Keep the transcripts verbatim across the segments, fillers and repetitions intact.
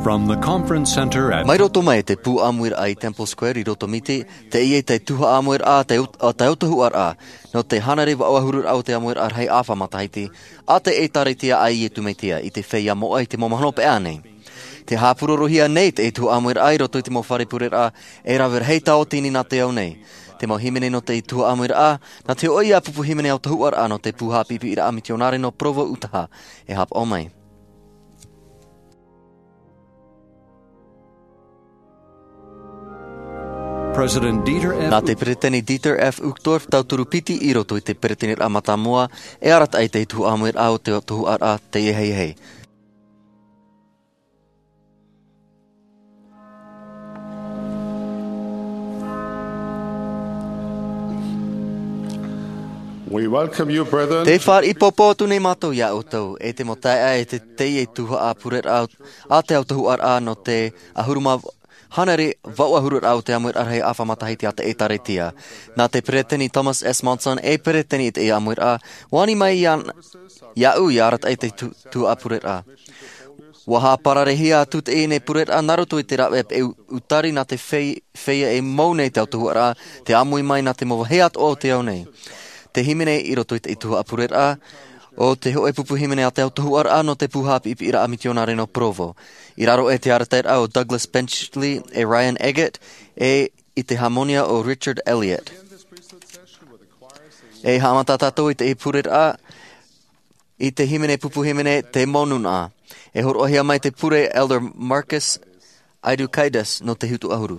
From the conference center at Mai roto mai te pū ʻāmuiraʻa i Temple Square i Roto Miti, teie te tuhaʻa ʻāmuiraʻa a te, a te autahuʻaraʻa, nō te hānere vaʻu ʻahuru raʻa o te ʻāmuiraʻa rahi ʻāfa matahiti, a te ʻĒtārētia a Iesu Mesia, i te feiā moʻa i te mau mahana paʻi nei. Tē haʻapurorohia nei te tuhaʻa ʻāmuiraʻa i roto i te mau fare pureraʻa, e rave rahi tauatini nā te ao nei. Te mau hīmene nō te tuhaʻa ʻāmuiraʻa, nā te hōʻē ïa pupu hīmene autahuʻaraʻa nō te pū haʻapiʻipiʻiraʻa mitionare nō Provo, Utaha, e haʻapaʻo mai. President Dieter F. Nā te Peretiteni Dieter F. Uchtdorf tauturu piti i roto i te Peretiteniraʻa Mātāmua, e arataʻi te tuhaʻa ʻāmuiraʻa o te autahuʻaraʻa teie. We welcome you, brethren. Tē fāriʻi pōpō atu nei mātou iā ʻoutou, e te mau taeaʻe, e te, teie tuhaʻa pureraʻa a te autahuʻaraʻa nō te ʻahuru mā hānere vaʻu ʻahuru raʻa o te ʻāmuiraʻa rahi ʻāfa matahiti a te ʻĒtārētia. Nā te Peretiteni Thomas S. Monson, e Peretiteni i te ʻāmuiraʻa, ʻua ani mai iā, iāʻu ʻia arataʻi te tu-, tuhaʻa pureraʻa. ʻUa haʻapararehia atu teie nei pureraʻa nā roto i te rāveʻa peʻe u-, utari nā te fei-, feiā e mau nei te autahuʻaraʻa, tē ʻāmui mai nā te mau vāhi atoʻa o te ao nei. Te hīmene i roto i te tuhaʻa pureraʻa, ʻo te hōʻē pupu hīmene a te autahuʻaraʻa nō te pū haʻapiʻipiʻiraʻa mitionare nō Provo. I raro aʻe te arataʻiraʻa o Douglas Benchley e Ryan Eggett, e i te hāmonia o Richard Elliott. E haʻamata tātou i te pureraʻa, i te hīmene pupu hīmene Te Mau Nūnaʻa. E hōroʻahia mai te pure Elder Marcus Aidukaitis nō te Hitu ʻAhuru.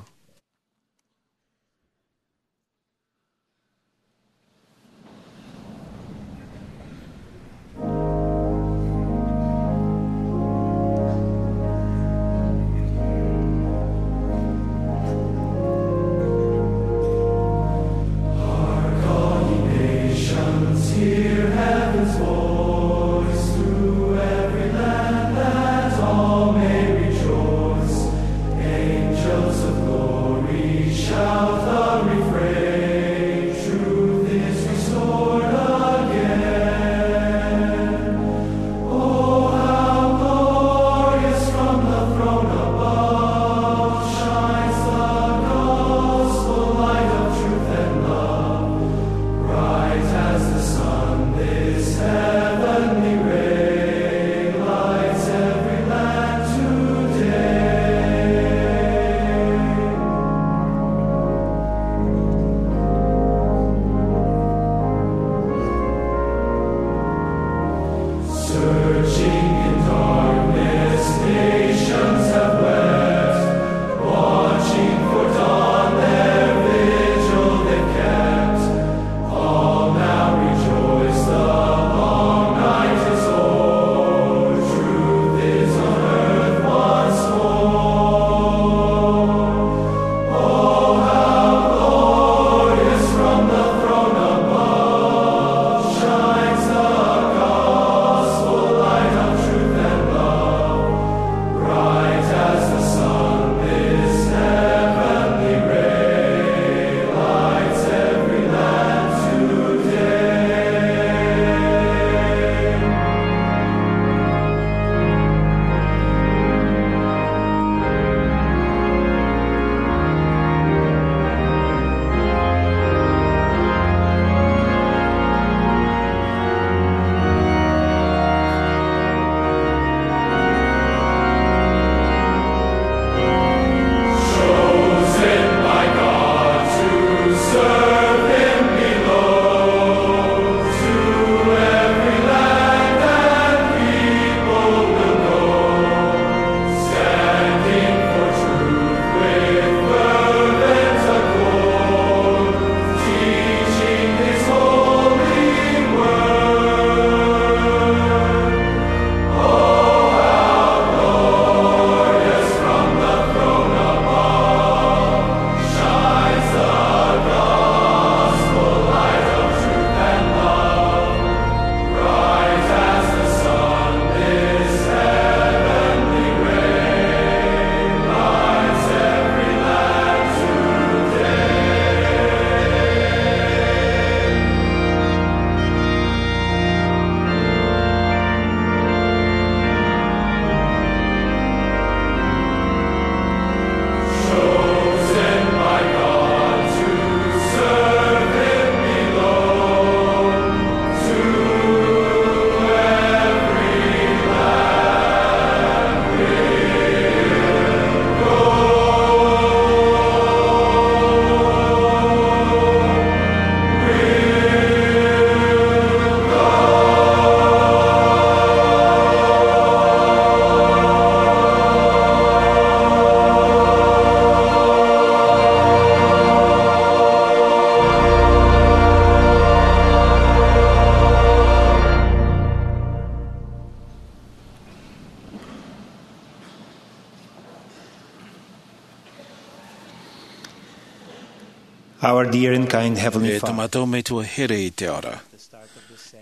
Our dear and kind Heavenly E Father, tō mātou Metua here i te ao ra.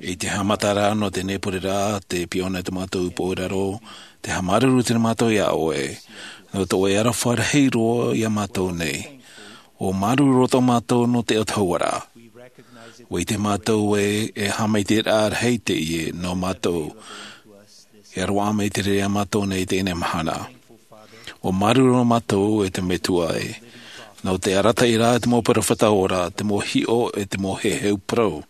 I te haʻamata ra nō teie nei pure ra, tē piʻi ana tō mātou upoʻo i raro, tē haʻamāuruuru atu nei mātou iā ʻoe, nō tō ʻoe aroha rahi roa iā mātou nei. ʻUa māuruuru roa tō mātou nō te autahuʻaraʻa. ʻUa ʻite mātou ē, e haʻamaitaʻiraʻa rahi teie nō mātou. E roaʻa mai te reira iā mātou nei i teie nei mahana. ʻUa māuruuru mātou e te Metua ē, nō te arataʻiraʻa i te mau peropheta ora, te mau hiʻo e te mau heheu parau.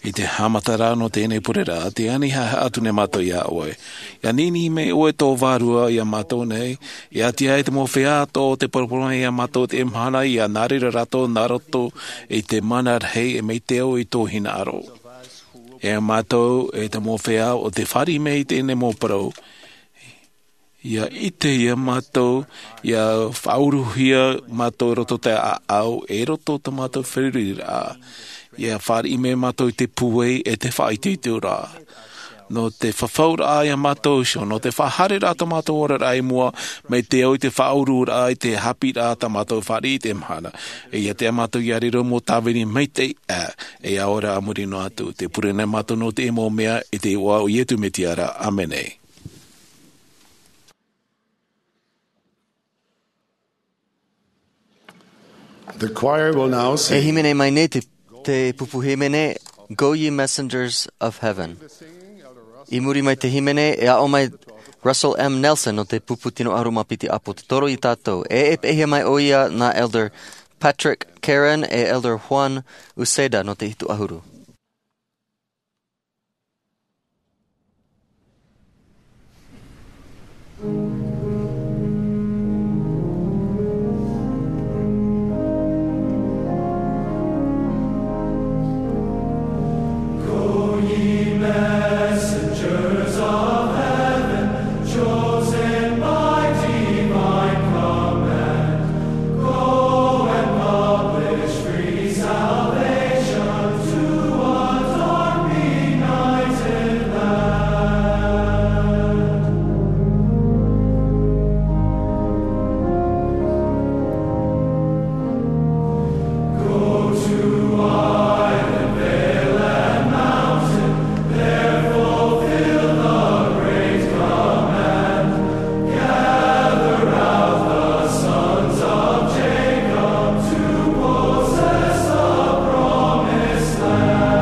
I te haʻamata ra nō teie nei pure ra, tē ani haʻehaʻa atu nei mātou iā ʻoe. ʻIa ʻaniʻini mai ʻoe tō vārua iā mātou nei, ʻia ʻati ai te mau feiā atoʻa o tē paraparau mai iā mātou i teie mahana, ʻia nā reira rātou nā roto i te mana rahi e mai te ao i tō hinaʻaro. E mātou, e te mau feiā o tē fāriʻi mai i teie nei mau parau, ʻia ʻite iā mātou, ʻia faʻauruhia mātou i roto i te ʻāʻau, e i roto i tō mātou feruriraʻa. ʻIa fāriʻi mai mātou i te pūai e te faʻaitoitoraʻa. Nō te fafauraʻa iā mātou iho, nō te faʻahaereraʻa i tō mātou oraraʻa i mua, mai te ao i te faʻaururaʻa, i te haʻapiʻiraʻa tā mātou fāriʻi i teie mahana. E ʻia tae mātou ʻia riro mau tāvini maitaʻi, ā, e ʻaore rā a muri noa atu. Tē pure nei mātou nō teie mau mea, i te iʻoa o Iesu Mesia ra. ʻĀmene. The choir will now sing. E hīmene mai nei te, te pupu hīmene, Go Ye Messengers of Heaven. I muri mai te hīmene, e aʻo mai Russell M. Nelson nō te pupu tino ʻahuru mā piti ʻāpōsetolo iā tātou. E, e peʻehia mai ʻoia nā Elder Patrick Karen e Elder Juan Uceda nō te hitu ʻahuru. Go, ye messengers of heaven, chosen by divine command, go and publish free salvation to a dark benighted land. Go to island, vale, and mountain, there fulfill the great command. Gather out the sons of Jacob to possess the promised land.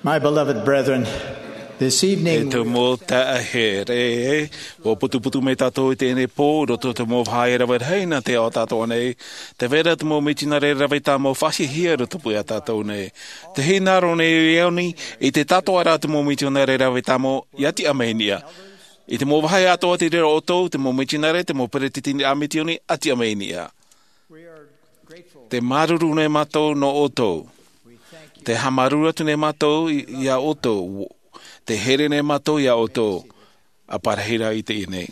My beloved brethren, this evening E tō mau taeaʻe here, ʻua putuputu mai tātou i teie nei pō, i roto i te mau vāhi rave rahi nā te ao tātou nei, tē vai ra te mau mitionare rave tāmau faʻahiahia i rotopū iā tātou nei. Tē hinaʻaro nei au i te tātou ra te mau mitionare rave tāmau, ʻia tiʻa mai niʻa. I te mau vāhi atoʻa tei reira ʻoutou, te mau mitionare, te mau peretiteni a mitioni, ʻia tiʻa mai niʻa. Tē māuruuru nei mātou nō ʻoutou. Tē haʻamāuruuru atu nei mātou i, iā ʻoutou. Tē here nei mātou iā ʻoutou. ʻA pārahi rā i teie nei.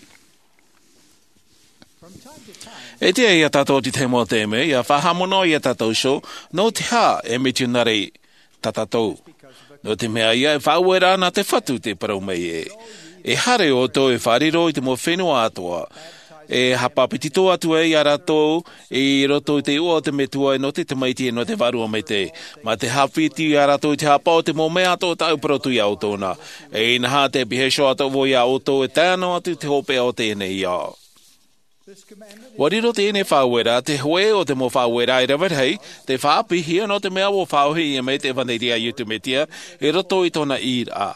E tiʻa iā tātou i te tahi mau taime, ʻia faʻahaʻamanaʻo iā tātou iho, nō te aha e mitionare tā tātou. Nō te mea ïa e faʻaueraʻa nā te Fatu tē parau mai ē. E haere ʻoutou e faʻariro i te mau fenua atoʻa. E haʻapāpetito atu ai iā rātou i roto i te iʻoa o te Metua, nō te Tamaiti, nō te Vārua Maitaʻi. Mā te haʻapiti iā rātou i te haʻapaʻo o te mau mea atoʻa tāʻu parau atu iā ʻoutou na. E inaha, tē pihaʻi iho atoʻa vau iā ʻoutou e tae noa atu i te hopeʻa o teie nei ao. ʻUa riro teie nei faʻaueraʻa, te hōʻē o te mau faʻaueraʻa e rave rahi, tei faʻaʻāpīhia nō te mea ʻua faʻaʻōhie mai te ʻevanelia a Iesu Mesia i roto i tōna ʻīraʻa.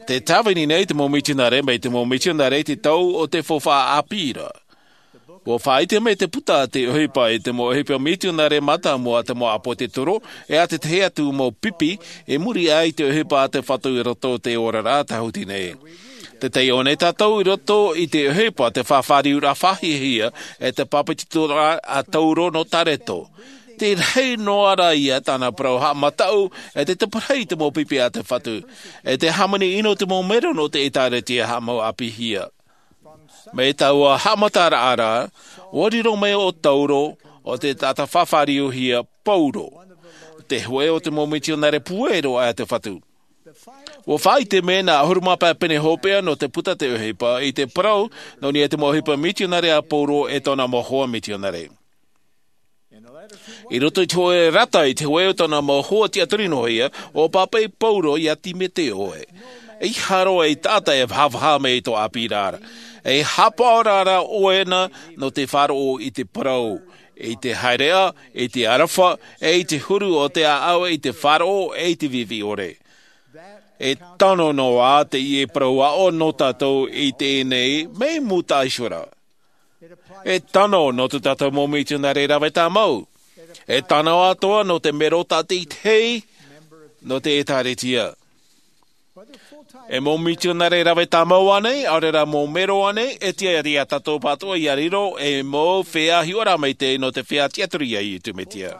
Tē tāvini nei te mau mitionare mai te mau mitionare i te tau o te faufaʻa ʻāpī ra. ʻUa faʻaʻite mai te puta a te ʻohipa i te mau ʻohipa mitionare mātāmua a te mau ʻāpōsetolo, e ā te tahi atu mau pipi i muri aʻe i te ʻohipa a te Fatu i roto i te oraraʻa tāhuti nei. Tē taiʻo nei tātou i roto i te ʻohipa, te faʻafāriuraʻa faʻahiahia, e te pāpetitoraʻa a Tauro nō Tareto. Tē rahi noa ra ia tāna parau haʻamataʻu, e te taparahi i te mau pipi a te Fatu, e te hāmani ʻino i te mau mero nō te ʻĒtārētia haʻamau ʻāpīhia. Mai taua haʻamataraʻa ra, ʻua riro mai ʻo Tauro, ʻo te taʻata faʻafāriuhia Pauro, te hōʻē o te mau mitionare puero a te Fatu. ʻUa faʻaʻite mai nā ʻahuru mā pae pene hopeʻa nō te puta te ʻohipa i te parau nō niʻa i te mau ʻohipa mitionare a Pauro e tōna mau hoa mitionare. I roto i te hōʻē rata i te hōʻē o tōna mau hoa tiʻaturi noa ia, ʻua pāpaʻi Pauro iā Timoteo ē, ʻeiaha roa e taʻata e vahavaha mai i tō ʻāpī ra, e haʻapaʻo rā ʻoe na nō te faʻaroʻo i te parau, i te haereʻa, i te aroha, e i te huru o te ʻāʻau, i te faʻaroʻo, e i te vivi ʻore. E tano noa teie parau aʻo nō tātou i teie nei, mai mūtaʻa iho ra. E tano nō tō tātou mau mitionare rave tāmau. E tano atoʻa nō te mero tātaʻitahi nō te ʻĒtārētia. E mau mitionare rave tāmau ānei, ʻaore rā mau mero ānei, e tiʻa iā tātou pātoʻa ʻia riro ei mau feiā hiʻoraʻa maitaʻi nō te feiā tiʻaturi iā Iesu Mesia.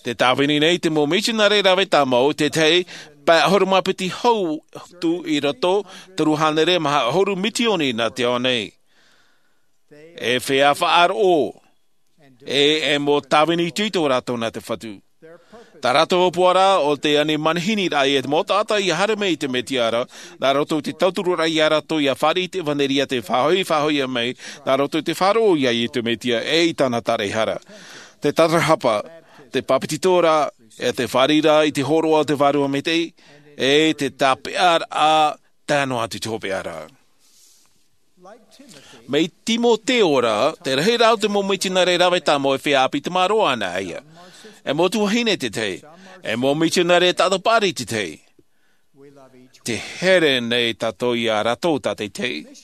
Tē tāvini nei te mau mitionare rave tāmau, te tahi pae ʻahuru mā piti hau atu i roto, toru hānere maha ʻahuru mitioni nā te ao nei. E feiā faʻaroʻo, e, e mau tāvini itoito rātou nā te Fatu. Tā rātou ʻōpuaraʻa ʻo te ani manihini ra ia te mau taʻata ʻia haere mai i te Mesia ra, nā roto i te tautururaʻa iā rātou ʻia fāriʻi i te ʻevanelia tei faʻahoʻi, faʻahoʻi mai, nā roto i te faʻaroʻo iā Iesu Mesia, e i tāna taraehara. Te tatarahapa, te pāpetitoraʻa, e te fāriʻiraʻa i te hōroʻa o te Vārua Maitaʻi, e te tāpeʻaraʻa tae noa atu i te hopeʻa ra. Mai Timoteo ra, te rahi rā o te mau mitionare rave tāmau e feiā ʻāpī tamaroa ana ia. E mau tuahine te tahi, e mau mitionare taʻata paʻari te tahi. Tē here nei tātou iā rātou tātaʻitahi.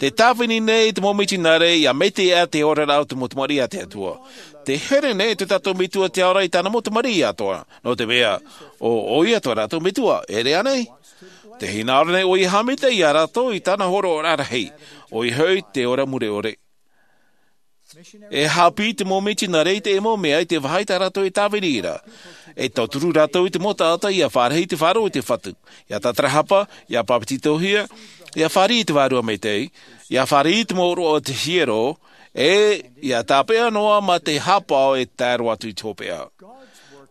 Tē tāvini nei te mau mitionare ʻia maitaʻi te oraraʻa o te mau tamariʻi a te Atua. Tē here nei tō tātou Metua te Ao ra i tāna mau tamariʻi atoʻa. Nō te mea, ʻo, ʻoia tō rātou Metua, e ʻere ānei? Tē hinaʻaro nei ʻoia e haʻamaitaʻi iā rātou i tāna hōroʻaraʻa rahi, ʻoia hoʻi te ora mure ʻore. E haʻapiʻi te mau mitionare i te mau mea i te vāhi tā rātou e tāvini ra. E tauturu rātou i te mau taʻata ʻia fāriʻi i te faʻaroʻo i te Fatu, ʻia tatarahapa, ʻia pāpetitohia, ʻia fāriʻi i te Vārua Maitaʻi, ʻia fāriʻi i te mau ʻōroʻa o te hiero, e ʻia tāpeʻa noa mā te haʻapaʻo e tae roa atu i te hopeʻa.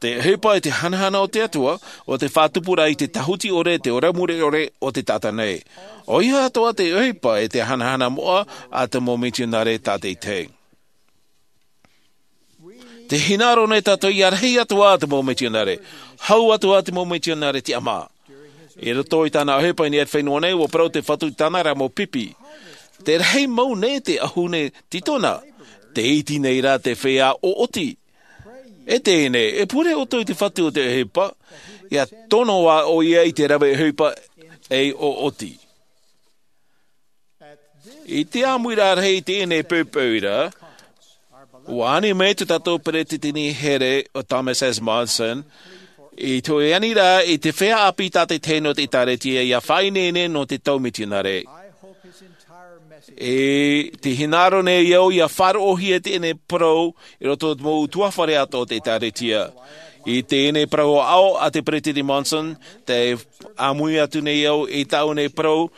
Te ʻohipa e te hanahana o te Atua, ʻo te faʻatupuraʻa i te tāhuti ʻore, te ora mure ʻore o te taʻata nei. ʻOia atoʻa te ʻohipa e te hanahana moʻa a te mau mitionare tātaʻitahi. Tē hinaʻaro nei tātou ʻia rahi atoʻa te mau mitionare, hau atoʻa te mau mitionare tiʻamā. I roto i tāna ʻohipa i niʻa i te fenua nei, ʻua parau te Fatu i tāna ra mau pipi. Tē rahi mau nei te ʻahune tītona, tē iti nei rā te feiā ʻoʻoti. E teie nei, e pure ʻoutou i te Fatu o te ʻohipa, ʻia tono ā ʻoia i te rave ʻohipa ei ʻoʻoti. I te ʻāmuiraʻa rahi i teie nei poʻipoʻi ra, ʻua ani mai tō tātou peretiteni here ʻo Thomas S. Monson, i te hōʻē aniraʻa i te feiā ʻāpī tātaʻitahi nō te ʻĒtārētia ʻia faʻaineine nō te tau mitionare. E tē hinaʻaro nei au ʻia faʻaroʻohia teie nei parau i roto i te mau ʻutuāfare atoʻa o te ʻĒtārētia. I teie nei parau aʻo a te Peretiteni Monson, tē ʻāmui atu nei au i tāʻu nei parau,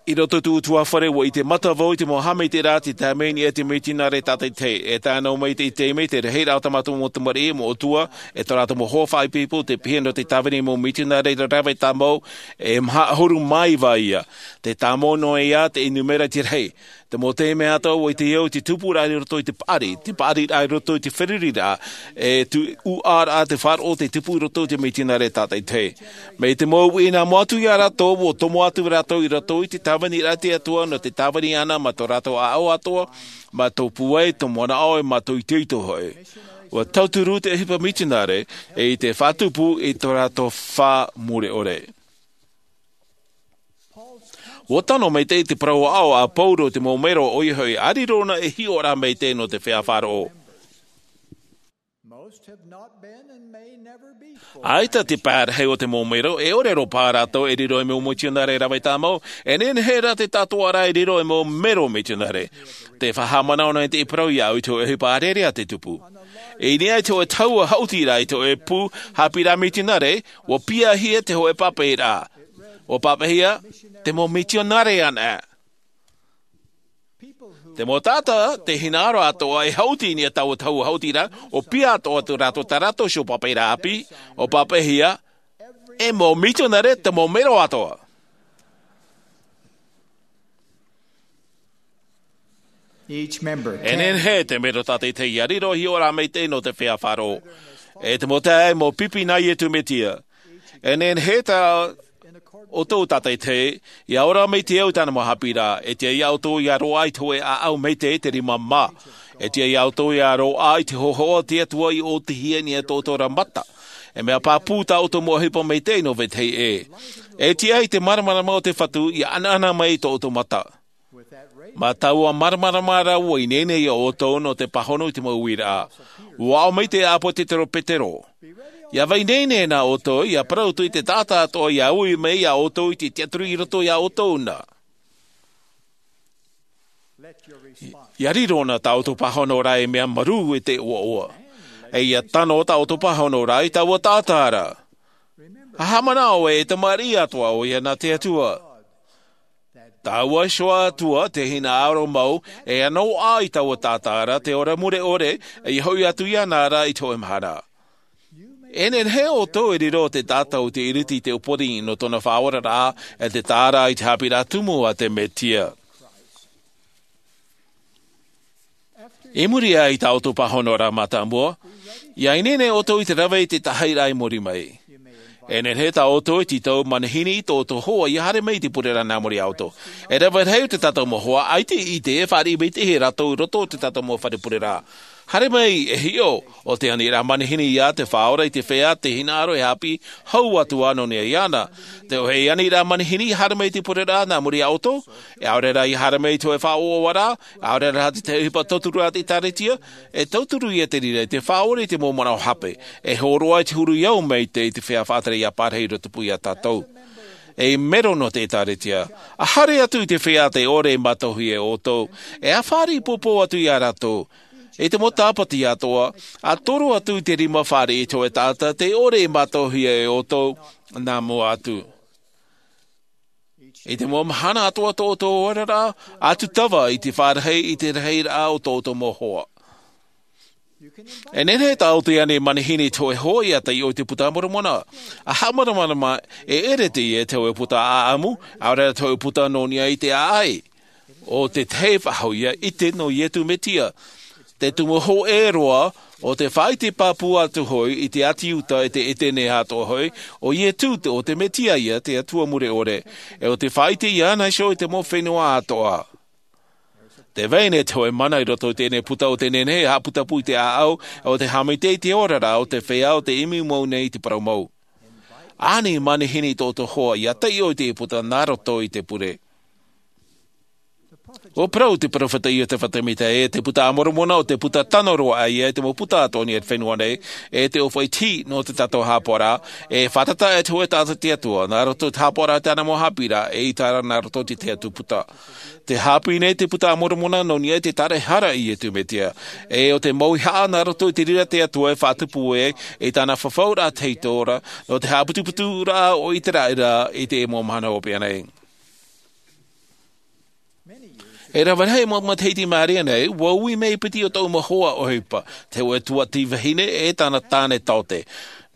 I roto i tō ʻoutou fare, ʻua ʻite mata vau i te mau haʻamaitaʻiraʻa tei tae mai nei e te mitionare tātaʻitahi. E tae noa mai i teie taime, te rahiraʻa o tā mātou mau tamariʻi, mau ʻatua, e tō rātou mau hoa faʻaipoipo, tei pihaʻi nō te tāvini mau mitionare rave tāmau, e maha ʻahuru mā iva ïa. Tē tāmau noa ïa te ʻenumera i te rahi. Te mau taime atoʻa, ʻua ʻite au i te tupuraʻa i roto i te paʻari, te paʻariraʻa i roto i te feruriraʻa, e te ʻuʻaraʻa, te faʻaroʻo tei tupu i roto i te mitionare tātaʻitahi. Mai te mau uʻi nā mua atu ia rātou, ʻua tomo atu rātou i roto i te tāviniraʻa a te Atua, nō te tāvini iāna mā tō rātou ʻāʻau atoʻa, mā tō pūai, tō manaʻo, e mā tō itoito hoʻi. ʻUa tauturu te ʻohipa mitionare, e i te faʻatupu i tō rātou fā mure ʻore. ʻUa tano maitaʻi te parau aʻo a Pauro i te mau mero, ʻoia hoʻi, ʻa riro ʻōna e hiʻoraʻa maitaʻi nō te feiā faʻaroʻo. Most have not been and may never be full. ʻAita te pae rahi o te mau mero, e ʻore roa paha rātou e riro ei mau mitionare rave tāmau, e nehenehe rā te tātōʻaraʻa e riro ei mau mero mitionare. Tē faʻahaʻamanaʻo nei te parau iāʻu i te hōʻē ʻohipa ʻārearea tei tupu. I niʻa i te hōʻē tahua haʻutiraʻa i te hōʻē pū haʻapiʻiraʻa mitionare, ʻua piahia te hōʻē pāpaʻiraʻa. ʻUa pāpaʻihia, te mau mitionare anaʻe. Te mau taʻata, te hinaʻaro atoʻa e haʻuti i niʻa i taua tahua haʻutiraʻa, ʻua piahi atoʻa tō rātou, tā rātou iho pāpaʻiraʻa ʻāpī, ʻua pāpaʻihia, e mau mitionare te mau mero atoʻa. Each member E can nehenehe te mero tātaʻitahi ʻia riro ei hiʻoraʻa maitaʻi nō te feiā faʻaroʻo. E te mau taeaʻe, mau pipi nā Iesu Mesia. E nehenehe tā ʻoutou tātaʻitahi, ʻia ora maitaʻi au i tāna mau haʻapiʻiraʻa, e tiʻa iā ʻoutou ʻia roaʻa i te hōʻē ʻāʻau maitaʻi, te rima mā. E tiʻa iā ʻoutou ʻia roaʻa i te hōhoʻa o te Atua i ʻōtihia i niʻa i tō ʻoutou ra mata. E mea pāpū tā ʻoutou mau ʻohipa maitaʻi nō vetahi ʻē. E tiʻa i te māramarama o te Fatu ʻia ʻanaʻana mai i tō ʻoutou mata. Mā taua māramarama rā ʻua ineine iā ʻoutou nō te pāhono i te mau uiraʻa. ʻUa aʻo mai te ʻāpōsetolo Petero. ʻIa vai ineine na ʻoutou, ʻia parau atu i te taʻata atoʻa ʻia ui mai iā ʻoutou i te tiʻaturi i roto iā ʻoutou na. ʻIa riro na tā ʻoutou pāhono ra ei mea marū e te ʻoaʻoa. E ʻia tano tā ʻoutou pāhono ra i taua taʻata ra. ʻA haʻamanaʻo ē, e tamariʻi atoʻa ʻoia nā te Atua. Taua iho Atua te hinaʻaro mau, e ʻanoʻa i taua taʻata ra te ora mure ʻore, e ʻia hoʻi atu iāna ra i te hōʻē mahana. E nehenehe ʻoutou e riro te taʻata o te ʻiriti i te ʻōpani nō tōna faʻaoraraʻa, e te tāraʻa i te haʻapiʻiraʻa tumu a te Mesia. I muri aʻe i tā ʻoutou pāhono ra mātāmua, ʻia ineine ʻoutou i te rave i te tahi ra i muri mai. E nehenehe tā ʻoutou e tītau manihini i tō ʻoutou hoa ʻia haere mai i te pureraʻa nā muri iā ʻoutou. E rave rahi atu te tātou mau hoa, ʻaita i ʻite e fāriʻi maitaʻi rātou i roto i te tātou mau fare pureraʻa. Haere mai e hiʻo, ʻo te aniraʻa manihini ïa te Faʻaora i te feiā, te hinaʻaro e haʻapiʻi hau atu ā nō niʻa iāna. Te hōʻē aniraʻa manihini haere mai i te pureraʻa nā muri iā ʻoutou, e ʻaore rā ʻia haere mai i te hōʻē faʻaʻoaʻoaraʻa, ʻaore rā te tahi ʻohipa tauturu a te ʻĒkālesia, e tauturu ïa te reira i te faʻaora i te mau manaʻo hape, e hōroʻa i te huru i au mai te, i te feiā faʻatere ʻia pārahi i roto pū iā tātou. Ei mero nō te ʻĒkālesia, ʻa haere atu i te feiā tē ʻore e mātauhia e ʻoutou, e ʻa fāriʻi pōpō atu iā rātou. I te mau tāpati atoʻa, ʻa toro atu i te rima fāriʻi i te hōʻē taʻata tē ʻore e mātauhia e ʻoutou, nā mua atu. I te mau mahana atoʻa tō ʻoutou oraraʻa, ʻa tūtava i te fārahi i te rahiraʻa o tō ʻoutou mau hoa. E nehenehe tā ʻoutou e ani manihini i te hōʻē hoa ʻia taiʻo i te Buka a Moromona. ʻA haʻamāramarama, e ʻere teie te hōʻē buka ʻāʻamu, ʻaore rā te hōʻē buka nō niʻa i te ʻāʻai. ʻO te tahi faʻahou ïa ʻite nō Iesu Mesia. Te tumu hōʻē roa, ʻo te faʻaʻite pāpū atu hoʻi i te ʻāti Iuta e te ʻētene atoʻa hoʻi, ʻo Iesu te, ʻo te Mesia ïa te Atua mure ʻore. E ʻo te faʻaʻite iāna iho i te mau fenua atoʻa. Tē vai nei te hōʻē mana i roto i teie buka ʻo tē nehenehe e haʻaputapū i te ʻāʻau, e ʻo te haʻamaitaʻi i te oraraʻa o te feiā ʻo tē ʻimi mau nei i te parau mau. Ani manihini i tō ʻoutou hoa ʻia taiʻo i te buka nā roto i te pure. ʻUa parau te peropheta Iosepha Semita ē, te Buka a Moromona ʻo te buka tano roa aʻe ïa i te mau buka atoʻa i te fenua nei, e te ʻōfaʻi tihi nō tā tātou haʻapaʻoraʻa, e fātata e te hōʻē taʻata i te Atua, nā roto i te haʻapaʻoraʻa i tāna mau haʻapiʻiraʻa, e ʻaita rā nā roto i te tahi atu buka. Tē haʻapiʻi nei te Buka a Moromona nō niʻa i te taʻata e hara i Iesu Mesia, e ʻo te mau haʻa nā roto i te reira a te Atua e faʻatupu ai, i tāna fafauraʻa tahito ra, nō te haʻaputuputuraʻa o ʻĪteraʻera i te mau mahana hopeʻa nei. E rave rahi mau matahiti i maʻiri aʻe nei, ua ui mai piti o tōʻu mau hoa ʻohipa, te hōʻē tuati vahine e tāna tāne taote.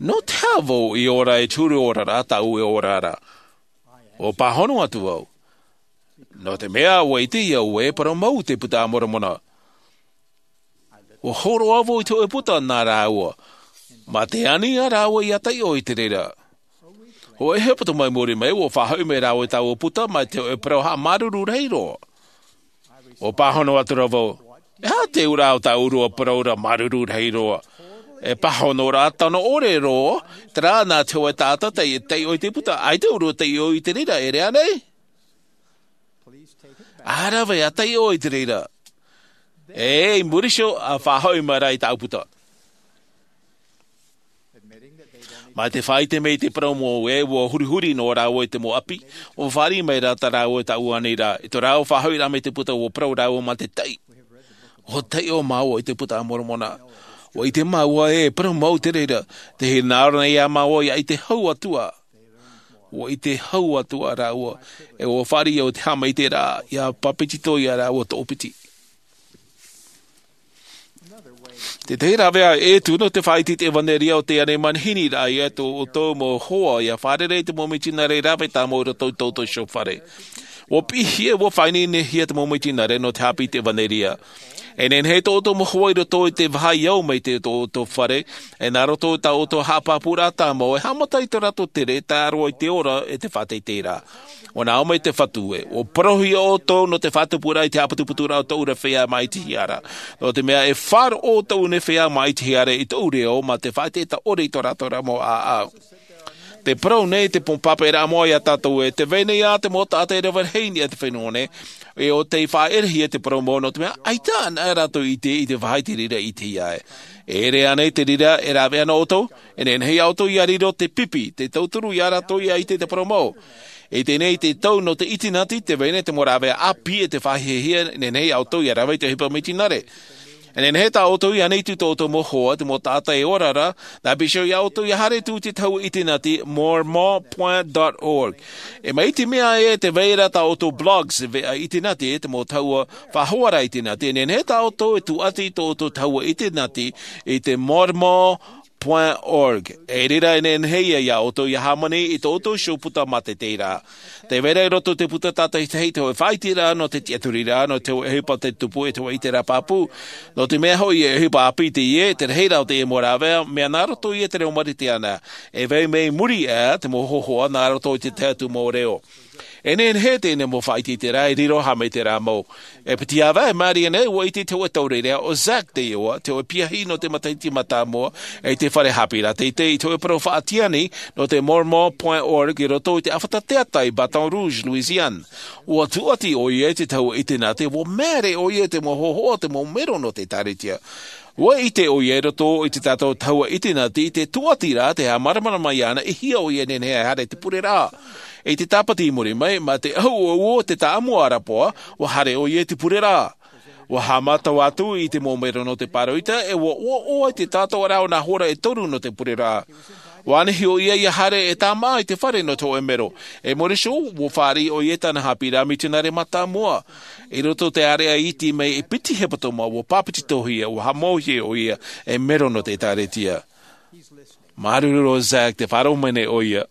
Nō te aha vau i ora e te huru ora rā tāʻu e ora ra? Ua pāhono atu vau. Nō te mea ua ʻite au e parau mau te Puta a Moromona. Ua hōroʻa vau i te hōʻē puta nā rāua. Mā te ani ia rāua ia taiʻo i te reira. Hōʻē hepetoma i muri mai, ua faʻahoʻi mai rāua i tāua puta mai te hōʻē parau haʻamāuruuru rahi roa. Ua pāhono atu ra vau, e aha te ura o tāʻu rua parau ra māuruuru rahi roa? E pāhono rā tano ʻore roa, terā nā te hōʻē taʻata tei taiʻo i te puta, ʻaita ʻoe rā taiʻo i te reira, e rave nei? ʻA rave, ʻa taiʻo i te reira. E, i muri iho, ʻa faʻahoʻi mai rā i tāʻu puta. Mā te faʻaʻite mai i te parau mau ē, ua hurihuri noa rāua i te mau ʻapi, ua fāriʻi mai rā tā rāua i tāʻu ani ra, i tō rāua faʻahoʻiraʻa mai i te puta, ua parau rāua mā te taʻi. Ua taiʻo māua i te Puta a Moromona. Ua ʻite māua ē, e parau mau te reira, tē hinaʻaro nei ā māua ia ʻite hau atu ā. Ua ʻite hau atu ā rāua, e ua fāriʻi au te haʻamaitaʻiraʻa, ia papetito ia rāua toʻopiti. Te tahi rāveʻa e tū nō te faʻaʻite i te ʻevanelia o te ani manihini ra ia tō ʻoutou mau hoa ia fārerei i te mau mitionare rave tāmau i roto i tō ʻoutou iho fare. Ua piʻihia, ua faʻaineinehia te mau mitionare nō te haʻapiʻi i te ʻevanelia. E nehenehe tō ʻoutou mau hoa i roto i te vaha i au mai i tō ʻoutou fare, e nā roto i tā ʻoutou haʻapāpūraʻa tāmau, e haʻamata i tō rātou tere, tae roa i te ora e te faʻateiteiraʻa. Ua nā ʻō mai te Fatu ē, ua parauhia ʻoutou nō te faʻatupuraʻa i te haʻaputuputuraʻa o tōʻu rā feiā māʻitihia ra. Nō te mea e faʻaroʻo tōʻu nei feiā māʻitihia ra i tōʻu reo, mā te faʻaʻiteʻite ʻore i tō rātou rā mau ʻāʻau. Tē parau nei te pō pāpaʻiraʻa moʻa ia tātou ē, tē vai nei ā te mau taʻata e rave rahi i niʻa i te fenua nei, e ʻo tei faʻaʻerehia te parau mau nō te mea, ʻaita anaʻe rātou i ʻite i te vaha i te reira i ʻitehia ai. E ʻere ānei te reira e rāveʻa na ʻoutou? E nehenehe ia ʻoutou ia riro te pipi, te tauturu ia rātou ia ʻite te parau mau. I teie nei te tau nō te ʻitinati, tē vai nei te mau rāveʻa ʻāpī e te faʻahiahia, e nehenehe ia ʻoutou ia rave i te ʻohipa mitionare. E nehenehe tā ʻoutou i ʻaneitu i tō ʻoutou mau hoa, te mau taʻata e ora ra, nā Bishop ia ʻoutou ia haere atu i te tahua ʻitinati, mormon point org. E mai te mea ē, tē vai ra tā ʻoutou blogs, veʻa ʻitinati, te mau tahua faʻahoara ʻitinati, e nehenehe tā ʻoutou e tūʻati i tō ʻoutou tahua ʻitinati, i te mormon point org. E reira e nehenehe ia ʻoutou ia hāmani i tō ʻoutou iho puta mātaʻitaʻiraʻa. Tē vai ra i roto i te puta tātaʻitahi te hōʻē faʻaʻiteraʻa nō te tiʻaturiraʻa, nō te hōʻē ʻohipa tei tupu, e te hōʻē ʻiteraʻa pāpū. Nō te mea hoʻi e ʻohipa ʻāpī teie, te rahiraʻa o teie mau rāveʻa, mea nā roto ia i te reo Marite ana. E vai mai muri aʻe te mau hōhoʻa nā roto i te tahi atu mau reo. E nehenehe teie nei mau faʻaʻiteʻiteraʻa e riro haʻamaitaʻiraʻa mau. E piti ʻāvaʻe i maʻiri aʻe nei, ua ʻite te hōʻē taureʻareʻa, ʻo Zach te iʻoa, te hōʻē piahi nō te matahiti mātāmua, i te fare haʻapiʻiraʻa teitei, i te hōʻē parau faʻatiani nō te mormon point org i roto i te ʻāfata teata i Baton Rouge, Louisiane. Ua tūʻati ʻoia i te tahua ʻitinati, ua māere ʻoia i te mau hōhoʻa, te mau mero nō te ʻĒtārētia. Ua ʻite ʻoia i roto i tā tātou tahua ʻitinati, i te tūʻatiraʻa, te haʻamāramarama iāna, e hia ʻoia e nehenehe e haere i te pureraʻa. I te Tāpati i muri mai, mā te ʻahu ʻouʻou o te tāʻamu ʻarapoʻa, ua haere ʻoia i te pureraʻa. Ua haʻamata atu i te mau mero nō te pāroita, e ua ʻoaʻoa i te tātauʻaraʻa o nā hora e toru nō te pureraʻa. Ua ʻānahi ʻoia ia haere e tāmā i te fare nō te hōʻē mero. E muri iho, ua fāriʻi ʻoia i tāna haʻapiʻiraʻa mitionare mātāmua. I roto i te ʻāreʻa iti mai e piti hepetoma, ua papetitohia, ua haʻamauhia ʻoia ei mero nō te ʻĒtārētia. Māuruuru Zach, tē faʻaroʻo mai nei ʻoia.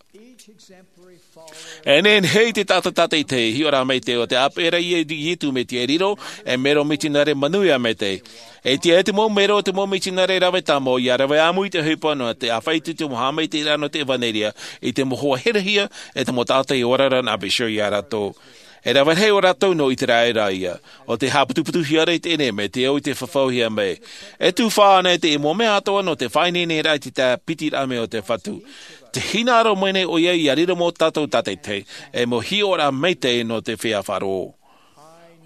E nehenehe te taʻata tātaʻitahi, hiʻo rā maitaʻi ʻo tē ʻāpeʻe ra ia Iesu Mesia e riro ei mero mitionare manuia maitaʻi. E tiʻa te mau mero, te mau mitionare rave tāmau, ia rave ʻāmui i te ʻohipa nō te ʻāfaʻi atu i te mau haʻamaitaʻiraʻa nō te ʻevanelia, i te mau hoa herehia, e te mau taʻata i ora ra nā Bishop ia rātou. E rave rahi o rātou nō Iteraera ia, ʻo tē haʻaputuputuhia ra i teie nei mea te au i te fafauhia mai. E tufa ānei te mau mea atoʻa nō te faʻaineineraʻa i te tāpitiraʻa mai o te Fatu? Tē hinaʻaro mai nei ʻoia ia riro mau tātou tātaʻitahi, e mau hiʻoraʻa maitaʻi nō te feiā faʻaroʻo.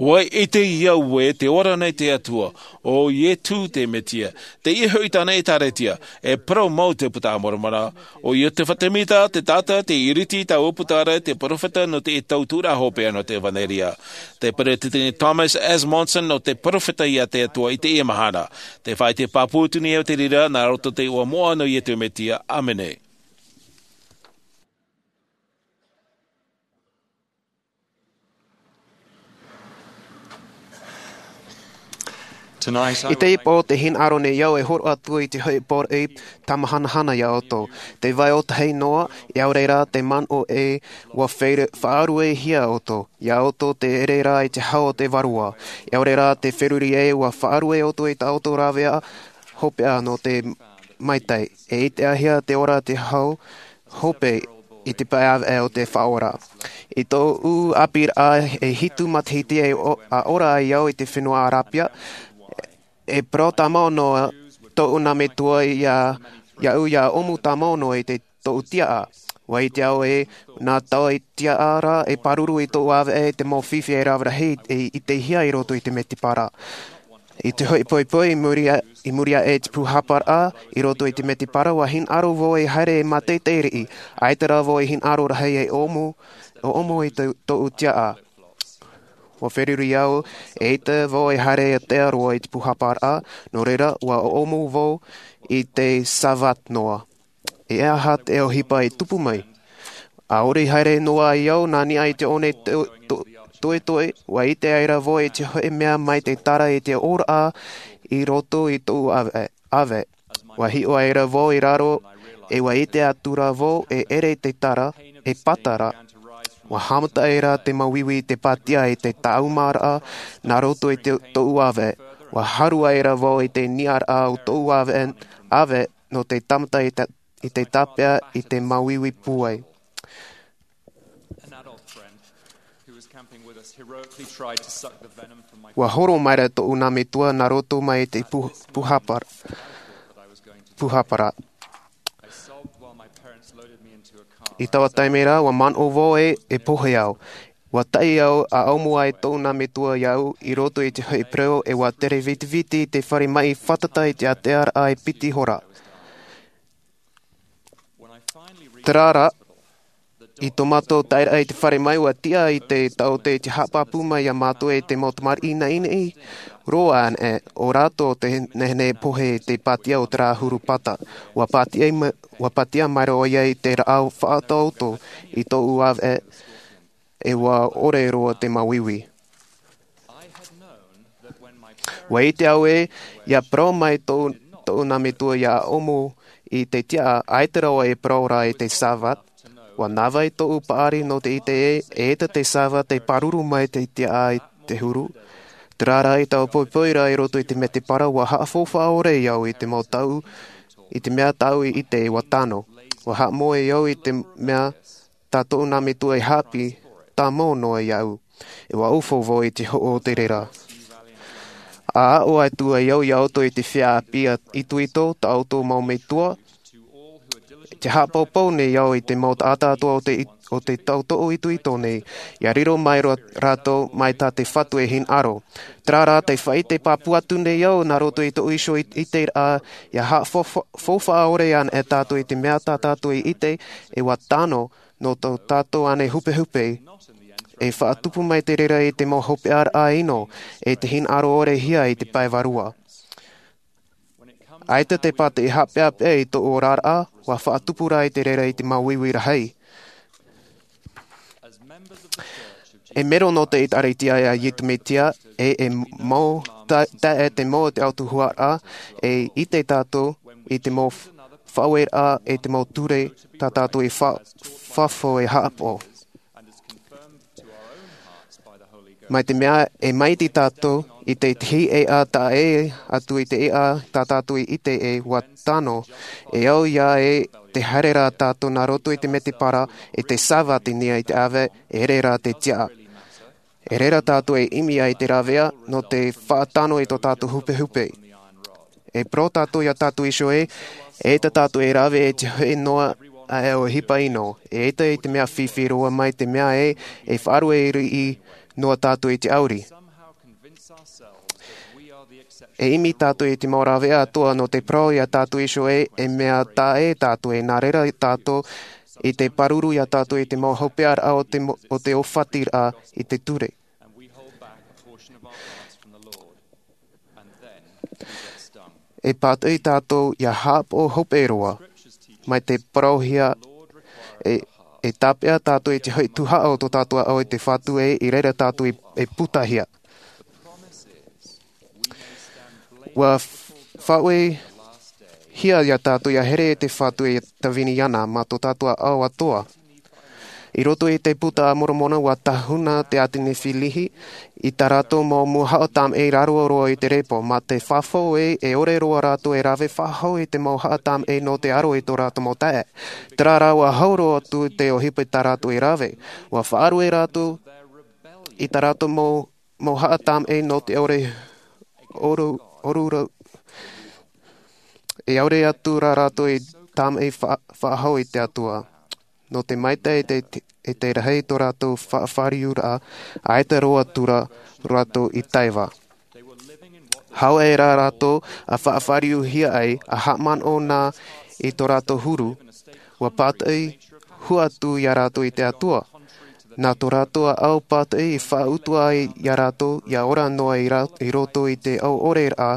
Ua ʻite au ē tē ora nei te Atua, ʻo Iesu te Mesia, teie hoʻi tāna ʻĒtārētia, e parau mau te Buka a Moromona, ʻo Iotefa Temita te taʻata tei iriti i taua puta ra, te perofeta nō te tau tuʻuraʻa hopeʻa nō te ʻevanelia. Te Peresideni Thomas S. Monson nō te perofeta ia te Atua i teie mahana. Tē faʻaʻite pāpū atu nei au i te reira, nā roto i te iʻoa moʻa nō Iesu Mesia. ʻĀmene. I te ipo o te hinaʻaro nei au e horo atu i te hoʻi pōroʻi tamahanahana iā ʻoutou. Te vai o tahi noa, e au reira te manaʻo e ua faʻaruehia ʻoutou. Iā ʻoutou te ere rā i te hau o te vārua. E au reira te feruri e ua faʻarue ʻoutou i tā ʻoutou rāveʻa hopeʻa nō te maitaʻi. E ʻitehia te ora te hau hope i te pae ʻāvaʻe o te Faʻaora. I tōʻu ʻāpīraʻa e hitu matahiti e ora ai au i te fenua Arapia, e parau tāmau noa tōʻu nā metua iā iāʻu ia ʻōmu tāmau noa i te tōʻu tiaʻa. Ua ʻite au e nā taua tiaʻa rā e pāruru i tōʻu ʻāvaʻe te mau fifi e rave rahi e ʻitehia i roto i te mētēpara. I te hoʻi poipoi i muri aʻe i te pūhaparaʻa i roto i te mētēpara ua hinaʻaro vau e haere e mātaʻitaʻi riʻi. ʻAita rā vau e hinaʻaro rahi e ʻōmu ʻōmu i tōʻu tiaʻa. Ua feruri au e ʻaita vau e haere e tea roa i te pūhaparaʻa. Nō reira ua ʻōmu vau i te Sāvate noa. E aha te ʻohipa i tupu mai? ʻAore i haere noa ai au nā niʻa i te ʻōne toʻetoʻe ua ʻite ai rā vau i te hoʻi mea mai te tara i te ʻōraʻa i roto i tōʻu ʻāvaʻe. Ua hiʻo ai rā vau i raro e ua ʻite atu rā vau e ere te tara e pata rā. Ua haʻamata ai rā te māuiui i te pātia i te tāʻumaraʻa nā roto i tōʻu ʻāvaʻe. Ua haru ai rā vau i te niʻaraʻa o tōʻu ʻāvaʻe nō te tāmata i te tāpeʻa i te māuiui pūai. Ua horo mai rā tōʻu nā metua nā roto mai i te pūhaparaʻa. I taua taime rā ua manaʻo vau e pohe au. Ua taʻi au a ʻōmu ai tōʻu nā metua iāʻu i roto i te hoʻi parau e ua tere vitiviti i te fare maʻi fātata i te ʻātearaʻa e piti hora. Terā rā i tō mātou taeraʻa i te fare maʻi ua tiʻa i te taote i te haʻapāpū mai iā mātou e te mau tamariʻi naʻinaʻi roa anaʻe o rātou te nehenehe pohe i te pātia o terā huru pata. Ua pātia ua pātia mai roa ia i te rāʻau faʻataoto i tōʻu ʻāvaʻe e ua ʻore roa te māuiui. Ua ʻite au e ia parau mai tōʻu nā metua ia ʻōmu i te tiaʻa ʻaita rā vau e parau rā i te Sāvate. Ua nāvai tōʻu paʻari nō te ʻite e ʻaita te Sāvate e pāruru mai te tiaʻa i te huru. Terā rā i taua poipoi rā i roto i te mētēpara ua haʻafaufaʻa ʻore au i te mau taʻu i te mea tāʻu i ʻite e ua tano. Ua haʻamoe au i te mea tā tōʻu nā metua e haʻapiʻi tāmau noa iāʻu. E ua ʻaufau vau i te hoʻo o te reira. A aʻo atu ai au iā ʻoutou i te feiā ʻāpī itoito tā ʻoutou mau metua. Te haʻapaupau nei au i te mau taʻata atoʻa o te tautoʻo itoito nei ia riro mai rātou mai tā te Fatu e hinaʻaro. Terā rā te faʻaʻite pāpū atu nei au nā roto i tōʻu iho ʻiteraʻa ia haʻafaufaʻa ʻore ana e tātou i te mea tā tātou i ʻite e ua tano nō tō tātou ʻānei hupehupe. E faʻatupu mai te reira i te mau hopeʻaraʻa ʻino e te hinaʻaro ʻorehia i te pae vārua. ʻAita te pātiʻi haʻapeʻapeʻa i tōʻu oraraʻa ua faʻatupu rā i te reira i te māuiui rahi. E mero nō te ʻēkālesia a iesu mesia e e mau taʻe te mau o te autahuʻaraʻa e ʻite tātou i te mau faʻaueraʻa e te mau ture tā tātou i fafo e haʻapaʻo. Mai te mea e maiti tātou i te tihi e a taʻe atu i te ʻeʻa tā tātou i ʻite e ua tano e au ia e te haere rā tātou nā roto i te mētēpara i te sāvate nei i te ʻāvaʻe e ere rā te tiaʻa. E reira tātou e ʻimi ai te rāveʻa nō te faʻatano i tō tātou hupehupe. E parau tātou iā tātou iho e e tā tātou e rave e te hoʻi noa aʻe o hipa ʻino e ʻaita i te mea fifi roa mai te mea e e faʻarue riʻi noa tātou i te ʻauri. E ʻimi tātou i te mau rāveʻa atoʻa nō te parau iā tātou iho e e mea taʻe tātou e nā reira tātou i te pāruru iā tātou i te mau hopeʻaraʻa o te ʻōfatiraʻa i te ture. E pātoʻi tātou ia haʻapaʻo hope roa mai te parauhia e tāpeʻa tātou i te hoʻi tuhaʻa o tō tātou ʻaʻau i te fatu e i reira tātou e putahia. Ua faʻaue hia iā tātou ia here e te Fatu e tāvini iāna mā tō tātou ʻāʻau atoʻa. I roto i te Buka a Moromona, ua tahuna te ʻāti Nephilihi i tā rātou mau mauhaʻa tāmaʻi i raro roa i te repo, mā te fafau ē, e ʻore roa rātou e rave faʻahou i te mauhaʻa tāmaʻi nō te aro i tō rātou mau taeaʻe. Terā rā, ua hau roa atu te ʻohipa i tā rātou e rave. Ua faʻarue rātou i tā rātou mau mauhaʻa tāmaʻi nō te ʻore ʻoru ʻoru rau. E ʻaore atu rā rātou i tāmaʻi faʻahou i te Atua. Nō te maitaʻi e te rahi tō rātou faʻafāriuraʻa, ʻaita roa atu rā rātou i taiva. Hau ʻē rā rātou a faʻafāriuhia ai, a haʻamanaʻo na i tō rātou huru, ua pātaʻi hua atu iā rātou i te Atua. Nā tō rātou ʻāʻau pātaʻi i faʻautuʻa ai iā rātou ia ora noa i roto i te ʻauʻoreraʻa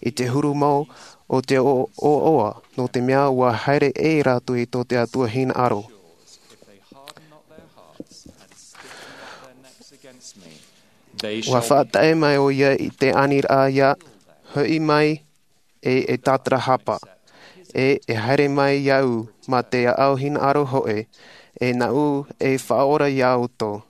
i te huru mau o te ʻoaʻoa, nō te mea ua haere ʻē rātou i tō te Atua hinaʻaro. Ua faʻataʻe mai ʻo ia i te aniraʻa ia hoʻi mai e e tātarahapa, e e haere mai iāʻu mā te ʻāʻau hinaʻaro hoʻi, e nāʻu e faʻaora iā ʻoutou.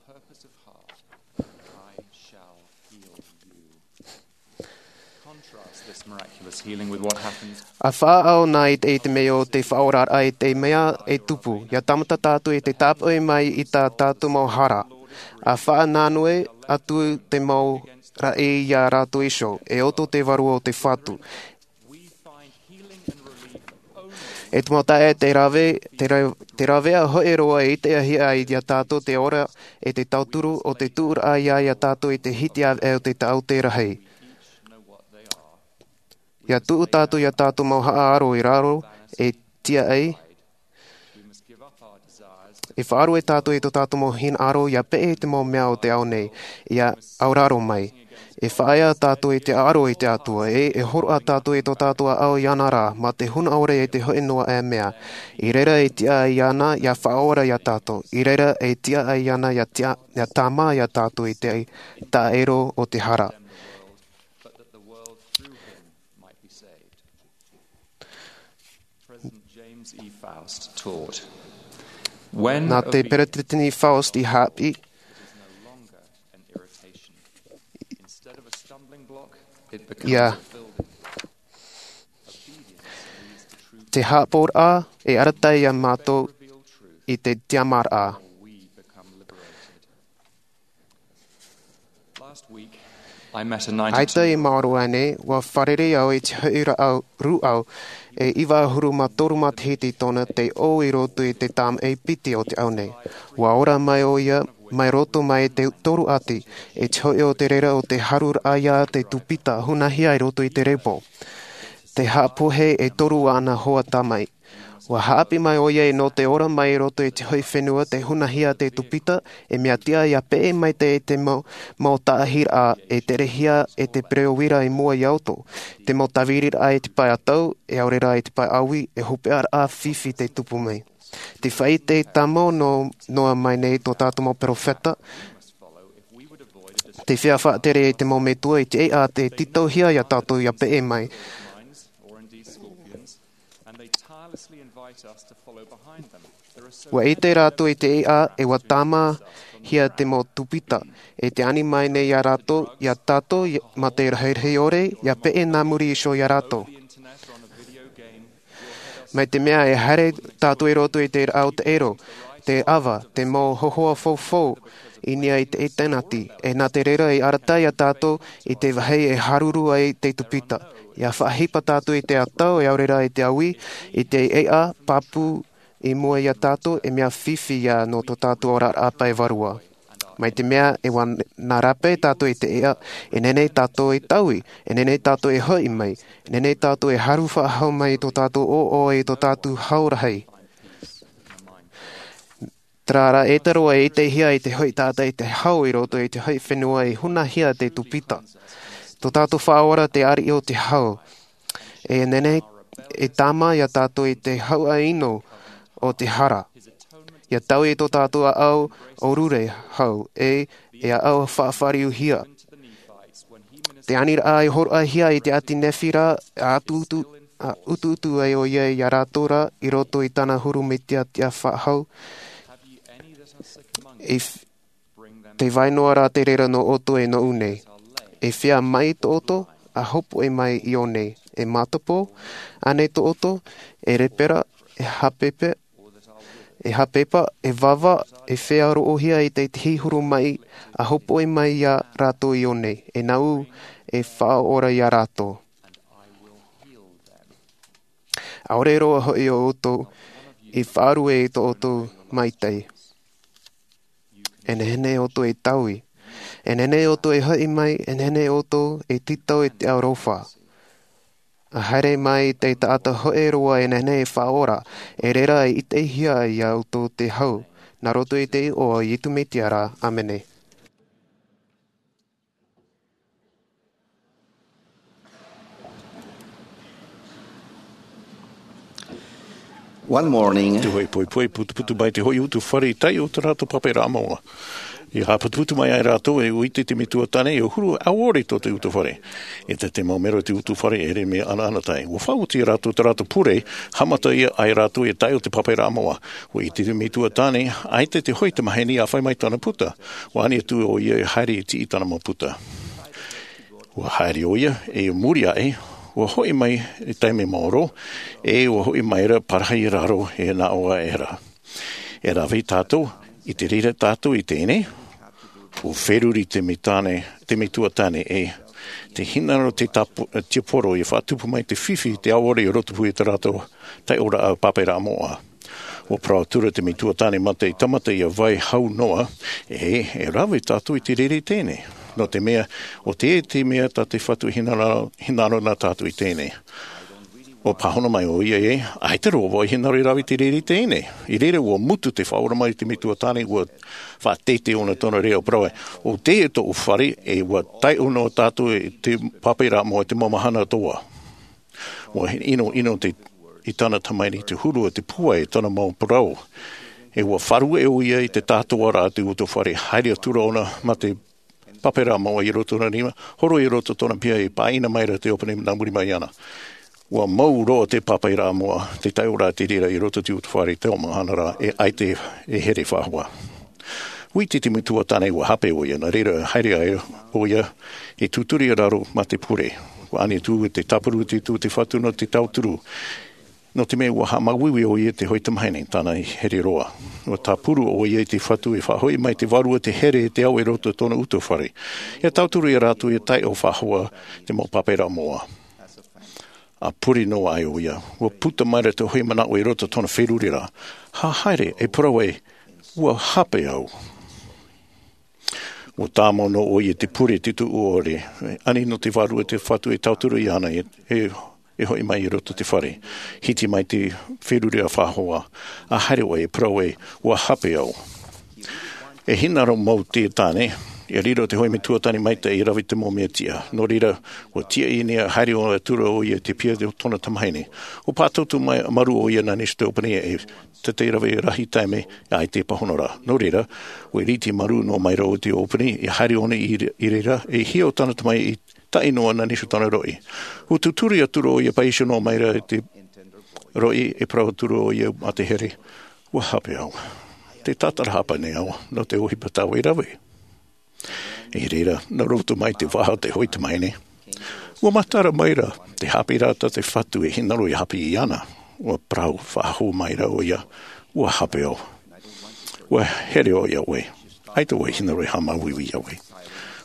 A faʻaʻau na i te mea o te faʻaoraraʻa i te mea e tupu ia tāmata tātou i te tāpoʻi mai i tā tātou mau hara. A faʻananue atu te mau raʻi iā rātou iho e oto te vārua o te Fatu. E te mau taeaʻe, te rave te ravea hoʻi roa e ʻite ai iā tātou te ora e te tauturu o te tuʻuraʻa iā iā tātou i te hiti ʻāvaʻe o te taʻote rahi. Ia tuʻu tātou iā tātou mau haʻaaro i raro e tiaʻi. E faʻarue tātou i tō tātou mau hinaʻaro ia peʻe i te mau mea o te ao nei ia auraro mai. E faʻaea tātou i te ʻaro i te Atua e e horoʻa tātou i tō tātou ʻāʻau iāna rā mā te huna ʻore e te hoʻi noa ʻē mea. I reira e tiaʻi iāna ia faʻaora iā tātou, i reira e tiaʻi iāna ia tāmā iā tātou i te taʻero o te hara. Nā te peresideni Faust i hāpiʻi, ia te hāpoʻoraʻa e arataʻi iā mātou i te tiamaraʻa. ʻAita i maoro aʻe nei, ua fārerei au i te hoʻi rāʻau rūʻau e iva ʻahuru mā toru matahiti tōna tei ʻō i roto i te tāmaʻi piti o te ao nei. Ua ora mai ʻo ia mai roto mai i te toru ʻati, e te hoʻi o te reira o te haruraʻa iā te tupita hunahia i roto i te repo. Te haʻapohe e toru ana hoa tāmaʻi. Ua hāpiʻi mai ʻo ia nō te ora mai i roto i te hoʻi fenua te hunahia te tupita, e mea tiʻa ia peʻe maitaʻi te mau taʻahiraʻa e terehia e te pereoira i mua iā ʻoutou. Te mau tāviriraʻa i te pae ʻatau e ʻaore rā i te pae ʻāui, e hopeʻaraʻa fifi te tupu mai. Te faʻaʻite tāmau noa mai nei tō tātou mau peropheta. Te feiā faʻatere i te mau metua i te ʻēʻa te tītauhia iā tātou ia peʻe mai. Ua ʻite rātou i te ʻēʻa e ua tāmāhia te mau tupita e te ani mai nei iā rātou iā tātou mā te rahirahi ʻore ia peʻe nā muri iho iā rātou. Mai te mea e haere tātou i roto i te rāʻau taʻero, te ʻava, te mau hohoʻa faufaʻa i niʻa i te ʻinitēneti, e nā te reira i arataʻi iā tātou i te vāhi e haruru ai te tupita. Ia faʻaʻohipa tātou i te ʻatau e ʻaore rā i te ʻāui, i te ʻēʻa pāpū i mua iā tātou e mea fifi ia nō tō tātou oraraʻa pae vārua. Mai te mea e ua nā rāpae tātou i te ʻēʻa, e nehenehe tātou e taui, e nehenehe tātou e hoʻi mai, e nehenehe tātou e haru faʻahou mai i tō tātou ʻoaʻoa i tō tātou hau rahi. Terā rā e taro e ʻitehia i te hoʻi taʻata i te hau i roto i te hoʻi fenua i hunahia te tupita. Tō tātou faʻaora te ariʻi o te hau. E nehenehe e tāmā iā tātou i te hauʻa ʻino o te hara. Ia taui i tō tātou ʻāʻau ʻōrure hau e e ʻāʻau faʻafāriuhia. Te aniraʻa e horoʻahia i te ʻāti Nefi ra, a utuutu, a utuutu ai ʻo ia iā rātou ra i roto i tāna huru mea tiʻatiʻa faʻahou. I f-, te vai noa rā te reira nō ʻoutou e nōʻu nei. E fea mai tō ʻoutou, a hopoʻi mai iō nei. E mātapō, ānei tō ʻoutou, e rēpera, e hapepe, e hapepa, e vava, e fea roʻohia i te hihuru mai, a hopoʻi mai iā rātou iō nei. E nāʻu, e faʻaora iā rātou. ʻAore roa hoʻi ʻo ʻoutou, i faʻarue i tō ʻoutou maitaʻi. E nehenehe ʻoutou e taui. E nehenehe ʻoutou e hoʻi mai, e nehenehe ʻoutou e tītau i te aroha. A haere mai te taʻata hōʻē roa e nehenehe e faʻaora, e reira e ʻitehia iā ʻoutou te hau. Nā roto i te iʻoa o Iesu Mesia ra, ʻāmene. One morning, te hoʻi poipoi putuputu mai te hoʻi utuafare i taiʻo o te rātou pāpaʻiraʻa moʻa. I haʻaputuputu mai ai rātou e ʻite i te metua tāne, e huru ʻaore tō te utuafare. E te, te mau mero o te utuafare e ʻere mea ʻanaʻanatae. Ua faʻaoti rātou te rātou pure, haʻamata ia ai rātou e taiʻo te pāpaʻiraʻa moʻa. Ua ʻite te metua tāne, ʻaita te hoʻi tamahine ʻa fai mai tāna puta. Ua ani atu ʻo ia e haere i tiʻi tāna mau puta. Ua haere ʻo ia, e muri aʻe, ua hoʻi mai i taime maoro, e ua hoʻi mai ra parahi i raro e nā ʻō aʻera. E rave tātou, i te reira tātou i teie nei, ua feruri te metua tāne, te metua tāne e, te hinaʻaro te tapu, tiaporo i faʻatupu mai te fifi te ʻaore i rotopū i te rātou taiʻoraʻa pāpaʻiraʻa moʻa. Ua parau atura te metua tāne mā te tāmata ia vai hau noa, e, e rave tātou i te reira i teie nei. Nō te mea, ʻo te, te mea tā te Fatu hinaʻaro, hinaʻaro nā tātou i teie nei. Ua pāhono mai ʻo ia e, ʻaita roa vau e hinaʻaro e rave i te reira i teie nei. I reira ua mutu te faʻaora mai i te metua tāne, ua faʻateitei ʻōna tōna reira ʻo parau ai. ʻO teie tōʻu fare, e ua taiʻo noa tātou i te pāpaʻiraʻa moʻa i te mau mahana atoʻa. Ua ʻinoʻino te, i tāna tamahine i te huru o te pūai i tāna mau parau. E ua faʻaruʻe ʻo ia i te tātōraʻa o te utuafare, haere atura ʻōna mā te pāpaʻiraʻa moʻa i roto i tōna rima, horo i roto i tōna piha e pāʻina mai ra te ʻōpani nā muri mai iāna. Ua mau roa te pāpaʻiraʻa moʻa, te taiʻoraʻa te reira i roto i te utuafare i te mau mahana ra, e ʻaita e here faʻahou. Ua ʻite te metua tāne ua hape ʻo ia, nā reira haere ai ʻo ia, e tūturi i raro mā te pure. Ua ani atu te tāpuru i te Atua te Fatu nō te tauturu. Nō te mea ua haʻamāuiui ʻo ia te hoʻi tamahine, tāna i here roa. Ua tāpuru ʻo ia i te Fatu e faʻahoʻi mai te Vārua te here e te ao i roto i tōna utuafare. ʻIa tauturu ia rātou ʻia taiʻo faʻahou te mau pāpaʻiraʻa moʻa. ʻA pure noa ai ʻo ia, ua puta mai ra te hoʻi manaʻo i roto i tōna feruriraʻa. ʻA haere, e parau ai, ua hape au. Ua tāmau noa ʻo ia i te pure i te tuʻu ʻore, ani nō te Vārua te Fatu e tauturu iāna e, e, e hoʻi mai i roto i te fare. Hiti mai te feruriraʻa faʻahou, ʻa haere ʻo ia e parau ai, ua hape au. E hinaʻaro mau te tāne, ʻia riro te hoʻi metua tāne maitaʻi e rave i te mau mea tiʻa. Nō reira, ua tiaʻi nei ʻa haere ʻo atura ʻo ia i te piha o tōna tamahine. Ua pātoutou mai, marū ʻo ia nā Nīsio te ʻōpani e, tē rave rahi taime, ʻaita e pāhono ra. Nō reira, ua ʻiriti marū noa mai ra ʻo te ʻōpani, ʻia haere ʻōna i, i reira, e hia ʻo tāna tamahine i taʻi noa nā Nīsio tōna roʻi. Ua tūturi atura ʻo ia, pāʻiʻi noa mai ra i te roʻi, e parau atura ʻo ia mā te here. Ua hape au. Tē tātarahapa nei au, nō te ʻohipa tāua i rave. I reira, nā roto mai te vaha o te hoʻi tamahine. Ua matara mai ra, te haʻapiʻiraʻa tā te Fatu e hinaʻaro ʻia haʻapiʻi iāna. Ua parau faʻahou mai ra ʻo ia, ua hape au. Ua here ʻo ia ʻoe. ʻAita vau e hinaʻaro e haʻamāuiui iā ʻoe.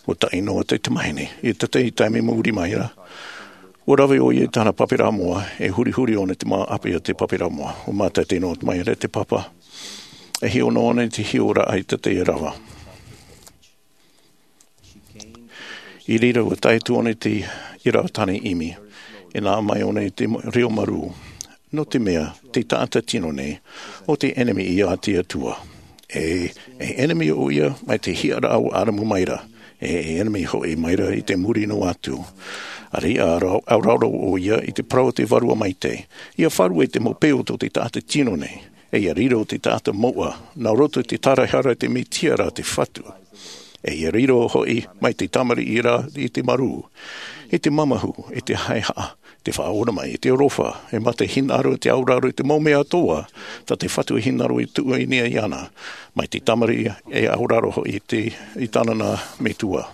Ua taʻi noa te tamahine, i te tahi taime i muri mai ra. Ua rave ʻo ia i tāna pāpaʻiraʻa moʻa, e hurihuri ʻōna i te mau ʻāpī a te pāpaʻiraʻa moʻa. Ua mātete noa mai ra te papa. E hiʻo noa ʻōna i te hiʻoraʻa i te tahi rava. I reira ua tae atu ʻōna i te ʻīrava tāne ʻimi. E nā mai ʻōna i te reo marū. Nō te mea, te taʻata tino nei, ʻo te ʻenemi ia a te Atua. E, e ʻenemi ʻo ia, mai te hiʻoraʻa ʻo ʻĀdamu mai ra. E, e ʻenemi hoʻi mai ra i te muri noa atu. ʻAreʻa, ʻauraʻa ʻo ia i te parau o te Vārua Maitaʻi. ʻIa faʻaruʻe te mau peu o te taʻata tino nei. E ʻia riro te taʻata mouʻa, nā roto i te tāraʻehara i te Mesia ra te Fatu. E ia riro hoʻi mai te tamariʻi ra i te marū, i te mamahu, i te haehaʻa, te faʻaora mai, i te aroha, e mā te hinaʻaro, i te auraro, i te mau mea atoʻa, tā te Fatu e hinaʻaro i tuʻu i niʻa iāna, mai te tamariʻi e auraro hoʻi i te, i tāna nā metua.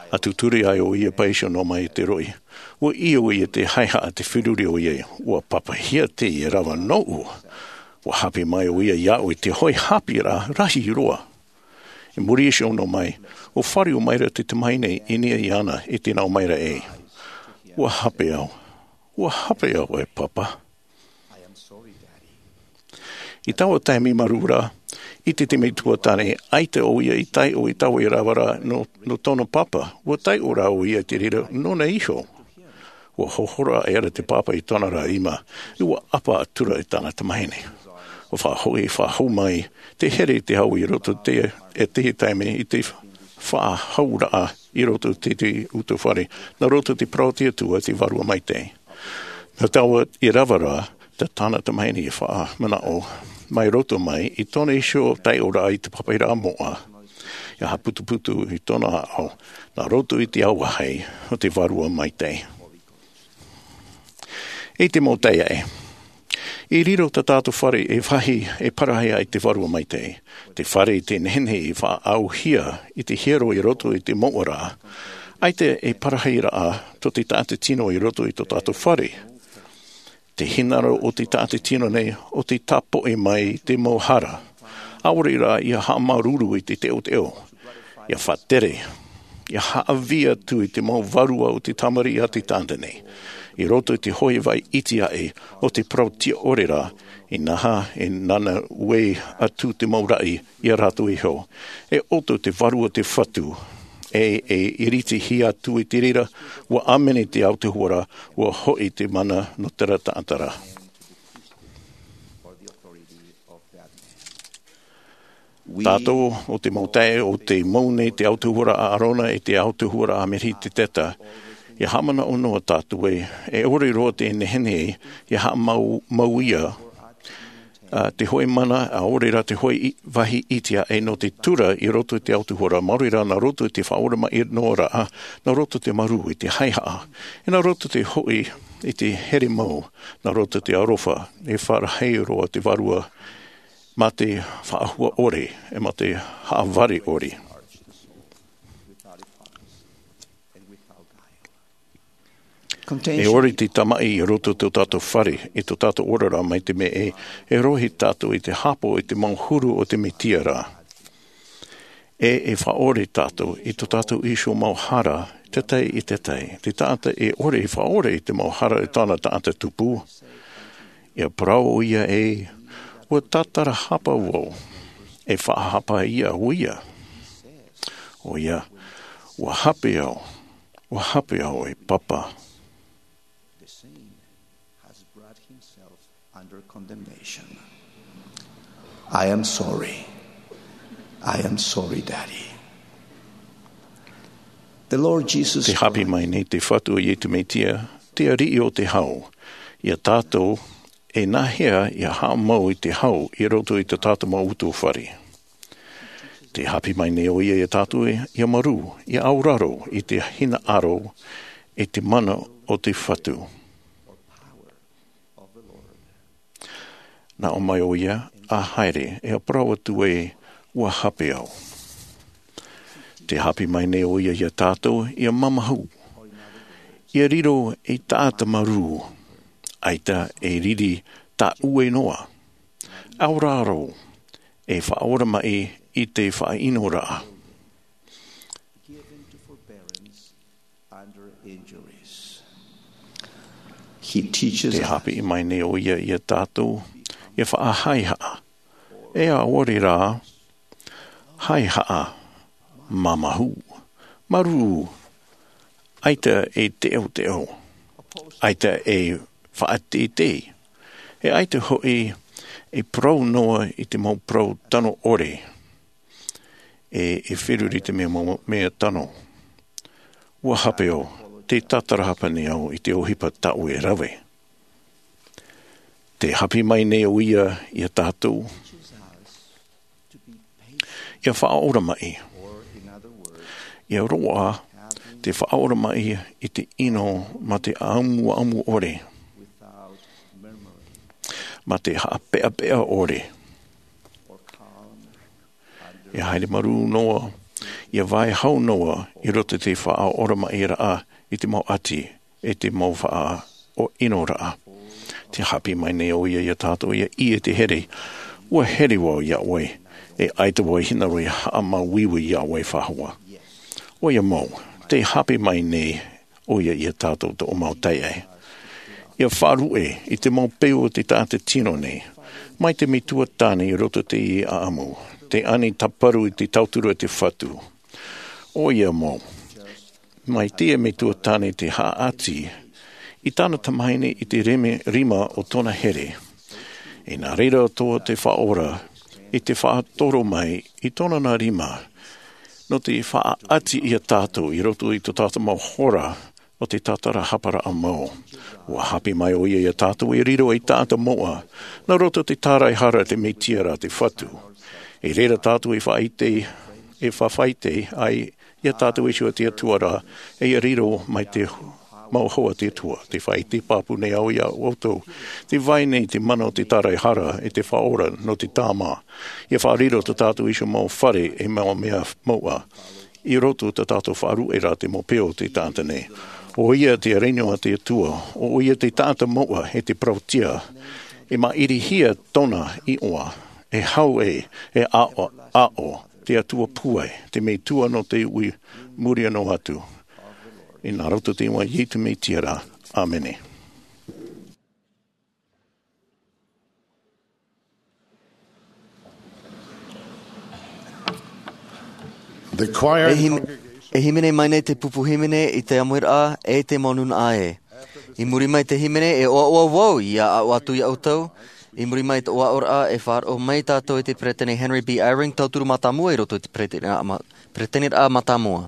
A tūturi ai ʻo ia paʻi iho noa mai te roʻi. Ua ʻī ʻo ia te haehaʻa te feruri ʻo ia, ua papahia teie rava nōʻu. Ua hape mai ʻo ia iāʻu i te hoʻi haʻapiʻiraʻa rahi roa. I muri iho noa mai, ua fāriu maira te tamahine i niʻa iāna i te nau maira ē. Ua hape au. Ua hape au e papa. I taua taime marū ra, i te temi tuatāne, ʻaita ʻo ia i taiʻo i taua rava ra nō, nō tōna papa, ua taiʻo rā ʻo ia i te reira nōna iho. Ua hohora aʻera te papa i tōna ra ʻima, ua ʻapa atura i tāna tamahine. Ua faʻahoʻi, faʻahou mai, te here i te hau i roto te, e te taime i te faʻahauraʻa i roto te, te utuafare, nā roto te parau a te Atua te Vārua Maitaʻi. Nā taua rava ra, tā tāna tamahine i faʻamanaʻo, mai roto mai, i tōna iho taiʻoraʻa i te papairaʻa moʻa, ia haʻaputuputu i tōna ʻāʻau, nā roto i te auahi o te Vārua Maitaʻi. I te mau taeaʻe. I riro tā tātou fare e vāhi e parahi ai te Vārua Maitaʻi. Te fare i te nehenehe i faʻaauhia i te hiero i roto i te moʻa ra. ʻAita e parahiraʻa tō te taʻata tino i roto i tō tātou fare. Te hinaʻaro o te taʻata tino nei, ʻo te tāpoʻi mai te mau hara. ʻAore rā ia haʻamāuruuru i te teʻoteʻo. Ia faʻatere. Ia haʻavī atu i te mau vārua o te tamariʻi a te taʻata nei. I roto i te hoʻi vai iti aʻe, ʻo te parau tiʻa ʻore ra, inaha, e nāna ue atu te mau raʻi, ia rātou iho. E ʻoto te Vārua te Fatu. E, e iritihia atu i te reira, ua ʻāmene te autahuʻaraʻa, ua hoʻi te mana nō terā taʻata ra. Tātou, ʻo te mau taeaʻe, ʻo tei mau nei te autahuʻaraʻa a ʻĀrona e te autahuʻaraʻa a Melekiseteka. Ia haʻamanaʻo noa tātou ē, e ʻore roa te nehenehe, ia haʻamau, mau ia, ā, te hoʻi mana, ʻaore rā te hoʻi i, vāhi iti aʻe nō te tura i roto i te autahuʻaraʻa, maori rā nā roto i te faʻaoramaʻi noa ra, nā roto i te marū i te haehaʻa, e nā roto i te hoʻi i te here mau, nā roto i te aroha, e faʻarahi roa te Vārua, mā te faʻahua ʻore, e mā te haʻavare ʻore. E ʻore te tamaʻi i roto i tō tātou fare, i tō tātou oraraʻa mai te mea ē, e rohi tātou i te hāpaʻo i te mau huru o te Mesia ra. E, e faʻaʻore tātou, i tō tātou iho mau hara, te tahi i te tahi. Te taʻata e ʻore e faʻaʻore i te mau hara i tāna taʻata tupu. Ia parau ʻo ia ē, ua tātarahapa vau, e faʻahapa ia ʻo ia. ʻO ia, ua hape au, ua hape au e papa. The saint has brought himself under condemnation. I am sorry. I am sorry, Daddy. The Lord Jesus Te hape Christ mai nei te Fatu o Iesu Mesia, te ariʻi o te hau, ia tātou, e nāhea ia haʻamau i te hau i roto i tō tātou mau utuafare. Te hape mai nei ʻo ia ia tātou, ia marū, ia auraro i te hinaʻaro, i te mana o te Fatu. Nā ʻō mai ʻo ia, ʻa haere, e parau atu ē, ua hape au. Te hape mai nei ʻo ia ia tātou, ia mamahu. Ia riro ei taʻata marū, ʻaita e riri tāʻue noa. Auraro, e faʻaoramaʻi i te faʻaʻinoraʻa. Under injuries. He teaches Te hape mai nei ʻo ia ia tātou, ia faʻahaehaʻa. E ʻaore rā, haehaʻa, mamahu, marū, ʻaita e teʻoteʻo, ʻaita e faʻateitei, e ʻaita hoʻi e parau noa i te mau parau tano ʻore, e, e feruri te mea mau, mea tano. Ua hape au, te tātarahapa nei au i te ʻohipa tāʻue rave. Te hape mai nei ʻo ia ia tātou. Ia faʻaora maʻi. Ia roaʻa te faʻaora maʻi i te ʻino mā te ʻamuʻamu ʻore, mā te haʻapeʻapeʻa ʻore. Ia haere marū noa, ia vaiiho noa i roto i te faʻaora maʻiraʻa i te mau ʻati, e te mau faʻaʻino raʻa. Te haʻapiʻi mai nei ʻoia iā tātou ia ʻī e te here, ʻua here vau iā ʻoe, e ʻaita vau e hinaʻaro e haʻamāuiui iā ʻoe faʻahou. ʻOia mau, te haʻapiʻi mai nei ʻoia iā tātou tō mau taeaʻe. Ia faʻaruʻe i te mau peu o te taʻata tino nei, mai te metua tāne i roto i te ʻāʻamu, te ani tāparu i te tauturu a te Fatu. ʻOia mau, mai te metua tāne te haʻati i tāna tamahine i te reme-, rima o tōna here. E nā reira atoʻa te Faʻaora i te faʻatoro mai i tōna nā rima, nō te faʻaʻati iā tātou i roto i tō tātou mau hora o te tātarahapa mau. ʻUa haʻapiʻi mai ʻoia iā tātou e riro ei taʻata moʻa, nā roto i te tāraehara a te Mesia rā te Fatu. E reira tātou e faʻaʻite, e faʻaʻite ai iā tātou iho te Atua rā, e riro mai te mau hoa a te Atua. Te faʻaʻite pāpū nei au iā ʻoutou, tē vai nei te mana o te tāraehara e te Faʻaora nō te tāmā. Ia faʻariro tō tātou iho mau fare e mau mea moʻa i roto i tā tātou faʻaruʻe ra te mau peu o te taʻata nei. ʻOia te reno a te Atua, ʻoia te taʻata moʻa e te parauʻtiʻa, e maʻirihia tōna iʻoa, e hau ē, e aʻo, aʻo, te Atua pūai, te Metua nō te ui muri noa atu. I nā roto i te iʻoa o Iesu Mesia rā. ʻĀmene. The choir E him-, e hīmene mai nei te pupu hīmene i te ʻāmuiraʻa e te mau nūnaʻa ē. I muri mai te hīmene e ʻoaʻoa vau ia aʻo atu iā ʻoutou. I muri mai te ʻoaʻoraʻa e faʻaroʻo mai tātou i te Peresideni Henry B. Eyring, tauturu mātāmua i roto i te Peresideni ma-, Peresideni mātāmua.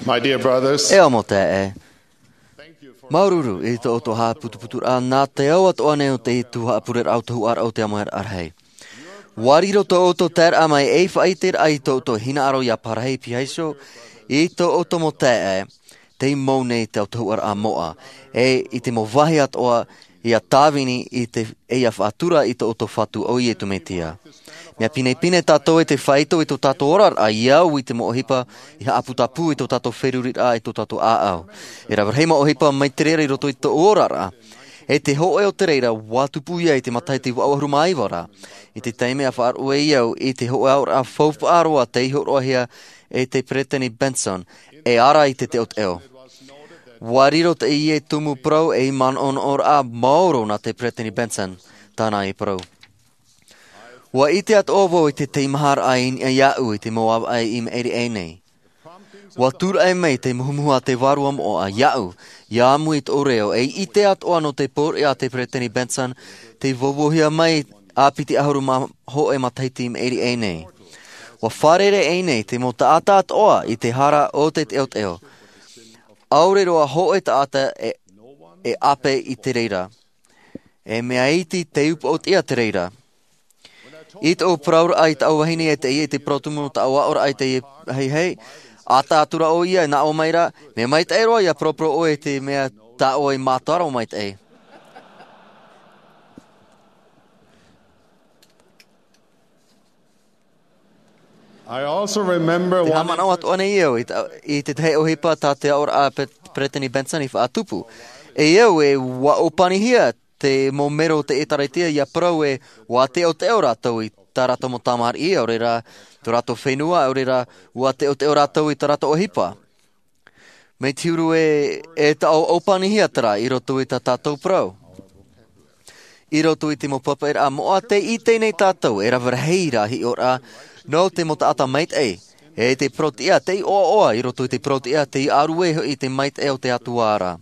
My dear brothers, E au mau taeaʻe, māuruuru i tō ʻoutou haʻaputuputuraʻa nā te au atoʻa nei o te tuhaʻa pureraʻa o te ʻāmuiraʻa rahi. Ua riro tō ʻoutou taeraʻa mai ei faʻaʻiteraʻa i tō ʻoutou hinaʻaro ia parahi piha iho i tō ʻoutou mau taeaʻe, tei mau nei te ʻāmuiraʻa moʻa, e i te mau vāhi atoʻa ia tāvini i te, e ia faʻatura i tō ʻoutou Fatu ʻo Iesu Mesia. Mea pinepine tātou e te faito i tō tātou oraraʻa i au i te mau ʻohipa i haʻaputapū i tō tātou feruriraʻa i tō tātou ʻāʻau. E rave rahi mau ʻohipa mai te reira i roto i tō oraraʻa. E te hōʻē o te reira, ua tupu ia i te matahiti vaʻu ʻahuru mā iva ra. I te taime a faʻaruʻe au i te hōʻē aoraʻa faufaʻa roa tei hōroʻahia e te Peresideni Benson, e ara i te teʻoteʻo. Ua riro teie tumu parau ei manaʻonaʻoraʻa maoro nā te Peresideni Benson, tāna i parau. Ua ʻite atoʻa vau i te teimaharaʻa i niʻa iāʻu i te mau ʻāvaʻe i maʻiri aʻe nei. Ua tūraʻi mai te muhumuhu a te Vārua Moʻa iāʻu, ia ʻāmui i tōʻu reo, ei ʻite atoʻa nō te pōriʻa a te Peresideni Benson, tei vauvauhia mai ā piti ʻahuru mā hōʻē matahiti i maʻiri aʻe nei. Ua fārerei aʻe nei te mau taʻata atoʻa i te hara o te teʻoteʻo. ʻAore roa hōʻē taʻata e, e ʻape i te reira. E mea iti te upoʻotiʻa te reira. I tōʻu parauraʻa i tāʻu vahine e teie, i te parau tumu nō tāʻu aʻoraʻa i teie ahiahi, ʻāta atura ʻoia e nā ʻō mai ra, mea maitaʻi roa ia paraparau ʻoe i te mea tā ʻoe i mātaro maitaʻi. I also remember Te one haʻamanaʻo atoʻa nei au i ta-, i te tahi ʻohipa tā te aʻoraʻa a Pe-, Peresideni Benson i faʻatupu. E au e ua ʻōpanihia te mau mero o te ʻĒtārētia ia parau ē ua teʻoteʻo rātou i tā rātou mau tamariʻi, ʻaore rā tō rātou fenua, ʻaore rā ua teʻoteʻo rātou i tā rātou ʻohipa. Mai te huru ē, e taʻo ʻōpanihia terā i roto i tā tātou parau. I roto i te mau papaʻiraʻa moʻa, tē ʻite nei tātou e rave rahi rā hiʻoraʻa nō te mau taʻata maitaʻi, e te parau-tiʻa tei ʻoaʻoa i roto i te parau-tiʻa tei ʻārue hoʻi i te maitaʻi o te Atua ra.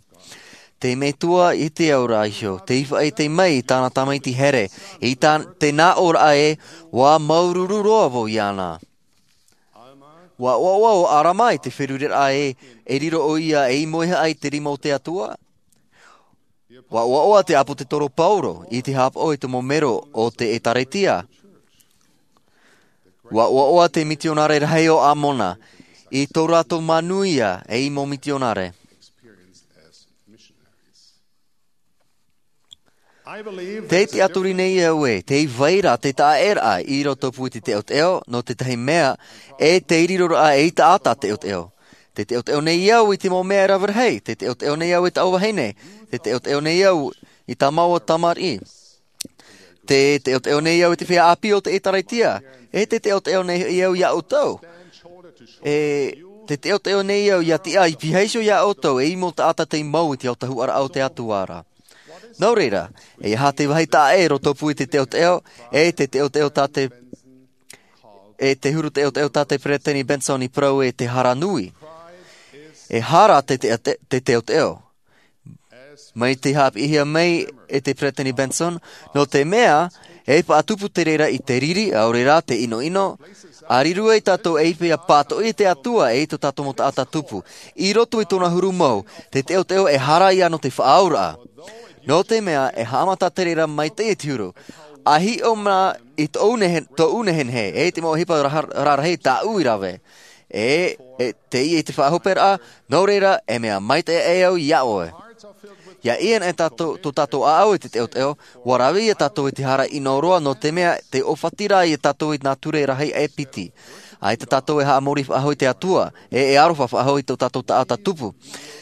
Te Metua i te ao ra iho, tei faʻaʻite mai i tāna tamaiti here, i tā, te nā ʻōraʻa ē, ua māuruuru roa vau iāna. Ua ʻoaʻoa ʻo ʻAlama i te feruriraʻa ē, e riro ʻoia ei moehaʻa i te rima o te Atua. Ua ʻoaʻoa te ʻāpōsetolo Paulo i te haʻapaʻo i te mau mero o te ʻĒtārētia. Ua ʻoaʻoa te mitionare rahi o Amona i tō rātou manuia ei mau mitionare. Tē tiʻaturi nei au ē, tē vai ra te taʻaʻēraʻa i rotopū i te teʻoteʻo, nō te tahi mea, e te riroraʻa ei taʻata teʻoteʻo. Tē teʻoteʻo nei au i te mau mea e rave rahi, tē teʻoteʻo nei au i tāʻu vahine, tē teʻoteʻo nei au i tā māua tamariʻi. Tē teʻoteʻo nei au i te feiā ʻāpī o te ʻĒtārētia, e tē teʻoteʻo nei au iā ʻoutou. E tē teʻoteʻo nei au ia tiʻa i piha iho iā ʻoutou, ei mau taʻata tei mau i te autahuʻaraʻa o te Atua ra. Nō reira, e aha te vāhi taʻa e rotopū i te teʻoteʻo, e te teʻoteʻo tā te, e te huru teʻoteʻo tā te Peresideni Benson i parau e te hara nui. E hara te, te, te, te teʻoteʻo. Mai te haʻapiʻihia mai e te Peresideni Benson, nō te mea, e faʻatupu te reira i te riri, ʻaore rā te ʻinoʻino, ʻa riro ai tātou ei feiā pātoʻi i te Atua e i tō tātou mau taʻata tupu. I roto i tōna huru mau, te teʻoteʻo e hara ia nō te faʻaauraʻa. Nō te mea, e haʻamata te reira mai te, i te huru. ʻA hiʻo mā i tōʻu nehe-, tōʻu nehenehe, e te mau ʻohipa ra-, rarahi tāʻu i rave. E, e, teie te faʻahoperaʻa, nō reira, e mea maitaʻi aʻe au iā ʻoe. ʻIa ʻī ana e tātou, tō tātou ʻāʻau i te teʻoteʻo, ʻua rave ia tātou i te hara ʻino roa, nō te mea, tē ʻōfati ra ia tātou i nā ture rahi e piti. ʻAita tātou e haʻamori faʻahou i te Atua, e, e aroha faʻahou i tō tātou taʻata tupu.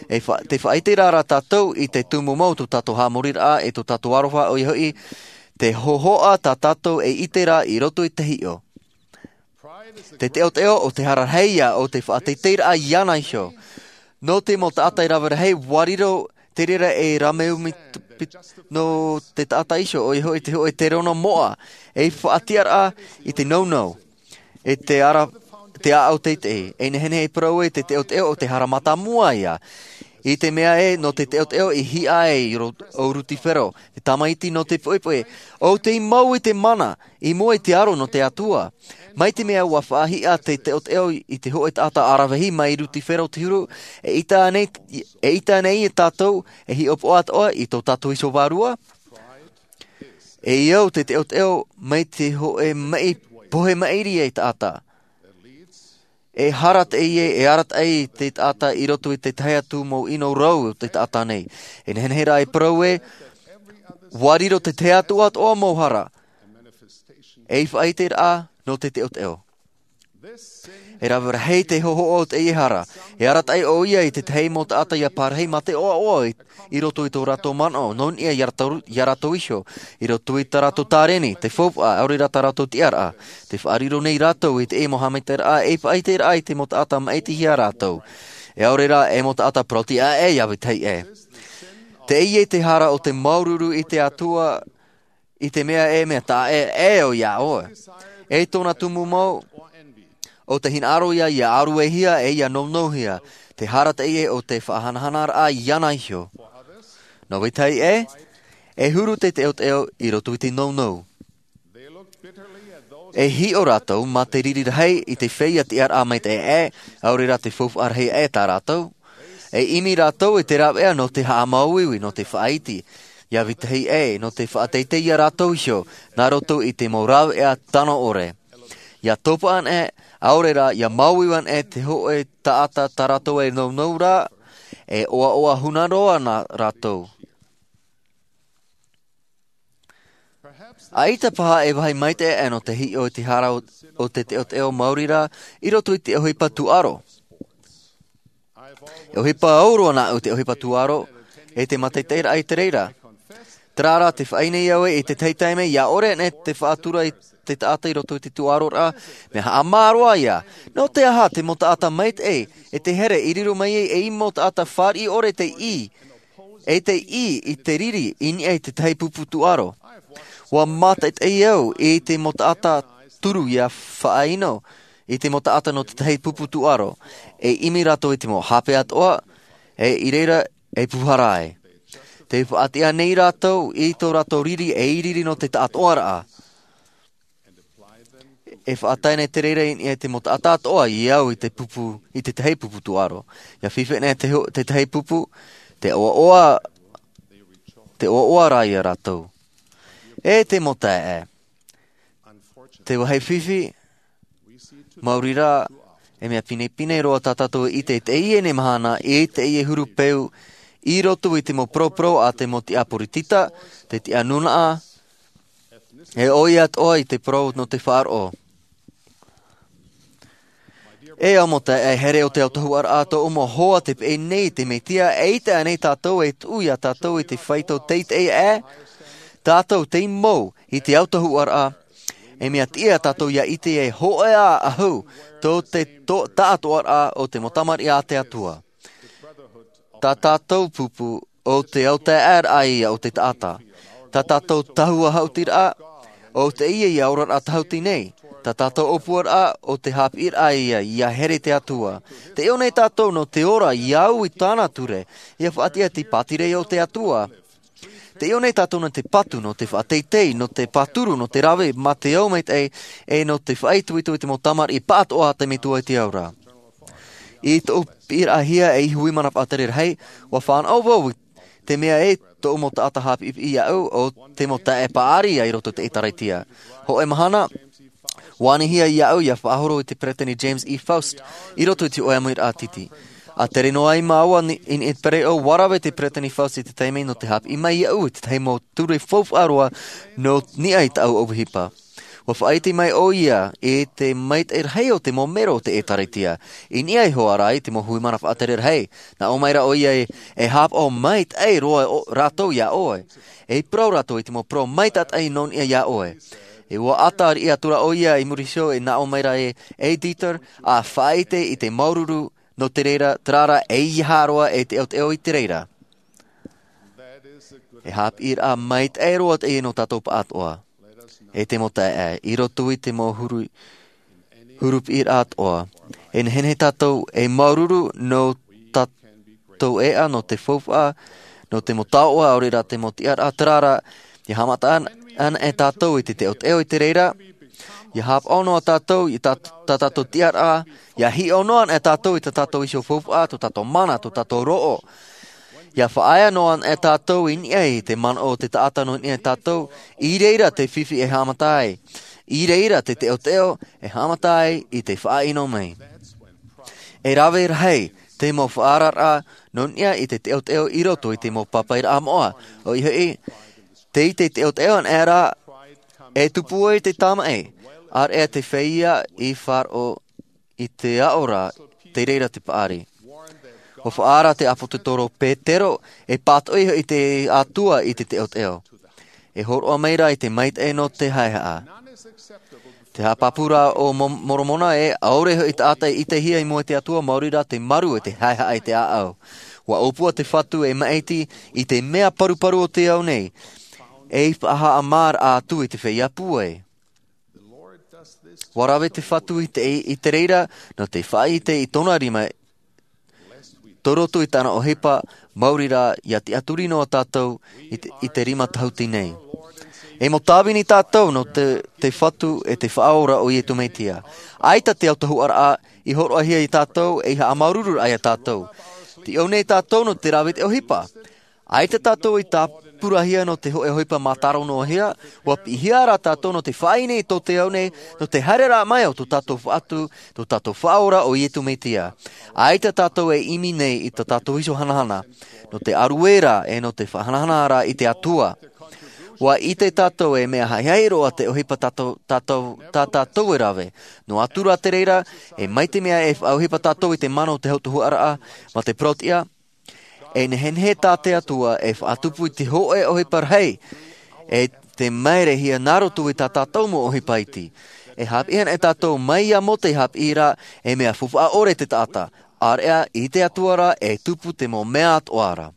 E fa-, tē faʻaʻite ra rā tātou i te tumu mau tō tātou haʻamoriraʻa, e tō tātou aroha ʻoia hoʻi, te hōhoʻa tā tātou e ʻite ra i roto i te hiʻo. Te teʻoteʻo ʻo te hara rahi ia o te faʻateiteiraʻa iāna iho. Nō te mau taʻata e rave rahi, ʻua riro te reira e rāmeu mi-, pi-, nō te taʻata iho, ʻoia hoʻi te hōʻē terōna moʻa, e faʻatiʻaraʻa i te nounou, e te ara, te ʻāʻau teitei, e nehenehe e parau e te teʻoteʻo ʻo te hara mātāmua ia. I te mea ē nō te teoteo i hiʻa ai ʻo Rusifero, te tamaiti nō te poʻipoʻi, ʻo tei mau i te mana i mua i te aro nō te Atua. Mai te mea ua faʻahiʻa te teoteo i te hoʻe taʻata aravihi mai Rusifero te huru, e ʻita nei e tātou e hiʻopoʻa atoʻa i tō tātou iho vārua? E au te teoteo mai te hoʻe maʻi pohe maʻiri e taʻata. E hara teie e arataʻi te taʻata i roto i te tahi atu mau ʻino rau o te taʻata nei. E nehenehe rā e parau ē, ua riro te tahi atu atoʻa mau hara ei faʻaiteraʻa nō te teoteo. E rave rahi te hohoʻa o teie hara. E arataʻi ʻo ia i te tahi mau taʻata ia parahi mā te ʻoaʻoa i roto i tō rātou manaʻo nō niʻa iā rātou iho, i roto i tā rātou tāreni, te faufaʻa ʻaore rā tā rātou tiʻaraʻa. Te faʻariro nei rātou i teie mau haʻamaitaʻiraʻa ei faʻaiteraʻa i te mau taʻata maʻitihia rātou, ʻaore rā e mau taʻata parau-tiʻa ʻē ia vetahi ʻē. Teie te hara o te māuruuru i te Atua i te mea e mea taʻa ʻē ʻo ia ʻoe. E tōna tumu mau o te hinaʻaro ia ia aruehia e ia nounou hia. Te hara teie o te faʻahanahanaraʻa iāna iho. Nō vetahi ʻē, e huru te teoteo i roto i te nounou. E hiʻo rātou mā te riri rahi i te feiā tiʻaraʻa maitaʻi ʻē, ʻaore rā te faufaʻa rahi ʻē tā rātou. E ʻimi rātou i te raveʻa nō te haʻamāuiui nō te faʻaiti, ia vetahi ʻē nō te faʻateitei iā rātou iho nā roto i te mau raveʻa tano ʻore. Ia topa anaʻe, ʻaore rā ia māuiui anaʻe te hoʻe taʻata tā rātou e nounou rā, e ʻoaʻoa huna roa nā rātou. ʻAita paha e vāhi maitaʻi ʻē nō te hiʻo i te hara o te teoteo maori rā i roto i te ʻohipa tūʻaro. E ʻohipa au roa nāʻu te ʻohipa tūʻaro e te mātaʻitaʻiraʻa i te reira. Terā rā te faʻaʻite nei au i te tahi taime ia ʻore anaʻe te faʻatura i te taʻata i roto i te tūʻaro rā, mea haʻamā roa ia. Nō te aha te mau taʻata maitaʻi e te here i riro mai ai ei mau taʻata fāriʻi ʻore te ʻī e te ʻī i te riri i niʻa i te tahi pupu tūʻaro. Ua mātaʻitaʻi au i te mau taʻata turu ia faʻaʻino i te mau taʻata nō te tahi pupu tūʻaro, e ʻimi rātou i te mau hape atoʻa e i reira e pūhara ai. Te faʻatiʻa nei rātou i tō rātou riri e i riri nō te taʻatoʻaraʻa. E faʻatae nei te reira i niʻa i te mau taʻata atoʻa i au i te pupu i te tahi pupu tūʻaro. Ia fifi anaʻe te tahi pupu, te ʻoaʻoa te ʻoaʻoa rā iā rātou. E te mau taeaʻe, te vāhi fifi, maori rā, e mea pinepine roa tā tātou e ʻite i teie nei mahana i teie huru peu i roto i te mau poroporō a te mau tiʻa poritita, te tiʻa nūnaʻa, e ʻoia atoʻa i te parau nō te faʻaroʻo. E au mau taeaʻe, here o te autahuʻaraʻa tōʻu mau hoa te peʻe nei i te mesia e ʻite anaʻe tātou e tuʻu iā tātou i te faito teitei ʻē. Tātou tei mau i te autahuʻaraʻa, e mea tiʻa tātou ia ʻite e hōʻē ā ʻahu tō te taʻatoʻaraʻa o te mau tamariʻi a te Atua. Tā tātou pupu o te autaeaʻeraʻa ia o te taʻata. Tā tātou tahua haʻutiraʻa o teie ia oraraʻa tahuti nei. Tā tātou ʻōpuaraʻa o te haʻapiʻiraʻa ia ia here te Atua. Te ʻio nei tātou nō te ora ia au i tāna ture, ia faʻatiʻa te pātireia o te Atua. Te ʻio nei tātou nō te patu, nō te faʻateitei, nō te pāturu, nō te rave mā te ao maitaʻi, e nō te faʻaitoito i te mau tamariʻi pāʻatoʻa a te metua i te ao ra. I tōʻu piʻiraʻahia ei hui mana faʻatere rahi, ua fānaʻo vau i te mea e tōʻu mau taʻata haʻapiʻipiʻi iāʻu o te mau taeaʻe paʻari i roto i te ʻēkālesia. Hōʻē mahana ua anihia iāʻu ia faʻahoro i te peresideni James E Faust i roto i te hōʻē amuiraʻa titi. A tere noa ai māua i niʻa i te pereʻoʻo, ua rave te peresideni Faust i te taime nō te haʻapiʻi mai iāʻu i te tahi mau ture faufaʻa roa nō niʻa i tāʻu ʻohipa. Ua faʻaʻite mai ʻoia i te maitaʻi rahi o te mau melo o te ʻēkālesia i niʻa iho ā rā i te mau hui mana faʻatere rahi. Nā ʻō mai rā ʻoia e hāpaʻo maitaʻi roa rātou iā ʻoe, e parau rātou i te mau parau maitaʻi nō niʻa iā ʻoe. E ua ʻata riʻi atu rā ʻoia i muri iho e nā ʻō mai rā ē, e Dieter, a faʻaʻite i te māuruuru nō te reira, terā rā e ia haʻaroa e te autaeaʻe i te reira. E haʻapiʻiraʻa maitaʻi roa teie nō tātou pāʻatoʻa. E te mau taeaʻe, i roto i te mau huru huru piʻiraʻa atoʻa, e nehenehe tātou e māuruuru nō tā tātou ʻēʻa nō te faufaʻa, nō te mau taoʻa, ʻaore rā te mau tiʻaraʻa, terā rā, ia haʻamata ana e tātou i te teʻoteʻo i te reira, ia haʻapaʻo noa tātou i tā, tā tātou tiʻaraʻa, ia hiʻo noa ana e tātou i tā tātou iho faufaʻa, tō tātou mana, tō tātou roʻo. Ia faʻaea noa ana e tātou i niʻa i te manaʻo o te taʻata nō niʻa i tātou, i reira te fifi e haʻamata ai. I reira te teʻoteʻo e haʻamata ai i te faʻaʻino mai. E rave rahi te mau faʻaararaʻa nō niʻa i te teʻoteʻo i roto i te mau pāpaʻiraʻa moʻa. ʻOia hoʻi, tei te teʻoteʻo anaʻe ra, e tupu ai te tamaʻi, ʻāreʻa te feiā i faʻaroʻo i te aʻo ra, tei reira te paʻari. ʻUa faʻaara te ʻāpōsetolo Petero, e pātoʻi hoʻi te Atua i te teʻoteʻo. E hōroʻa mai ra i te maitaʻi nō te haehaʻa. Te haʻapāpū ra o Mo-, Moromona ē, ʻaore hoʻi taʻata e ʻitehia i mua i te Atua, maori rā te maru e te haehaʻa i te ʻāʻau. ʻUa ʻōpua te Fatu e maʻiti i te mea paruparu o te ao nei, ei faʻahaʻamāraʻa atu i te feiā pūai. ʻUa rave te Fatu i te, i te reira, nō te faʻaʻite i tōna rima, tō roto i tāna ʻohipa, maori rā, ia tiʻaturi noa tātou i te, i te rima tahuti nei. E mau tāvini tātou nō te, te Fatu e te Faʻaora o Iesu Mesia. ʻAita te autahuʻaraʻa i hōroʻahia ia tātou, ei haʻamāuruururaʻa ia tātou. Te ʻō nei tātou nō te rave i te ʻohipa. ʻAita tātou i tāpurahia nō te hōʻē ʻohipa mātaro noa hia, ʻua piʻihia rā tātou nō te faʻaineine i tō te ao nei, nō te haereraʻa mai o tō tātou Fatu, tō tātou Faʻaora o Iesu Mesia. ʻAita tātou e ʻimi nei i tā tātou iho hanahana, nō te ʻarueraʻa e nō te faʻahanahanaraʻa i te Atua. ʻUa ʻite tātou e mea haʻihaʻi roa te ʻohipa tātou, tātou, tā tātou e rave. Noa atu rā te reira, e mai te mea e faʻaʻohipa tātou i te mana o te autahuʻaraʻa, mā te parauʻtiʻa, e nehenehe tā te Atua e faʻatupu i te hōʻē ʻohipa rahi, e te mairehia nā roto i tā tātou mau ʻohipa iti. E haʻapiʻi ana e tātou mai iā Mōse i haʻapiʻi ra, e mea faufaʻa ʻore te taʻata, ʻāreʻa i te Atua rā e tupu te mau mea atoʻa ra.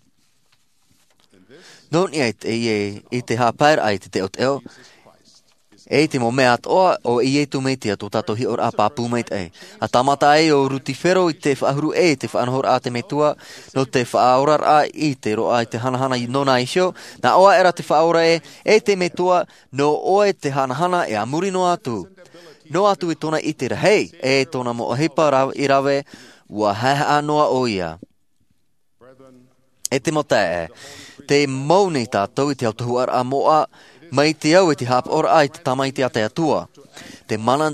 Nō niʻa i te, i, i te haʻapaeraʻa i te teʻoteʻo, e i te mau mea atoʻa o Iesu Mesia tō tātou hiʻoraʻa pāpū maitaʻi. ʻA tāmata ai ʻo Rusifero i te faʻahuru ʻē i te faʻanahoraʻa a te Metua, nō te faʻaoraraʻa i te roaʻa i te hanahana i nōna iho, nā ʻō aʻera te Faʻaora ē, e te Metua, nō ʻoe te hanahana e a muri noa atu. Noa atu i tōna ʻite rahi, e tōna mau ʻohipa ra-, i rave, ʻua haehaʻa noa ʻoia. E te mau taeaʻe, tē mau nei tātou i te autahuʻaraʻa moʻa, mai te au i te haʻapaʻoraʻa i te Tamaiti a te Atua. Te mana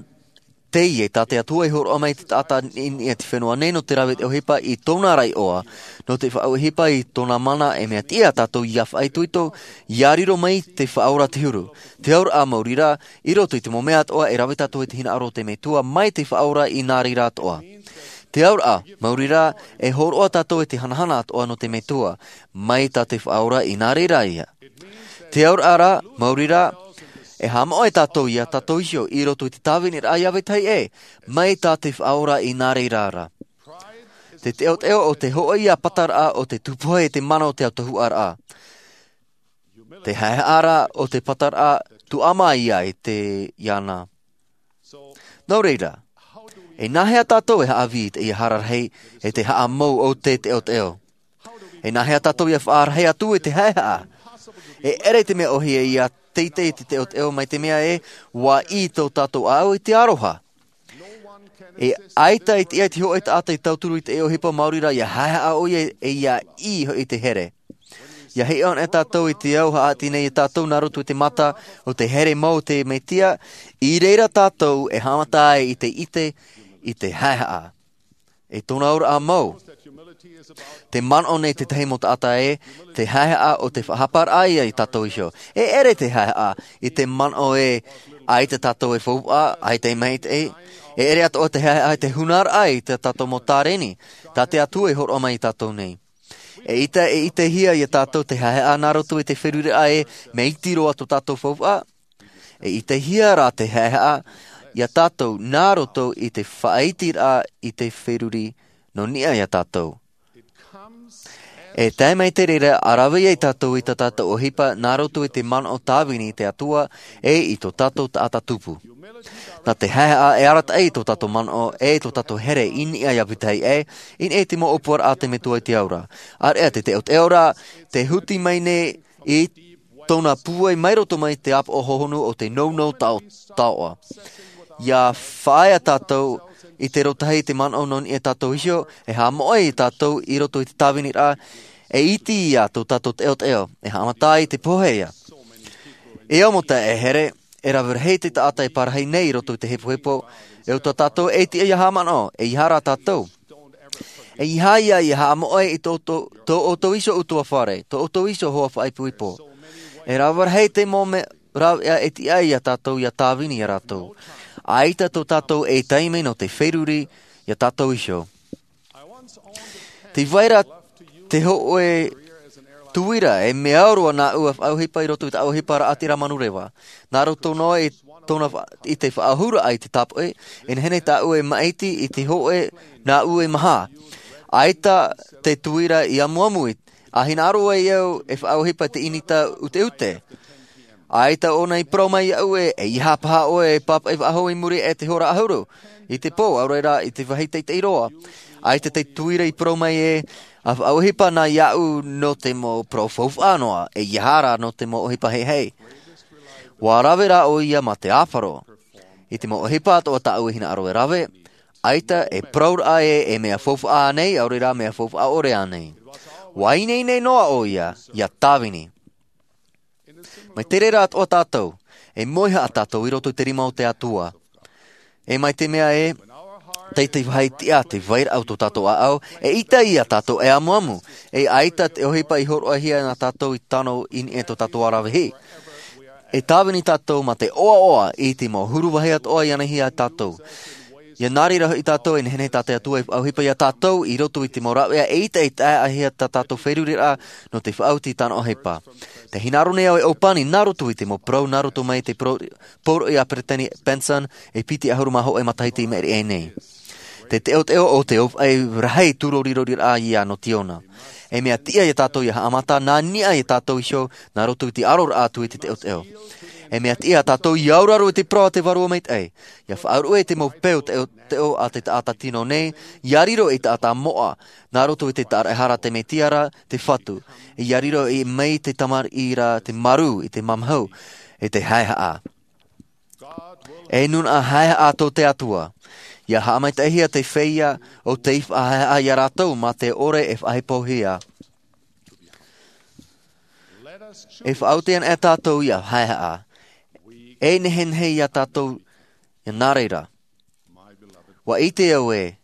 teie tā te Atua i hōroʻa mai i te taʻata i niʻa i te fenua nei nō te rave i te ʻohipa i tōna ra iʻoa, nō te faʻaʻohipa i tōna mana e mea tiʻa tātou ʻia faʻaitoito, ʻia riro mai te Faʻaora te huru. Te auraʻa maori rā, i roto i te mau mea atoʻa e rave tātou i te hinaʻaro o te Metua mai te Faʻaora i nā reira atoʻa. Te auraʻa maori rā, e hōroʻa tātou i te hanahana atoʻa nō te Metua, mai tā te Faʻaora i nā reira ia. Te auraʻa rā, maori rā, e haʻamoʻe tātou iā tātou iho i roto i te tāviniraʻa iā vetahi ʻē, mai tā te Faʻaora i nā reira ra. Te teʻoteʻo o te hōʻē ia pataraʻa o te tupu ai e te mana o te autahuʻaraʻa. Te haehaʻa rā o te pataraʻa tuʻamā ia i te iana. Nō reira, e nāhea tātou e haʻavī i teie hara rahi e te haʻamau o te teʻoteʻo? E nāhea tātou ʻia faʻarahi atu i te haehaʻa? E ʻere te mea ʻōhie ʻia teitei i te teʻoteʻo mai te mea ē, ʻua ʻī tō tātou ʻāʻau i te aroha. E ʻaita e tiʻa i te hōʻē taʻata i tauturu i te ʻohipa maori rā ʻia haehaʻa ʻoia e ʻia ʻī hoʻi te here. ʻIa hiʻo ana tātou i te au haʻati nei iā tātou nā roto i te mata o te here mau o te Mesia, i reira tātou e haʻamata ai i te ʻite i te haehaʻa. E tōna auraʻa mau. Te manaʻo nei tētahi mau taʻata ē, te haehaʻa o te faʻahaparaʻa ia i tātou iho. E ʻere te haehaʻa i te manaʻo ē, ʻaita tātou e faufaʻa, ʻaita e maitaʻi. E ʻere atoʻa te haehaʻa i te hūnaraʻa i tā tātou mau tāreni, tā te Atua i hōroʻa mai iā tātou nei. E ʻita, e ʻitehia iā tātou te haehaʻa nā roto i te feruriraʻa ē, mea iti roa tō tātou faufaʻa. E ʻitehia rā te haehaʻa iā tātou nā roto i te faʻaitiraʻa i te feruri nō niʻa iā tātou. E tae mai te reira ʻa rave ai tātou i tā tātou ʻohipa nā roto i te manaʻo tāvini i te Atua, e i tō tātou taʻata tupu. Nā te haehaʻa e arataʻi i tō tātou manaʻo e tō tātou here i niʻa iā Pītahi ʻē, i niʻa i te mau ʻōpuaraʻa a te Metua i te Ao ra. ʻĀreʻa te teʻoteʻo ra, te huti mai nei i tōna pūai mai roto mai te ʻāpoʻo hohonu o te nounou tao-, taoʻa. ʻIa faʻaea tātou i te rotahi i te manaʻo nō niʻa iā tātou iho, e haʻamoʻe iā tātou i roto i te tāviniraʻa, e iti ia tō tātou teʻoteʻo, e haʻamata i te pohe ia. E au mau taeaʻe here, e rave rahi te taʻata e parahi nei i roto i te hepohepo, e ʻoutou tātou e tiʻa ʻia haʻamanaʻo, ʻeiaha rā tātou. ʻEiaha ia ʻia haʻamoʻe i tō, tō, tō ʻoutou iho ʻutuāfare, tō ʻoutou iho hoa faʻaipoipo. E rave rahi te mau mea rāveʻa e tiʻa ai iā tātou ʻia tāvini iā rātou. ʻAita tō tātou e taime nō te feruri iā tātou iho. Tē vai ra te hōʻē tuira, e mea au roa nāʻu e faʻaʻohipa i roto i te ʻohipa raʻatira manureva. Nā roto noa i tōna fa-, i te faʻaʻohiparaʻa i te tāpoʻi, e nehenehe tāʻu e maʻiti i te hōʻē nāʻu e maha. ʻAita te tuira i amuamu i, ʻa hinaʻaro ai au e faʻaʻohipa i te ʻinita ʻuteʻute. ʻAita ʻōna i parau mai iāʻu ē, ʻeiaha paha ʻoe e pāpaʻi faʻahou i muri aʻe i te hora ʻahuru i te pō, ʻaore rā i te vāhi teitei roa. ʻAita te tuira i parau mai ē, ʻa faʻaʻohipa na iāʻu nō te mau parau faufaʻa noa, ʻeiaha rā nō te mau ʻohipa heheu. ʻUa rave rā ʻoia mā te ʻāfaro. I te mau ʻohipa atoʻa tāʻu e hinaʻaro e rave, ʻaita e parauraʻa ē, e mea faufaʻa ānei, ʻaore rā mea faufaʻa ʻore ānei. ʻUa ineine noa ʻoia, ʻia tāvini. Mai te reira atoʻa tātou, e moihaʻa tātou i roto i te rima o te Atua. E mai te mea ē, tei te vāhi tiʻa te vairaʻa o tō tātou ʻāʻau, e ʻita ia tātou e amuamu, e ʻaita te ʻohipa i hōroʻahia nā tātou i tano i niʻa i tō tātou ʻaravihi. E tāvini tātou mā te ʻoaʻoa i te mau huru vāhi atoʻa i ʻanihia tātou. ʻIa nā reira hoʻi tātou e nehenehe tā te Atua e faʻaʻohipa iā tātou i roto i te mau rāveʻa e ʻita e taeaʻehia tā tātou feruriraʻa nō te faʻaoti i tāna ʻohipa. Tē hinaʻaro nei au e ʻōpani nā roto i te mau parau nā roto mai te parau, poroʻi a Peretiteni Benson e piti ʻahuru mā hōʻē matahiti i maʻiri aʻe nei. Te teʻoteʻo o te ʻōfaʻi rahi tūroriroriraʻa ia nō Tiona. E mea tiʻa ia tātou ʻia haʻamata nā niʻa ia tātou iho nā roto i te aroraʻa atu i te teʻoteʻo. E mea tiʻa tātou ʻia auraro i te parau a te Vārua Maitaʻi. ʻIa faʻaruʻe i te mau peu teʻoteʻo a te taʻata tino nei, ʻia riro ei taʻata moʻa, nā roto i te tāraʻehara a te Mesia ra, te Fatu. ʻIa riro ei mai te tamariʻi ra, te marū, i te mamahu, i te haehaʻa. E nūnaʻa haehaʻa tō te Atua. ʻIa haʻamaitaʻihia te feiā ʻo tei faʻahaehaʻa ia rātou mā te ʻore e faʻahepohia. E faʻaoti ana e tātou ʻia haehaʻa. E nehenehe ia tātou ʻia nā reira. ʻUa ʻite au ē,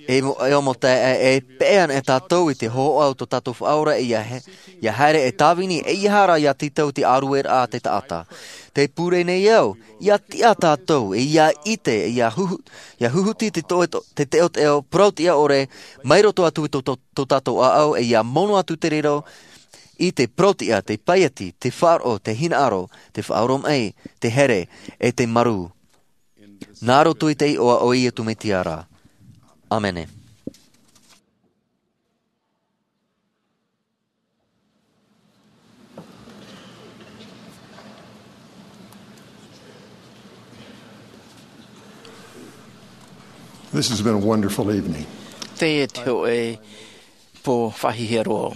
e mo-, e ʻo mau taeaʻe, e peʻe ana e tātou i te hōhoʻa o tō tātou Faʻaora ʻia he-, ʻia haere e tāvini, ʻeiaha rā ʻia tītau i te ʻārueraʻa a te taʻata. Tē pure nei au, ʻia tiʻa tātou, e ʻia ʻite, e ʻia huhu-, ʻia huhuti te toe to-, te teʻoteʻo, parau-tiʻa ʻore, mai roto atu i tō, tō, tō tātou ʻāʻau, e ʻia mono atu te riro, i te parau-tiʻa, te paieti, te faʻaroʻo, te hinaʻaro, te faʻaoromaʻi, te here, e te marū. Nā roto i te iʻoa o Iesu Mesia ra. ʻĀmene. This has been a wonderful evening. Teie te hōʻē pō faʻahiahia roa.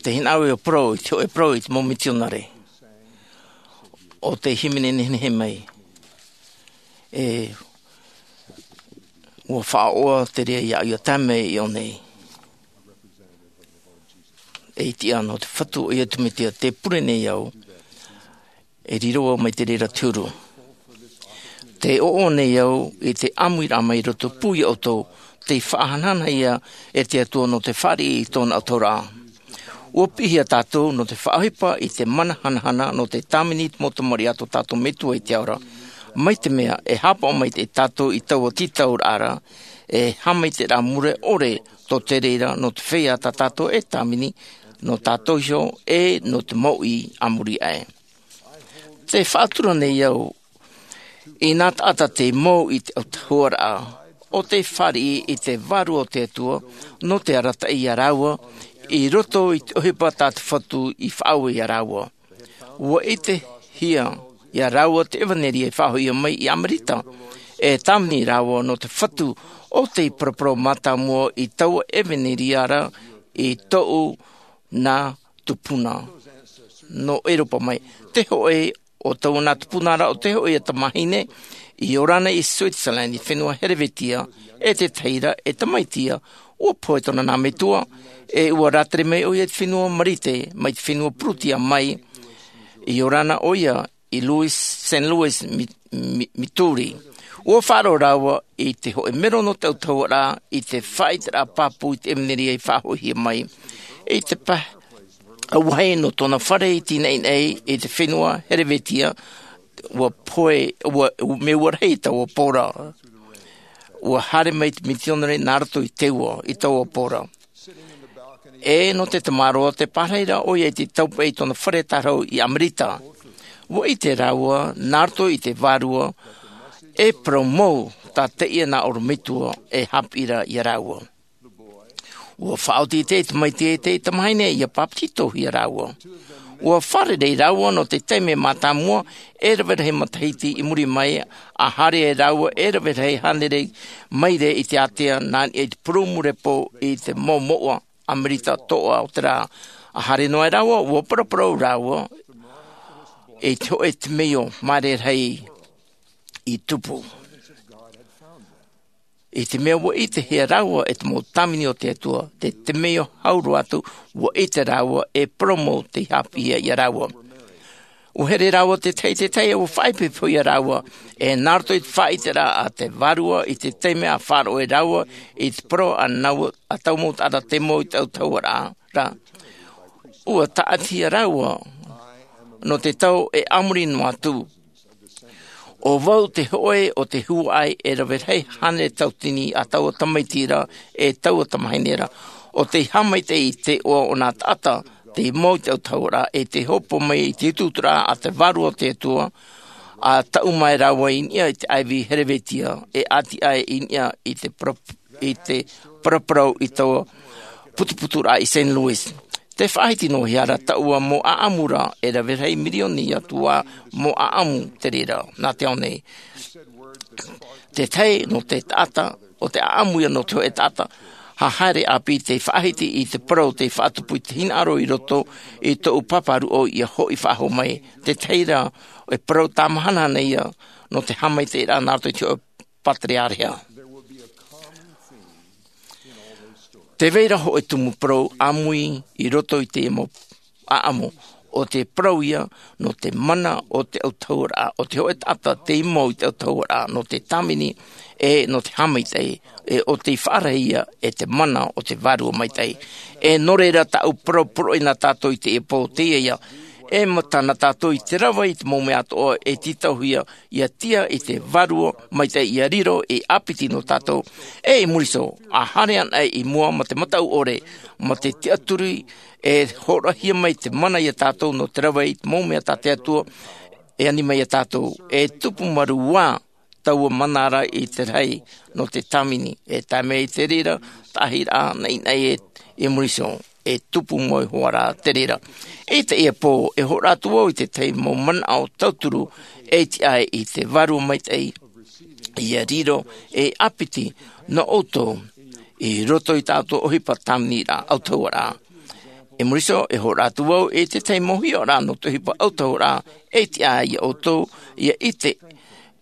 Tē hinaʻaro au e parau i te hōʻē parau i te mau mitionare. ʻO te hīmene nehenehe mai. E, ʻua faʻaʻoa te reira iāʻu ʻia tae mai i ʻō nei. E tiʻa nō te Fatu o Iesu Mesia, tē pure nei au, e riro au mai te reira te huru. Tē ʻoaʻoa nei au i te ʻāmuiraʻa mai roto pū iā ʻoutou, tei faʻahanahanahia e te Atua nō te fāriʻi i tōna ʻautahuʻaraʻa. ʻUa piʻihia tātou nō te faʻaʻohipa i te mana hanahana nō te tāvini i te mau tamariʻi a tō tātou Metua i te Ao ra. Mai te mea, e haʻapaʻo mai tātou i taua tītauraʻa ra, e haʻamaitaʻiraʻa mure ʻore tō te reira nō te feiā tā tātou e tāvini, nō tātou iho, e nō te mouʻi a muri aʻe. Tē faʻatura nei au, i nā taʻata tei mau i te ʻautahuʻaraʻa, ʻo tei fāriʻi i te Vārua o te Atua, nō te arataʻi iā rāua, i roto i te ʻohipa tā te Fatu i faʻaue iā rāua. ʻUa ʻitehia ia rāua te ʻevanelia i faʻahoʻihia mai i Amerika. E tāvini rāua nō te fatu o te paraparau mātāmua i taua ʻevanelia ra i tōʻu nā tupuna nō ʻEuropa mai. Te hōʻē o taua nā tupuna ra, ʻo te hōʻē ia tamāhine i ora nei i Switzerland, i te fenua Herevetia, e tētahi ra e tamaiti ia, ʻua pohe tōna nā metua, e ʻua rātere mai ʻoia i te fenua Marite, mai te fenua Purutia mai, i ora na ʻoia i Louis, Saint Louis, Mi-, Mi-, Missouri. ʻUa faʻaroʻo rāua i te hōʻē mero nō te autahuʻaraʻa, i te faʻaʻiteraʻa pāpū i te ʻevanelia i faʻahoʻihia mai. I te pa-, ʻauahi nō tōna fare i tinaʻinaʻi i te fenua Herevetia, ʻua pohe, ʻua, mea ʻua rahi taua pō ra. ʻUa haere mai te mitionare nā roto i te ua i taua pō ra. E nō te tamaroa, tē pārahi ra ʻoia i te taupeʻe i tōna fare tārahu i Amerika. ʻUa ʻite rāua, nā roto i te vārua, e parau mau tā teie nā ʻorometua e haʻapiʻi ra ia rāua. ʻUa faʻaoti te tamaiti e te tamāhine ia pāpetitohia rāua. ʻUa fārerei rāua nō te taime mātāmua e rave rahi matahiti i muri mai, ʻa haere ai rāua e rave rahi hānere maire i te ātea nā niʻa i te purūmu repo i te mau mouʻa Amerika toʻa o te rā. ʻA haere noa ai rāua, ʻua paraparau rāua i te hōʻē temeio māere rahi i tupu. I te mea ʻua ʻitehia rāua e te mau tāvini o te Atua, te temeio hau roa atu, ʻua ʻite rāua e parau mau tei haʻapiʻihia ia rāua. ʻUa here rāua tētahi i tētahi, ʻua faʻaipoipohia rāua, e nā roto i te faʻaʻiteraʻa a te Vārua i te taime ʻa faʻaroʻo ai rāua i te parau a nau, a taua mau taʻata tei mau i te autahuʻaraʻa ra. ʻUa tāʻatihia rāua nō te tau e a muri noa atu. ʻO vau te hōʻē o te huaʻai e rave rahi hānere tauatini a taua tamaiti ra, e taua tamāhine ra, ʻo tei haʻamaitaʻi i te iʻoa o nā taʻata tei mau i te autahuʻaraʻa, e tei hōpoi mai i te utuuturaʻa a te Vārua o te Atua, ʻa taʻu mai rāua i niʻa i te ʻāivi Herevetia, e ʻati aʻe i niʻa i te para-, i te paraparau i taua putuputuraʻa i Saint Louis. Tē faʻahiti noa hia ra taua mau ʻaʻamu ra, e rave rahi mirioni atu ā mau ʻaʻamu te reira nā te ao nei. Tētahi nō te taʻata, ʻo te ʻaʻamu ia nō te hōʻē taʻata haʻahaere ʻāpī, tei faʻahiti i te parau tei faʻatupu i te hinaʻaro i roto i tōʻu pāpā ruʻau ʻia hoʻi faʻahou mai. Tētahi ra, e parau tāmahanahana ia nō te haʻamaitaʻiraʻa nā roto i te hōʻē pātereareha. Tē vai ra hōʻē tumu parau ʻāmui i roto i te mau ʻaʻamu, ʻo te parau ia nō te mana o te autahuʻaraʻa, ʻo te hōʻē taʻata tei mau i te autahuʻaraʻa, nō te tāvini, e nō te haʻamaitaʻi, e ʻo tei faʻarahi ia e te mana o te Vārua Maitaʻi. E nō reira tāʻu parau poroʻi nā tātou i teie pō, teie ia, e mata nā tātou i te rave i te mau mea atoʻa e tītauhia, ʻia tiʻa i te Vārua Maitaʻi ʻia riro ei ʻāpiti nō tātou. E i muri iho, ʻa haere anaʻe i mua ma te mataʻu ʻore, ma te tiʻaturi, e hōroʻahia mai te mana ia tātou nō te rave i te mau mea tā te Atua, e ani mai ia tātou, e tupu marū ā taua mana ra i te rahi nō te tāvini, e tae mai i te reira, tahi rā, naʻinaʻi e, i muri iho, e tupu mau hoʻi rā te reira. I teie pō, e hōroʻa atu vau i te tahi mau manaʻo tauturu, e tiʻa ai i te Vārua Maitaʻi, ʻia riro ei ʻāpiti nō ʻoutou, i roto i tā ʻoutou ʻohipa tāviniraʻa autahuʻaraʻa. I muri iho, e hōroʻa atu vau i te tahi mau hiʻoraʻa nō te ʻohipa autahuʻaraʻa, e tiʻa ai ia ʻoutou, ʻia ʻite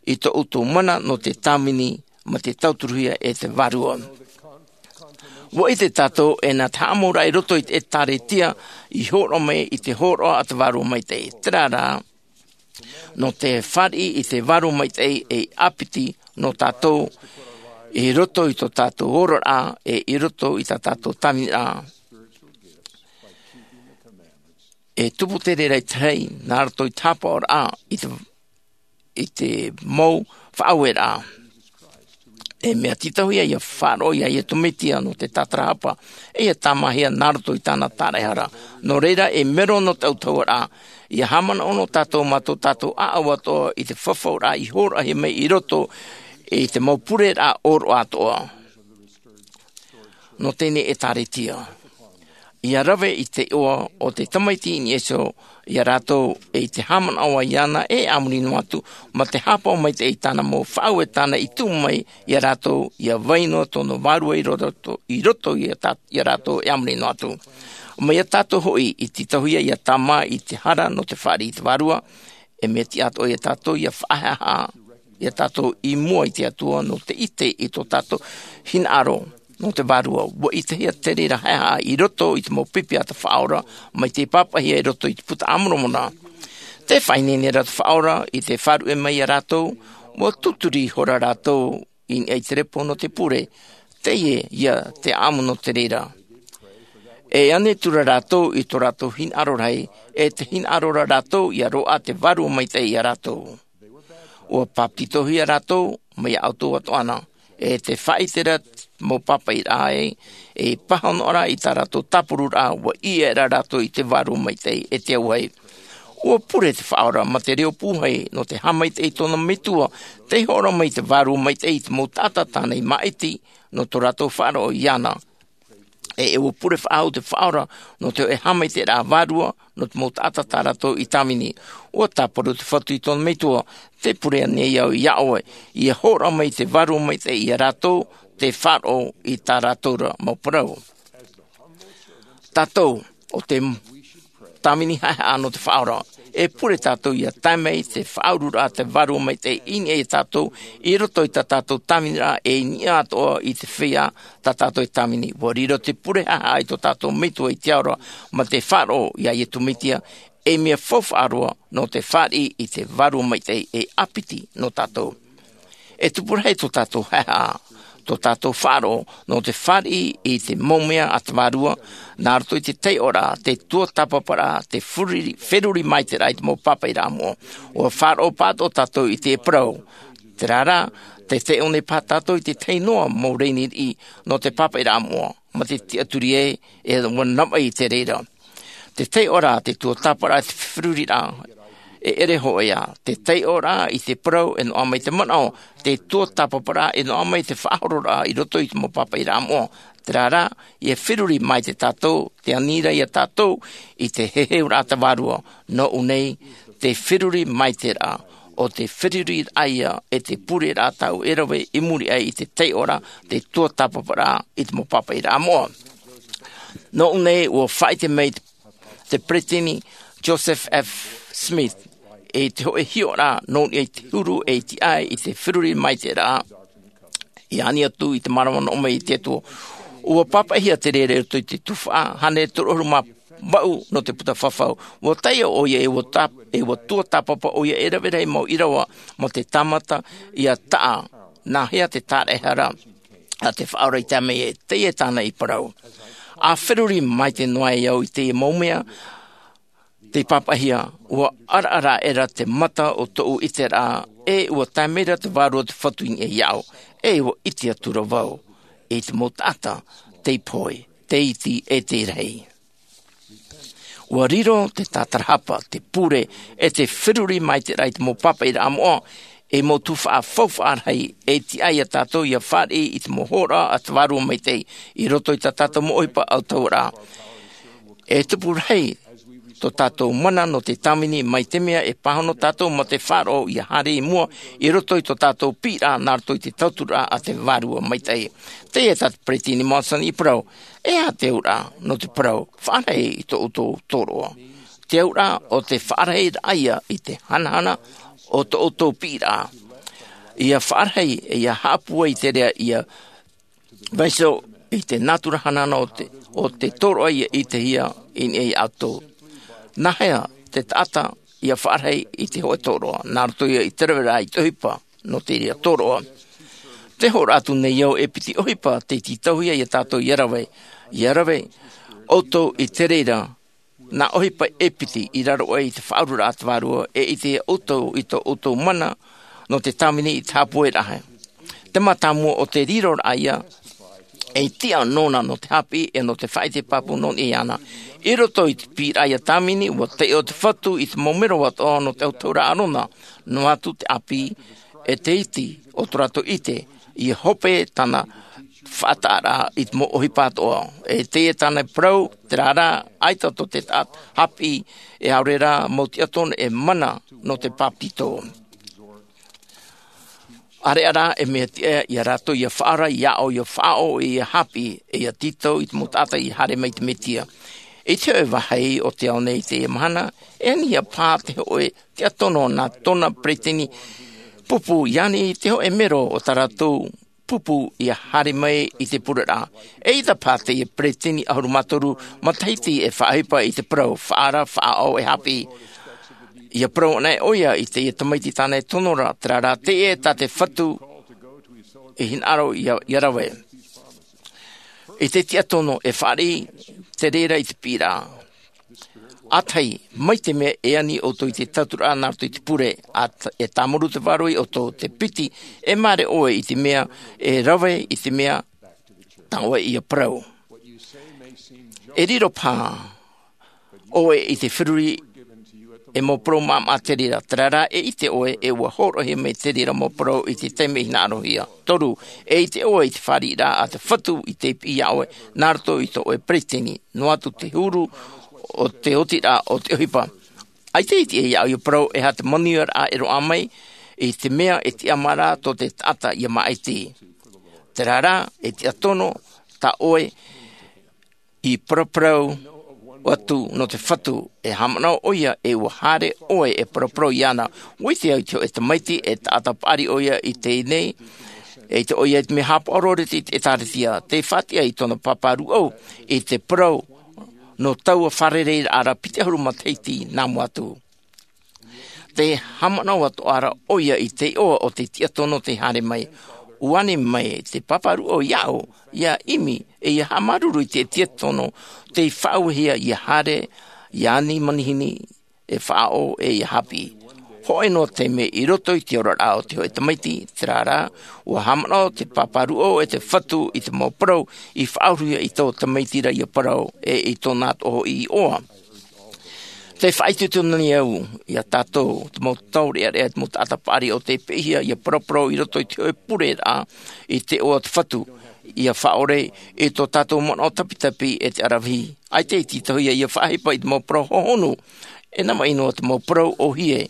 i tō ʻoutou mana nō te tāvini, ma te tauturuhia e te Vārua. ʻUa ʻite tātou e nā te haʻamauraʻa i roto i te ʻĒkālesia, i hōroʻa mai i te hōroʻa a te Vārua Maitaʻi. Terā rā, nō te fāriʻi i te Vārua Maitaʻi ei ʻāpiti nō tātou, i roto i tō tātou ororaʻa, e i roto i tā tātou tāviniraʻa. E tupu te reira i te rahi, nā roto i te haʻapaʻoraʻa, i te, i te mau faʻaueraʻa. E mea tītauhia ʻia faʻaroʻo ia Iesu Mesia nō te tātarahapa, e ʻia tāmāhia nā roto i tāna tāraʻehara. Nō reira, e mero nō te autahuʻaraʻa, ʻia haʻamanaʻo noa tātou mā tō tātou ʻāʻau atoʻa i te fafauraʻa i hōroʻahia mai i roto i te mau pureraʻa ʻōroʻa atoʻa. Nō teie ʻĒkālesia. ia rave i te iʻoa o te tamaiti i niʻa iho iā rātou, e i te haʻamanaʻo iāna e a muri noa atu mā te hāpaʻo maitaʻi i tāna mau faʻaue tāna i tuʻu mai iā rātou ia vai noa tōna vārua i roto, i roto iā tā-, iā rātou e a muri noa atu. Mai iā tātou hoʻi i tītauhia iā tāmā i te hara nō te fāriʻi i te vārua, e mea tiʻa atoʻa iā tātou ia faʻahaʻehaʻa iā tātou i mua i te Atua nō te ʻite i tō tātou hinaʻaro nō te vārua. Ua ʻitehia te reira haʻehaʻa i roto i te mau pipi a te Faʻaora mai te pāpaʻihia i roto i te Puta a Moromona. Tē faʻaineine ra te Faʻaora i te faʻaruʻe mai iā rātou, ua tūturi ihora rātou i niʻa i te repo nō te pure, teie ia te ʻāʻamu nō te reira. E ʻanetu ra rātou i tō rātou hinaʻaro rahi, e te hinaʻaro ra rātou ia roaʻa te Vārua Maitaʻi iā rātou. Ua bāpetizohia rātou mai iā ʻoutou atoʻa na, e te faʻaʻite ra mau pāpaʻiraʻa ē, e pāhonoraʻa i tā rātou tāporuraʻa, ua ʻī aʻera rātou i te Vārua Maitaʻi e te auahi. Ua pure te Faʻaora mā te reo pūhai nō te haʻamaitaʻi i tōna metua, tei hoʻo ra mai te Vārua Maitaʻi i te mau taʻata tāna i māʻiti nō tō rātou faʻaroʻo iāna. E, e ua pure faʻahou te Faʻaora nō te hōʻē haʻamaitaʻiraʻa vārua nō te mau taʻata tā rātou i tāvini. Ua tāparu te Fatu i tōna metua, tē pure nei au iā ʻoe, ia hoʻo ra mai te Vārua Maitaʻi iā rātou, tē faʻaroʻo i tā rātou ra mau parau. Tātou, ʻo te tāvini haʻehaʻa nō te Faʻaora, e pure tātou ia tae mai te faʻaururaʻa a te Vārua Maitaʻi i niʻa iā tātou, i roto i tā tātou tāviniraʻa, e i niʻa atoʻa i te feiā tā tātou e tāvini. Ua riro te pure haʻehaʻa i tō tātou Metua i te ao ra, mā te faʻaroʻo iā Iesu Mesia, e mea faufaʻa roa nō te fāriʻi i te Vārua Maitaʻi e ʻāpiti nō tātou. E tupu rahi tō tātou haʻehaʻa, tō tātou faʻaroʻo nō te fāriʻi i te mau mea a te Vārua, nā roto i te taiʻoraʻa, te tuatāpaparaʻa, te feruri, feruri maitaʻiraʻa i te mau pāpaʻiraʻa moʻa. Ua faʻaroʻo pāʻatoʻa tātou i te parau. Terā rā, tē taiʻo nei paha tātou i te tahi noa mau rēni riʻi nō te pāpaʻiraʻa moʻa, mā te tiʻaturi ē, e ua navaʻi i te reira. Te taiʻoraʻa, te tuatāpaparaʻa, te feruriraʻa, e ʻere hōʻē ā. Te taiʻoraʻa i te parau e noaʻa mai te manaʻo, te tuatāpaparaʻa e noaʻa mai te faʻahororaʻa i roto i te mau pāpaʻiraʻa moʻa. Terā rā, ia feruri maitaʻi tātou, tē ani ra iā tātou i te heheuraʻa a te Vārua, nōʻu nei, te feruri maitaʻiraʻa, ʻo te feruriraʻa ia e te pureraʻa tāʻu e rave i muri aʻe i te taiʻoraʻa, te tuatāpaparaʻa i te mau pāpaʻiraʻa moʻa. Nōʻu nei, ua faʻaʻite mai te Peresideni Joseph F. Smith, i te hōʻē hiʻoraʻa nō niʻa i te huru e iti ai i te feruri maitaʻiraʻa, i ani atu i te mārama noa mai i te Atua. Ua pāpaʻihia te reira i roto i te tuhaʻa hānere toru ʻahuru mā vaʻu nō te puta fafau. Ua taiʻo ʻoia e ua tā-, e ua tuatāpapa ʻoia e rave rahi mau ʻīrava mā te tāmata ia taʻa, nāhea te tāraʻehara a te Faʻaora i tae mai ē, teie tāna i parau. ʻA feruri maitaʻi noa ai au i teie mau mea, tei pāpaʻihia, ua ʻaraʻara aʻera te mata o tōʻu ʻiteraʻa, e ua tae mai ra te Vārua te Fatu i niʻa iāʻu, e ua ʻite atu ra vau i te mau taʻata, tei pohe, tei iti, e tei rahi. Ua riro te tātarahapa, te pure, e te feruri maitaʻiraʻa i te mau pāpaʻiraʻa moʻa, e mau tuhaʻa faufaʻa rahi, e tiʻa ai iā tātou ia fāriʻi i te mau hōroʻa a te Vārua Maitaʻi, i roto i tā tātou mau ʻohipa ʻautahuʻaraʻa. E tupu rahi tō tātou mana nō te tāvini, mai te mea e pāhono tātou mā te faʻaroʻo ia haere i mua, i roto i tō tātou piʻiraʻa nā roto i te tauturu a te Vārua Maitaʻi. Teie tā te Peresideni Monson i parau, e aha te auraʻa nō te parau, faʻarahi i tō ʻoutou tōroʻa? Te auraʻa ʻo te faʻarahiraʻa ia i te hanahana o tō ʻoutou piʻiraʻa. Ia faʻarahi, ia haʻapūai i te reira ia vaiiho i te nātura hanahana o te, o te tōroʻa ia ʻitehia i niʻa iā ʻoutou. Nāhea te taʻata ia faʻarahi i te hōʻē tōroʻa, nā roto ia i te raveraʻa i te ʻohipa nō te reira tōroʻa? Tē hoʻoraʻa atu nei au e piti ʻohipa tei tītauhia iā tātou ia rave, ia rave ʻoutou i te reira nā ʻohipa e piti i raro aʻe i te faʻaururaʻa a te Vārua, e ʻite ʻoutou i tō ʻoutou mana nō te tāvini i te haʻapūairaʻa. Te mātāmua o te riroraʻa ia, e tiʻa nōna nō te haʻapiʻi e nō te faʻaʻite pāpū nō niʻa iāna. I roto i te piʻiraʻa ia tāvini, ua taiʻo te Fatu i te mau mero atoʻa nō te autahuʻaraʻa a ʻArona, noa atu te ʻāpī, e te iti o tō rātou ʻite, ia hope tāna faʻataʻaraʻa i te mau ʻohipa atoʻa. E teie tāna parau, terā rā, ʻaita tō te taʻata hāpiʻi, e ʻaore rā mau tiʻatonu e mana nō te bāpetizo. ʻAreʻa rā e mea tiʻa ia rātou ia faʻaora, ia aʻo, ia faʻaʻo, ia hāpiʻi, e ia tītau i te mau taʻata i haere mai i te Mesia. I te hōʻē vāhi o te ao nei i teie mahana, e ani ia pā te hōʻē tiʻatonu nā tōna peresideni pupu, i ani i te hōʻē mero o tā rātou pupu ia haere mai i te pureraʻa. E ʻaita pā teie peresideni ʻahuru mā toru matahiti e faʻaʻohipa i te parau, faʻaora, faʻaʻo, e hāpiʻi. Ia parau anaʻe ʻoia i teie tamaiti tāna e tono ra, terā rā, teie tā te Fatu i hinaʻaro ia, ia rave. I te tiʻatonu e fāriʻi te reira i te piʻiraʻa. ʻĀtahi, mai te mea e ani ʻoutou i te tauturu nā roto i te pure, ā, e tāmau te vārua iā ʻoutou, te piti, e māere ʻoe i te mea, e rave i te mea tā ʻoe ia parau. E riro pā ʻoe i te feruri, e mau parau māʻamaʻa te reira, terā rā e ʻite ʻoe, e ʻua hōroʻahia mai te reira mau parau i te taime i hinaʻarohia. Toru, e ʻite ʻoe i te fāriʻiraʻa a te Fatu i te piʻi iā ʻoe, nā roto i tō ʻoe peresideni, noa atu te huru o te otiraʻa o te ʻohipa. ʻAita e tiʻa iā ʻoe ia parau, e aha te manuiaraʻa e roaʻa mai i te mea e tiʻamā ra tō te taʻata ia māʻiti. Terā rā, e tiʻatonu tā ʻoe i paraparau atu nō te Fatu, e haʻamanaʻo ʻoia, e ʻua haere ʻoe e paraparau iāna. ʻUa ʻite au i te hōʻē tamaiti, e taʻata paʻari ʻoia i teie nei, e ʻite ʻoia i te mea haʻapaʻo roa i te ʻĒtārētia, tē faʻatiʻa i tōna pāpā rūʻau i te parau nō taua fārereiraʻa ra piti ʻahuru matahiti nā mua atu. Tē haʻamanaʻo atoʻa ra ʻoia i te iʻoa o te tiʻatonu tei haere mai. ʻUa ani mai te pāpā rūʻau iāʻu, ia ʻimi, e ia haʻamāuruuru i te tiʻatonu tei faʻauehia ia haere, ia ani manihini, e faʻaʻo, e ia hāpiʻi. Hōʻē noa taime i roto i te oraraʻa o te hōʻē tamaiti, terā rā, ʻua haʻamanaʻo te pāpā rūʻau e te Fatu i te mau parau i faʻaurahia i tō tamaiti ra ia parau, e i tōna atoʻa hoʻi iʻoa. Tē faʻaitoito nei au iā tātou, te mau taureʻareʻa, te mau taʻata paʻari ʻo tē piʻihia ia paraparau i roto i te hōʻē pureraʻa i te iʻoa o te Fatu, ia faʻaʻore i tō tātou manaʻo tapitapi e te aravihi. ʻAita e tītauhia ia faʻaʻohipa i te mau parau hohonu, e nā maʻi noa te mau parau ʻōhie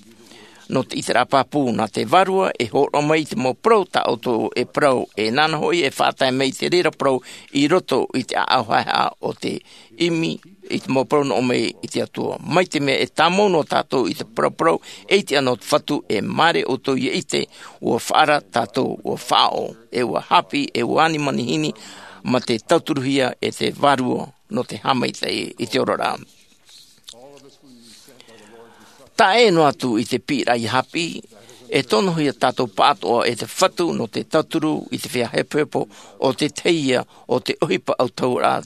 nō te ʻiteraʻa pāpū, nā te Vārua e hōroʻa mai i te mau parau tā ʻoutou e parau, e nāna hoʻi e faʻatae mai i te reira parau i roto i te ʻāʻau haʻehaʻa o te ʻimi i te mau parau nō ʻō mai i te Atua. Mai te mea e tāmau noa tātou i te paraparau e ʻite ana o te Fatu, e māere ʻoutou ia ʻite, ʻua faʻaora tātou, ʻua faʻaʻo, e ʻua hāpiʻi, e ʻua ani manihini, mā te tauturuhia e te Vārua nō te haʻamaitaʻi i te oraraʻa. Taʻa ʻē noa atu i te piʻiraʻa ia hāpiʻi, e tonohia tātou pāʻatoʻa e te Fatu nō te tauturu i te feiā hepohepo o te tahi ia o te ʻohipa autahuʻaraʻa.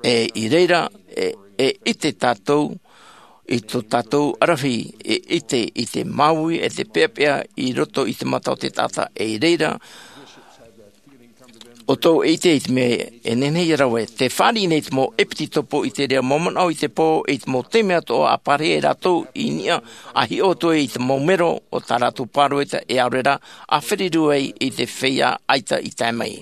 E i reira, e, e ʻite tātou i tō tātou aravihi, e ʻite i te māuiui, e te peʻapeʻa i roto i te mata o te taʻata, e i reira, ʻoutou e ʻite i te mea e nehenehe ia rave, tē fāriʻi nei te mau ʻepitopo i te reira mau manaʻo i te pō, i te mau taime atoʻa ʻa pārahi ai rātou i niʻa, ʻa hiʻo atu ai i te mau mero o tā rātou pāroita, e ʻaore rā, ʻa feruri ai i te feiā ʻaita i tae mai.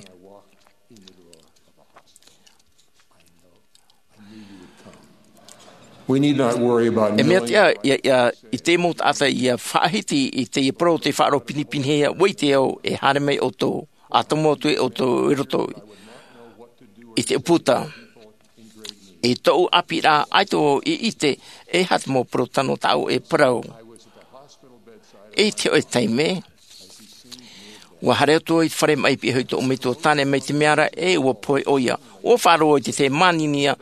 We need not worry about E mea knowing tiʻa, ia, ia, i te mau taʻata ia faʻahiti i te parau tei faʻaroʻo pinepinehia, ʻua ʻite au e haere mai ʻoutou, ʻa tomo atu e ʻoutou i roto i te ʻūputa. I tōʻu ʻāpīraʻa, ʻaita vau i ʻite e aha te mau parau tano tāʻu e parau. I te hōʻē taime, ʻua haere atu au i te fare maʻi piʻi iho i tōʻu metua tāne mai te mea ra, e ʻua pohe ʻoia. ʻUa faʻaroʻo i te tahi māninia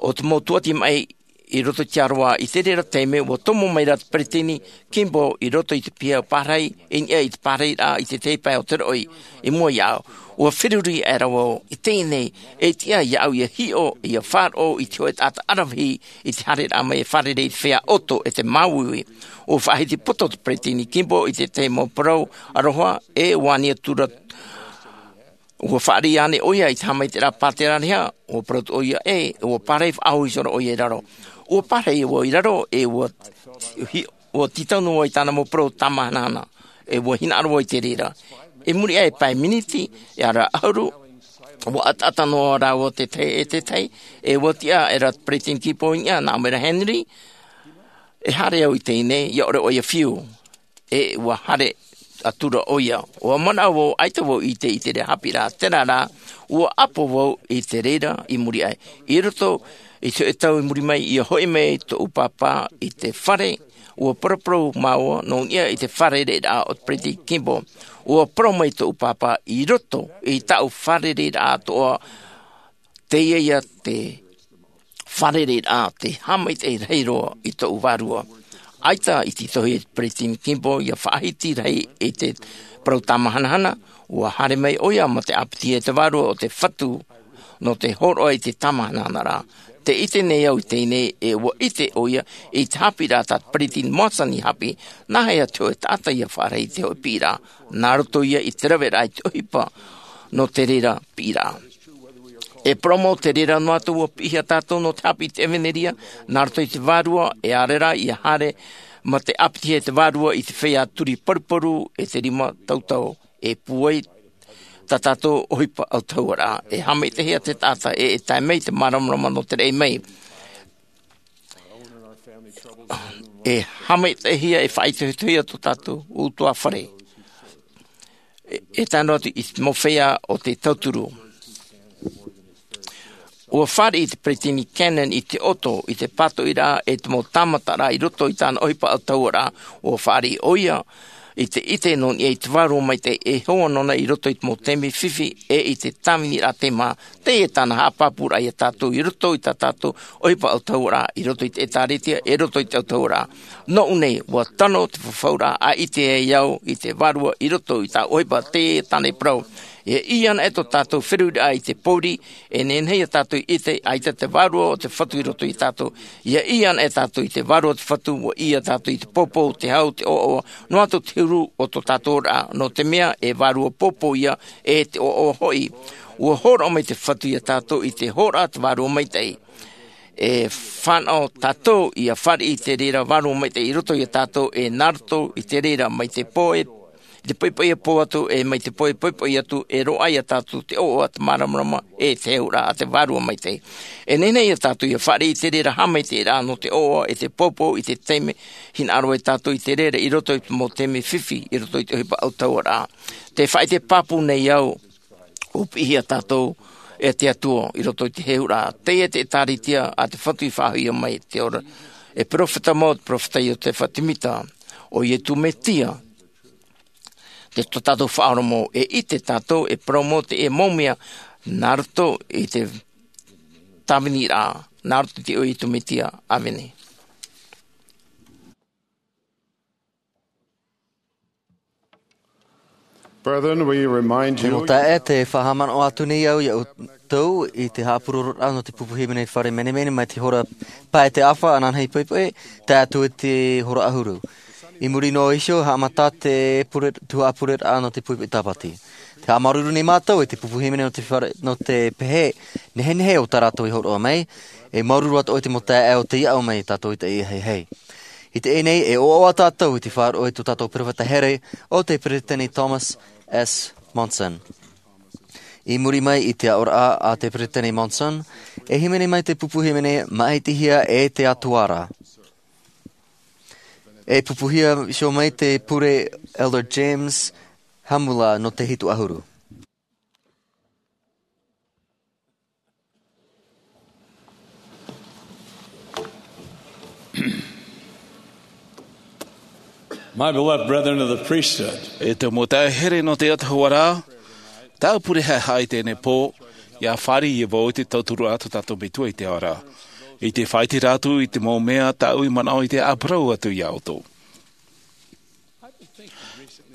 o te mau tūʻati maʻi i roto i te aroā. I te reira taime, ʻua tomo mai ra te peresideni Kimball i roto i te piha pārahi, i niʻa i te pārahiraʻa i te tahi pae o te roʻi, i mua iāʻu. ʻUa feruri aʻera vau, i teie nei, e tiʻa iāʻu ia hiʻo, ia faʻaroʻo i te hōʻē taʻata aravihi i te haereraʻa mai e fārerei i te feiā ʻoto e te māuiui. ʻUa faʻahiti poto te peresideni Kimball i te tahi mau parau aroha, e ʻua ani atu ra, ʻua fāriʻi ānei ʻoia i te haʻamaitaʻiraʻa pāteraʻa, ʻua parau atu ʻoia ē, ʻua pārahi faʻahoʻi ihora ʻoia i raro. ʻUa pārahi vau i raro, e ʻua hi-, ʻua tītau noa vau i tāna mau parau tāmahanahana, e ʻua hinaʻaro vau i te reira. i muri aʻe pae miniti e ara ʻahuru. Ua ataata noa rāua te tahi e te tahi, e ua tiʻa e ra peresideni kimball i niʻa nā ʻō mai ra, henry, e haere au i teie nei ia ʻore ʻoia fiu. E ua haere atu ra ʻoia. Ua manaʻo vau ʻaita vau i te ʻite i te reira haʻapiʻiraʻa terā rā, ua ʻapo vau i te reira i muri aʻe. I roto i te hoʻe tau i muri mai ia hoʻi mai toʻu pāpā i te fare, ua paraparau māua nō niʻa i te fārereiraʻa o te peresideni kimball. Ua parau mai toʻu pāpā i roto i taʻu fārereiraʻa toʻa, teie ia te fārereiraʻa te haʻamaitaʻi rahi roa i toʻu vārua. ʻAita i te tohi e te peresideni kimball ia faʻahiti rahi i te parau tamahanahana, ua haere mai ʻoia ma te ʻāpiti e te vārua o te fatu nō te hōroʻa i te tamahanahana rā. Te ʻite nei au i teie nei e ua ʻite ʻoia i te haʻapiʻiraʻa tā peresideni monson i haʻapiʻi, nā hea te hoʻe taʻata ia faʻarahi i te hoʻe piʻiraʻa? Nā roto ia i te raveraʻa i te ʻohipa nō te reira piʻiraʻa. E parau mau te reira noa atu ua piʻihia tātou nō te haʻapiʻi i te ʻevanelia nā roto i te vārua, e ʻaore rā ia haere ma te ʻāpiti e te vārua i te feiā turi paruparu e te rima tautau, e pūai tā tātou ʻohipa autahuʻaraʻa. E haʻamaitaʻihia te taʻata e e tae mai te māramarama nō te raʻi mai. E haʻamaitaʻihia e faʻaitoitohia tō tātou ʻutuāfare. E tae noa atu i te mau feiā o te tauturu. Ua fāriʻi te peresideni cannon i te ʻoto i te pātoʻiraʻa e te mau tāmataraʻa i roto i tāna ʻohipa autahuʻaraʻa. Ua fāriʻi ʻoia i te ʻite nō niʻa i te vārua maitaʻi e hoa nōna i roto i te mau taime fifi e i te tāviniraʻa tei mā. Teie tāna haʻapāpūraʻa iā tātou i roto i tā tātou ʻohipa autahuʻaraʻa, i roto i te ʻēkālesia e roto i te autahuʻaraʻa. Nōʻu nei ua tano te fafauraʻa a ʻite ai au i te vārua i roto i tā ʻohipa. Teie tāna i parau, ia ʻī ana e tō tātou feruriraʻa i te pōuri, e nehenehe ia tātou i ʻite ʻaita te vārua o te fatu i roto i tātou. Ia ʻī ana e tātou i te vārua o te fatu ua ʻī ia tātou i te pōpō, te hau, te ʻoaʻoa, noa atu te huru o tō tātou oraraʻa, nō te mea e vārua pōpō ia, e te ʻoaʻoa hoʻi. Ua hōroʻa mai te fatu iā tātou i te hōroʻa te vārua maitaʻi. E fānaʻo tātou ia fāriʻi i te reira vārua maitaʻi i roto iā tātou, e nā roto i te reira mai te pō e i te poʻipoʻi e pō atu, e mai te pō e poʻipoʻi atu e roaʻa iā tātou te ʻoaʻoa, te māramarama e te heheuraʻa a te vārua maitaʻi. E nehenehe ia tātou ia fāriʻi i te reira haʻamaitaʻiraʻa nō te ʻoaʻoa e te pōpō i te taime hinaʻaro ai tātou i te reira i roto i te mau taime fifi i roto i te ʻohipa autahuʻaraʻa. Te faʻaʻite pāpū nei au, ua piʻihia tātou e te Atua i roto i te heheuraʻa. Teie te ʻēkālesia a te fatu i faʻahoʻihia mai te ora. E perofeta mau te perofeta Iotefa Temita, ʻo Iesu Mesia te tō tātou Faʻaora mau. E ʻite tātou e parau mau teie mau mea nā roto i te tāviniraʻa, nā roto i te iʻoa o Iesu Mesia. ʻĀmene. Brethren, we remind you. Te mau taeaʻe, te faʻahaʻamanaʻo atu nei au iā ʻoutou i te haʻapurororaʻa nō te pupu hīmene fare menemene mai te hora pae e te ʻāfa ananahi poʻipoʻi, tae atu i te hora ʻahuru. I muri noa iho, haʻamata te pure, tuhaʻa pureraʻa nō te poʻipoʻi Tāpati. Te haʻamāuruuru nei mātou i te pupu hīmene nō te fare, nō te pehe nehenehe o tā rātou i hōroʻa mai, e māuruuru atoʻa i te mau taeaʻe o tei aʻo mai tātou i teie hei. I teie nei, e ʻoaʻoa tātou i te faʻaroʻo i tō tātou perofeta here ʻo te Peresideni Thomas S. Monson. I muri mai i te aʻoraʻa a te Peresideni Monson, e hīmene mai te pupu hīmene māʻitihia e te Atua ra. E pupuhia iho mai te pure Elder James Hamula nō te hitu ʻahuru. My beloved brethren of the priesthood. E te mau taeaʻe here nō te autahuʻaraʻa, tāʻu pure haʻehaʻa i teie nei pō, ʻia fāriʻi vau i te tauturu a tō tātou Metua i te ao ra, i te faʻaʻite atu i te mau mea tāʻu i manaʻo i te ʻāparau atu iā ʻoutou.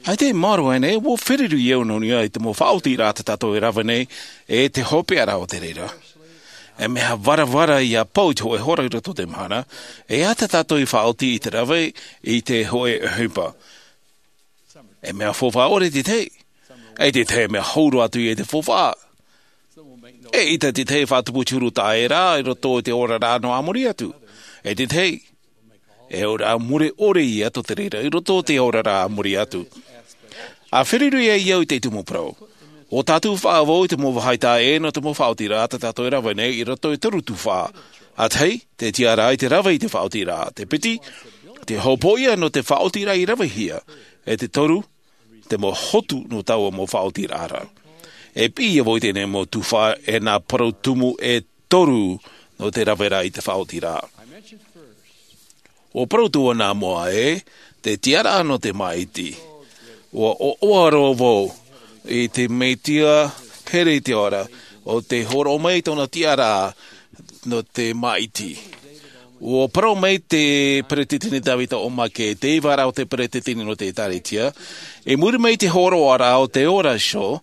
ʻAita i maoro aʻe nei, ua feruri au nō niʻa i te mau faʻaotiraʻa tā tātou e rave nei, e te hopeʻa ra o te reira. E mea varavara ʻia pau i te hōʻē hora i roto i te mahana, e ʻaita tātou i faʻaoti i te rave i te hōʻē ʻohipa. E mea faufaʻa ʻore te tahi, e te tahi e mea hau roa atu i te faufaʻa. E ʻaita te tahi e faʻatupu i te huru taʻa ʻē ra i roto i te oraraʻa nō a muri atu. E te tahi, e ora mure ʻore ia tō te reira i roto i te oraraʻa a muri atu. A feruri ai au i te tumu parau. O tātou faʻavau i te mau vāhi taʻa ʻē nō te mau faʻaotiraʻa tā tātou e rave nei i roto i te toru tuhaʻa. A tahi, te tiʻaraʻa i te rave i te faʻaotiraʻa. Te piti, te hopoiʻa nō te faʻaotiraʻa i ravehia. E te toru, te mau hotu nō taua mau faʻaotiraʻa ra. E piʻi ia vau i teie mau tuhaʻa e nā parau tumu e toru nō te raveraʻa i te faʻaotiraʻa. ʻUa parau atu nā mua ē, te tiʻaraʻa nō te māʻiti. ʻUa ʻoaʻoa roa vau i te Mesia here i te ao ra, ʻo tē hōroʻa mai tōna tiʻaraʻa nō te māʻiti. ʻUa parau mai te Peresideni Tavita O. McKay, te ivaraʻa o te Peresideni nō te ʻĒtārētia, i muri mai i te hōroʻaraʻa o te ora show,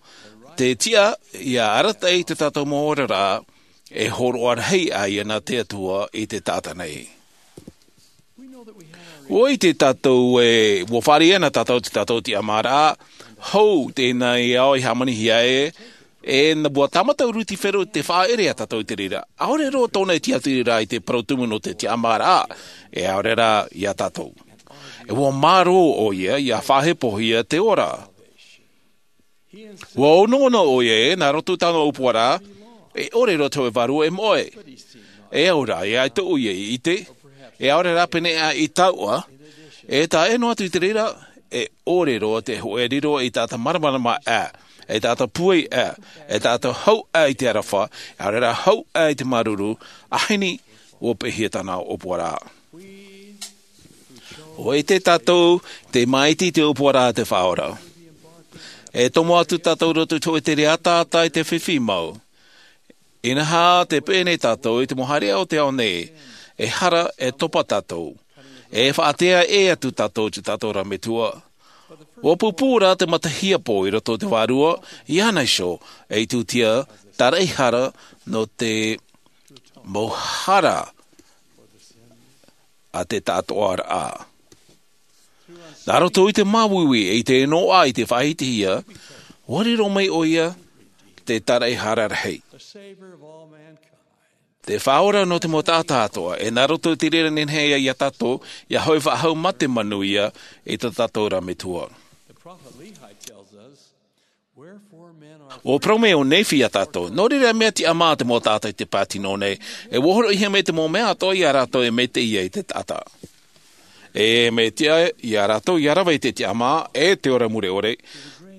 te tiʻa ʻia arataʻi i tā tātou mau oraraʻa, e hōroʻa rahi ʻā ia nā te Atua i te taʻata nei. ʻUa ʻite tātou ē, ʻua fāriʻi ana tātou i tā tātou tiʻamāraʻa, hou teie nei ao i hāmanihia ē, e nā ʻua tāmata Rutifero te faʻaʻere ia tātou i te reira. ʻAore roa tōna e tiʻaturi ra i te parau tumu nō te tiʻamāraʻa, e ʻaore rā ia tātou. E ʻua mārō ʻoia, ʻia faʻahepohia te ora. ʻUa onoono ʻoia ē, nā roto i tāna ʻōpuaraʻa, e ʻore roa te hōʻē vārua e moʻe. E au rā, e ʻaita ʻoia i ʻite, e ʻaore rā pēneiaʻe i taua, e taʻa ʻē noa atu i te reira, e ʻore roa te hōʻē riro i taʻata māramarama ʻā, e taʻata pūai ʻā, e taʻata hau ʻā i te aroha, e ʻaore rā hau ʻā i te māuruuru, ʻa heni ʻua peʻehia tāna ʻōpuaraʻa. ʻUa ʻite tātou te māʻiti i te ʻōpuaraʻa a te Faʻaora. E tomo atu tātou i roto i te hōʻē tere ataata i te fifi mau. Inaha tē peʻe nei tātou i te mau haereʻa o te ao nei, e hara e topa tātou. E faʻatea ʻē atu tātou i tā tātou ra Metua. ʻUa pūpū rā te mata hiapo i roto i te vārua, iāna iho, e itūtia, tāraʻehara nō te mau hara a te taʻatoʻaraʻa. Nā roto i te māuiui e i te noaʻa i te faʻahitihia, ʻua riro mai ʻoia te tāraʻehara rahi. Te Faʻaora nō te mau taʻata atoʻa, e nā roto i te reira nehenehe ia tātou, ʻia hoʻi faʻahou mā te manuia i tā tātou ra Metua. ʻUa parau mai ʻo Nephi ia tātou, nō reira mea tiʻamā te mau taʻata i te pātino nei, e ʻua hōroʻahia mai te mau mea atoʻa ia rātou e maitaʻi ai te taʻata. E maitaʻi ia rātou ʻia rave i te tiʻamā, e te ora mure ʻore,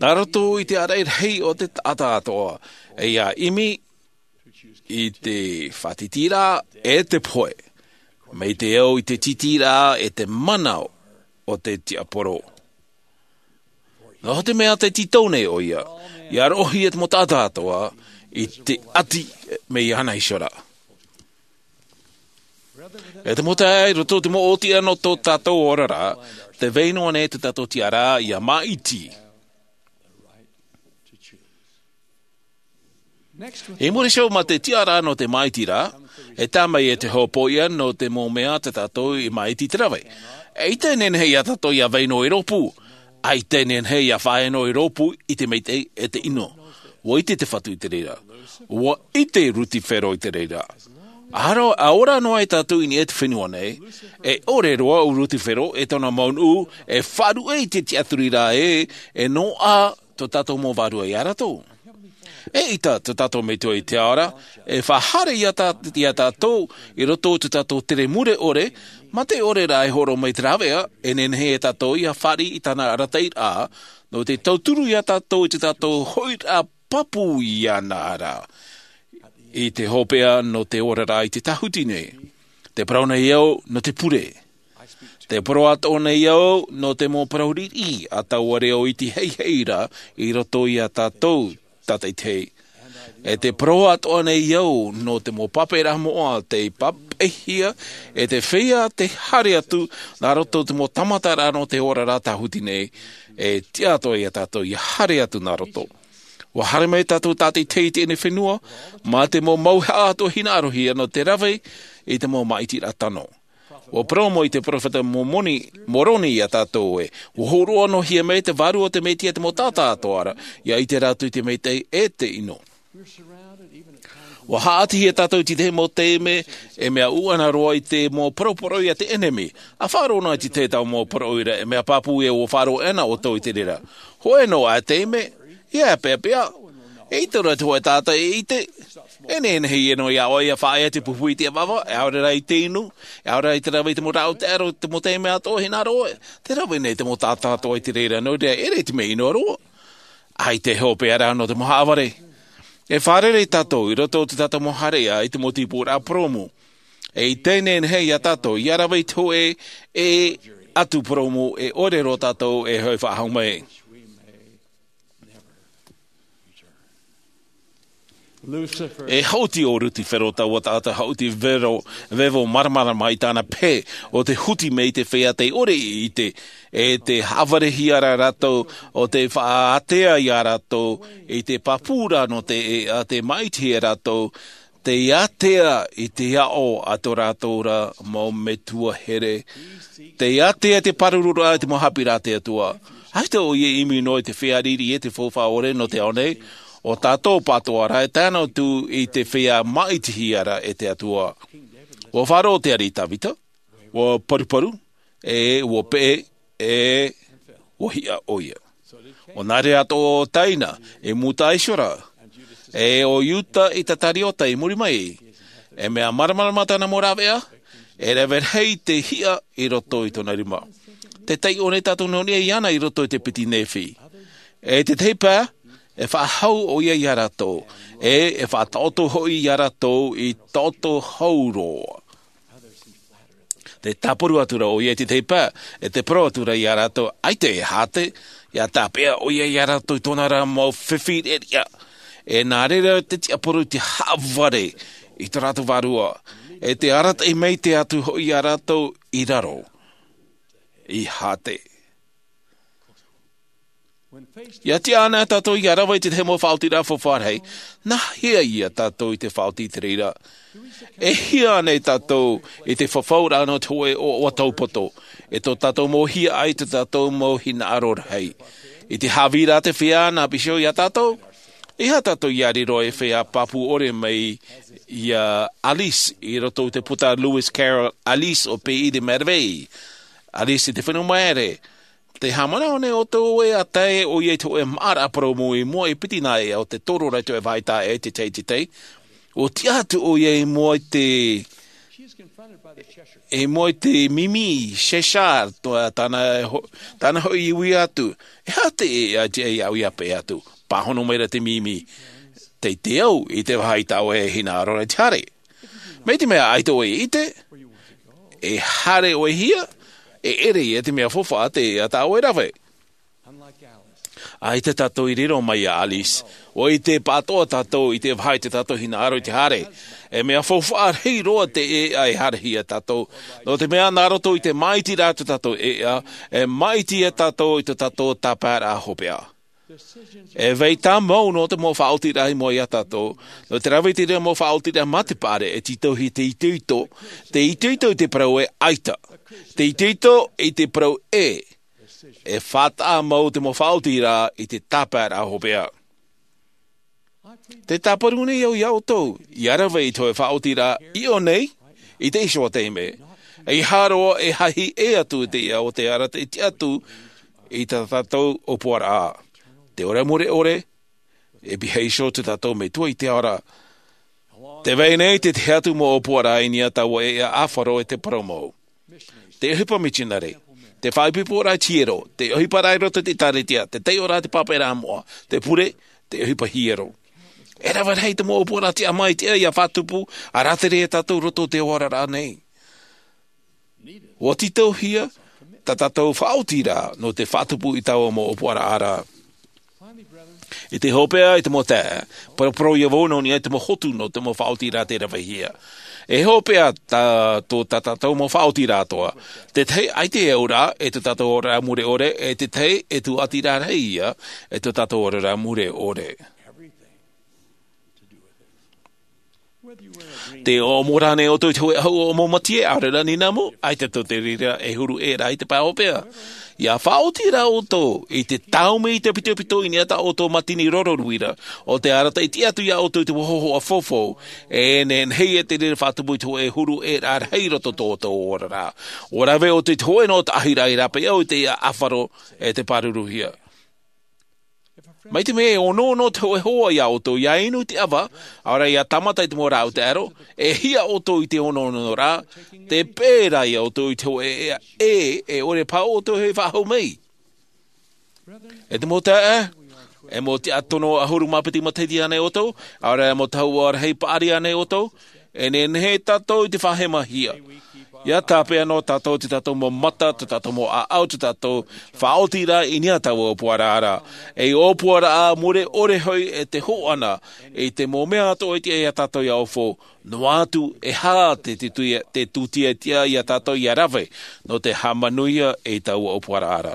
nā roto i te ʻāraʻi rahi o te taʻata atoʻa, e ʻia ʻimi i te faʻatītīraʻa e te pohe, mai te au i te tītīraʻa e te mana o te tiaporo. Nō te mea tē tītau nei ʻoia, ʻia roʻohia te mau taʻata atoʻa i te ʻati mai iāna iho ra. E te mau taeaʻe, i roto i te mau ʻōtiʻa nō tō tātou oraraʻa, tē vai noa nei tō tātou tiʻaraʻa ʻia māʻiti. I muri iho mā te tiʻaraʻa nō te māʻitiraʻa, e tae mai e te hopoiʻa nō te mau mea tā tātou i māʻiti i te rave. ʻAita e nehenehe ia tātou ʻia vai noa i rōpū. ʻAita e nehenehe ʻia fāʻaʻe noa i rōpū i te maitaʻi e te ʻino. ʻUa ʻite te Fatu i te reira. ʻUa ʻite Rutifero i te reira. ʻA ora noa ai tātou i niʻa i te fenua nei, e ʻore roa ʻo Rutifero e tōna mau nuʻu, e faʻaruʻe i te tiʻaturiraʻa ē, e noaʻa tō tātou mau vārua ia rātou. Eʻita tō tātou Metua i te ao ra, e faʻahaere ia tā-, ia tātou i roto i tō tātou tere mure ʻore, mā te ʻore rā e hōroʻa mai te rāveʻa, e nehenehe ia tātou ʻia fāriʻi i tāna arataʻiraʻa, nō te tauturu ia tātou i tō tātou hoʻiraʻa pāpū iāna ra. I te hopeʻa nō te oraraʻa i te tāhuti nei. Tē parau nei au nō te pure. Tē parau atoʻa nei au nō te mau parau riʻi a taua reo iti heihei ra i roto ia tātou tātaʻitahi. E tē parau atoʻa nei au nō te mau pape ra moʻa tei papeʻihia, e tē feiā te haere atu nā roto i te mau tāmataraʻa nō te oraraʻa tāhuti nei, e tiʻa atoʻa ia tātou ʻia haere atu nā roto. ʻUa haere mai tātou tātaʻitahi i teie fenua, mā te mau mauhaʻa atoʻa hinaʻarohia nō te rave i te mau māʻitiraʻa tano. ʻUa parau mai te peropheta Momoni, Moroni ia tātou ē, ʻua hōroʻa noa hia mai te Vārua o te Mesia i te mau taʻata atoʻa ra, ʻia ʻite rātou i te maitaʻi e te ʻino. Ua haʻatihia tātou i te tahi mau taime e mea ʻuʻana roa i te mau poroporoʻi a te ʻenemi. A faʻaroʻo noa i te tahi mau poroporoʻi ra, e mea pāpū ē ua faʻaroʻo ana ʻoutou i te reira. Hōʻē noa ā taime, ia peʻapeʻa. E ʻite roa te hōʻē taʻata e ʻite. E nehenehe ia noa iā ʻoe ia faʻaea te pupu i te ʻavava, e ʻaore rā i te inu, e ʻaore rā i te rave i te mau rāʻau taʻero, te mau taime atoʻa hinaʻaro ʻoe. Te rave nei te mau taʻata atoʻa i te reira, nō reira, e ʻere i te mea ʻino roa. ʻAita e hopeʻa rā nō te mau haʻavare. E fārerei tātou i roto i tā tātou mau haereʻa i te mau tīpuraʻa purōmu. E i teie nei iā tātou, ia rave i te hōʻē e atu purōmu, e ʻore roa tātou e hoʻi faʻahou mai. E haʻuti ʻo Lusifero, taua taʻata haʻuti vero, vevo māramarama i tāna pehe, ʻo tē huti mai i te feiā tei ʻore i ʻite, e tē haʻavarehia ra rātou, ʻo tē faʻaātea iā rātou, i te pāpū ra nō te ʻēʻa, tē māʻitihia rātou, tē ātea i te aʻo a tō rātou ra mau metua here, tē ātea i te pāruruaʻa i te mau haʻapiʻiraʻa a te Atua. ʻAita ʻoia e ʻimi noa i te feiā riri e te faufaʻa ʻore nō te ao nei, ʻo tātou pātoʻa rā e tae noa atu i te feiā māʻitihia ra e te Atua. Ua faʻaroʻo te ariʻi Tavita, ua paruparu, e ua peʻe, e ua hiʻa ʻoia. ʻO nā reira atoʻa ʻo Taina, e Mūta Iseraela, e ʻo Iuta Isikariota i muri mai, e mea māramarama tāna mau rāveʻa, e rave rahi te hiʻa i roto i tōna rima. Tē taiʻo nei tātou nō niʻa iāna i roto i te piti Nephi. E te tahi pae, e faʻahou ʻoia iā rātou, e, e faʻataʻoto hoʻi iā rātou i taʻoto hau roa. Tē tāparu atu ra ʻoia i te tahi pae, e tē parau atu ra iā rātou, ʻaita e hāte, ia tāpeʻa ʻoia iā rātou i tōna ra mau fifi reʻareʻa. E nā reira te tiʻaporo i te haʻavare i tō rātou vārua. E tē arataʻi maitaʻi atu hoʻi iā rātou i raro. I hāte. Ia tiʻa ana tātou ia rave i te tahi mau faʻaotiraʻa faufaʻa rahi, nā hea ia tātou i te faʻaoti i te reira? E hia ana tātou i te fafauraʻa nō te hōʻē ʻoaʻoa taupoto, e tō tātou mau hiaʻai, tō tātou mau hinaʻaro rahi? I te haʻavī ra te feiā nā Bishop iā tātou, ʻeiaha tātou ia riro e feiā pāpū ʻore mai iā Alice i roto i te puta Lewis Carroll, Alice ʻo Pays des Merveilles. Alice i te fenua maere, tē haʻamanaʻo nei ʻoutou ē, ʻa tae ʻoia i te hōʻē māʻaraʻa purōmu i mua i piti nā ʻēʻa o te toro ra i te vāhi taʻa ʻē, te tei, te tei. ʻUa tiʻa atu ʻoia i mua i te, i mua i te mimi, Cheshire, tō, tāna ho-, tāna hoʻi i ui atu. E aha te ʻēʻa, te ʻēʻa au ia peʻe atu? Pāhono mai ra te mimi. Teitei au i te vāhi taʻa ʻē hinaʻaro ra i te haere. Mai te mea ʻaita ʻoe e ʻite, e haere ʻoe hia, e ʻere ia te mea faufaʻa te ʻēʻa tā ʻoe e rave. ʻAita tātou i riro mai iā Alice, ʻua ʻite pāʻatoʻa tātou i te vāhi tā tātou hinaʻaro i te haere. E mea faufaʻa rahi roa te ʻēʻa e haerehia tātou, nō te mea nā roto i te māʻitiraʻa tō tātou ʻēʻa, e māʻiti ia tātou i tō tātou tāpaeraʻa hopeʻa. E vai tāmau nō te mau faʻaotiraʻa i mua iā tātou, nō te rave i te reira mau faʻaotiraʻa mā te paʻari, e tītauhia te itoito, te itoito i te parau e ʻaita, te itoito i te parau ʻē, e faʻataʻa mau te mau faʻaotiraʻa i te tāpaeraʻa hopeʻa. Tē tāparu nei au iā ʻoutou, ia rave i te hōʻē faʻaotiraʻa i ʻō nei, i te iho taime, ʻeiaha roa e hahi ʻē atu i te ʻēʻa o te ara te tiʻa atu i tā tātou ʻōpuaraʻa. Te ora mure ʻore, e pihaʻi iho tō tātou Metua i te ao ra. Tē vai nei te tahi atu mau ʻōpuaraʻa i niʻa i taua ʻēʻa ʻāfaro e te parau mau. Te ʻohipa mitionare, te faʻaipoiporaʻa i te hiero, te ʻohipa ra i roto i te ʻĒtārētia, te taiʻoraʻa i te pāpaʻiraʻa moʻa, te pure, te ʻohipa hiero. E rave rahi te mau ʻōpuaraʻa tiʻa mai i te ʻēʻa ia faʻatupu, ʻa rātere ia tātou i roto i te oraraʻa nei. ʻUa tītauhia tā tātou faʻaotiraʻa nō te faʻatupu i taua mau ʻōpuaraʻa ra. I te hopeʻa, i te mau taeaʻe, paraparau ia vau nō niʻa i te mau hotu nō te mau faʻaotiraʻa tē ravehia. E hopeʻa tā, tō tā tātou mau faʻaotiraʻa atoʻa. Te tahi ʻaita e auraʻa, e tō tātou oraraʻa mure ʻore, e te tahi e tūʻatiraʻa rahi ia, e tō tātou oraraʻa mure ʻore. Te ʻōmuaraʻa nei ʻoutou i te hōʻē ʻahu ʻōmumati ʻaore rā ninamu, ʻaita tō te reira e huru ʻē rā i te pae hopeʻa. Ia faʻaoti rā ʻoutou i te tāumi i te pitopito i niʻa tā ʻoutou mātini roro nui ra, ʻo te arataʻi tiʻa atu iā ʻoutou i te hōhoʻa faufaʻa, e nehenehe e te reira faʻatupu i te hōʻē huru ʻē rā rahi i roto tō ʻoutou oraraʻa. ʻUa rave ʻoutou i te hōʻē noa taʻahiraʻa i rāpae au i te ia ʻāfaro e te pāruruhia. Mai te mea e onoono te hōʻē hoa iā ʻoutou ia inu i te ʻava, ʻaore rā ia tāmata i te mau rāʻau taʻero, e hia ʻoutou i te onoono rā, te pērā iā ʻoutou i te hōʻē ʻē, e ʻore pāʻō ʻoutou e faʻahou mai. E te mau taeaʻe, e mau tiʻa tono ʻahuru mā piti matahiti ānei ʻoutou, ʻaore rā e mau tahua rahi paʻari ānei ʻoutou, e nehenehe tātou i te faʻahemahia. Ia tāpeʻa noa tātou i tō tātou mau mata, tō tātou mau ʻāʻau, tō tātou faʻaoti rā i niʻa i taua ʻōpuaraʻa ra. Ei ʻōpuaraʻa mure ʻore hoʻi e te hōʻana i te mau mea atoʻa e tiʻa iā tātou ia ofo, noa atu e aha te tūtia, te tūtia e tiʻa iā tātou ia rave nō te haʻamanuia i taua ʻōpuaraʻa ra.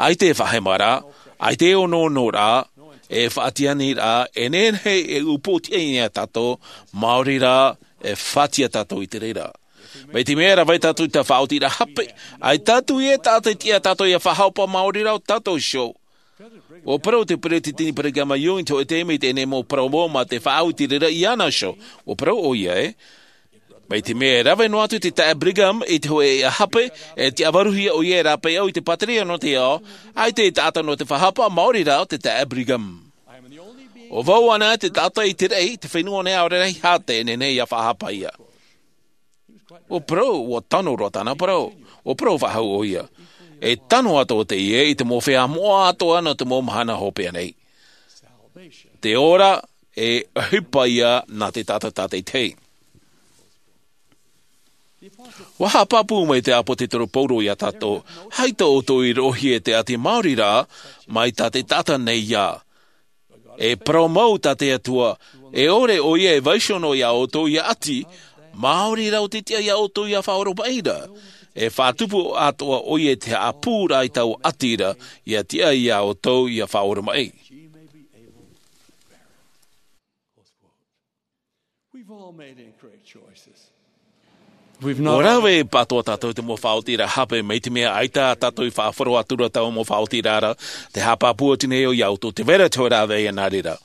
ʻAita e faʻahema rā, ʻaita e onoono rā, e faʻatiani rā, e nehenehe e upoʻotiʻa iā tātou, maori rā, e faʻatiʻa tātou i te reira. Mai te mea e rave tātou i te faʻaotiraʻa hape, ʻaita atu ia e taʻata e tiʻa iā tātou ia faʻahapa maori rā ʻo tātou iho. ʻUa parau te peresideni Brigham Young i te hōʻē taime i teie nei mau parau mō mā te faʻaoti reira iāna iho. ʻUa parau ʻoia ē, mai te mea e rave noa atu te taeaʻe Brigham i te hōʻē ʻēʻa hape, e tiʻa vāruhia ʻoia e rāpae au i te pāteria nō te ao, ʻaita e taʻata nō te faʻahapa maori rā ʻo te taeaʻe Brigham. ʻO vau anaʻe te taʻata i te raʻi, te fenua nei ʻaore rā hia te nehenehe ia faʻahapa ia. ʻUa parau, ʻua tano roa tāna parau. ʻUa parau faʻahou ʻoia. E tano atoʻa teie i te mau feiā moʻa atoʻa nō te mau mahana hopeʻa nei. Te ora e ʻohipa ia nā te taʻata tātaʻitahi. ʻUa haʻapāpū mai te ʻāpōsetolo Paulo iā tātou, ʻaita ʻoutou i roʻohia e te ʻati maori rā, mai tā te taʻata nei ia. E parau mau tā te Atua, e ʻore ʻoia e vaiiho noa iā ʻoutou ia ʻati, maori rā ʻo te tiʻa iā ʻoutou ia faʻaoromaʻi ra. E faʻatupu atoʻa ʻoia i te haʻapū rā i taua ʻati ra, ia tiʻa iā ʻoutou ia faʻaoromaʻi. We've all made incorrect choices. ʻUa rave pātoʻa tātou i te mau faʻaotiraʻa hape, mai te mea ʻaita tātou i faʻahoro atu ra taua mau faʻaotiraʻa ra, te haʻapāpū atu nei au iā ʻoutou, tē vai ra te hōʻē rāveʻa nā reira.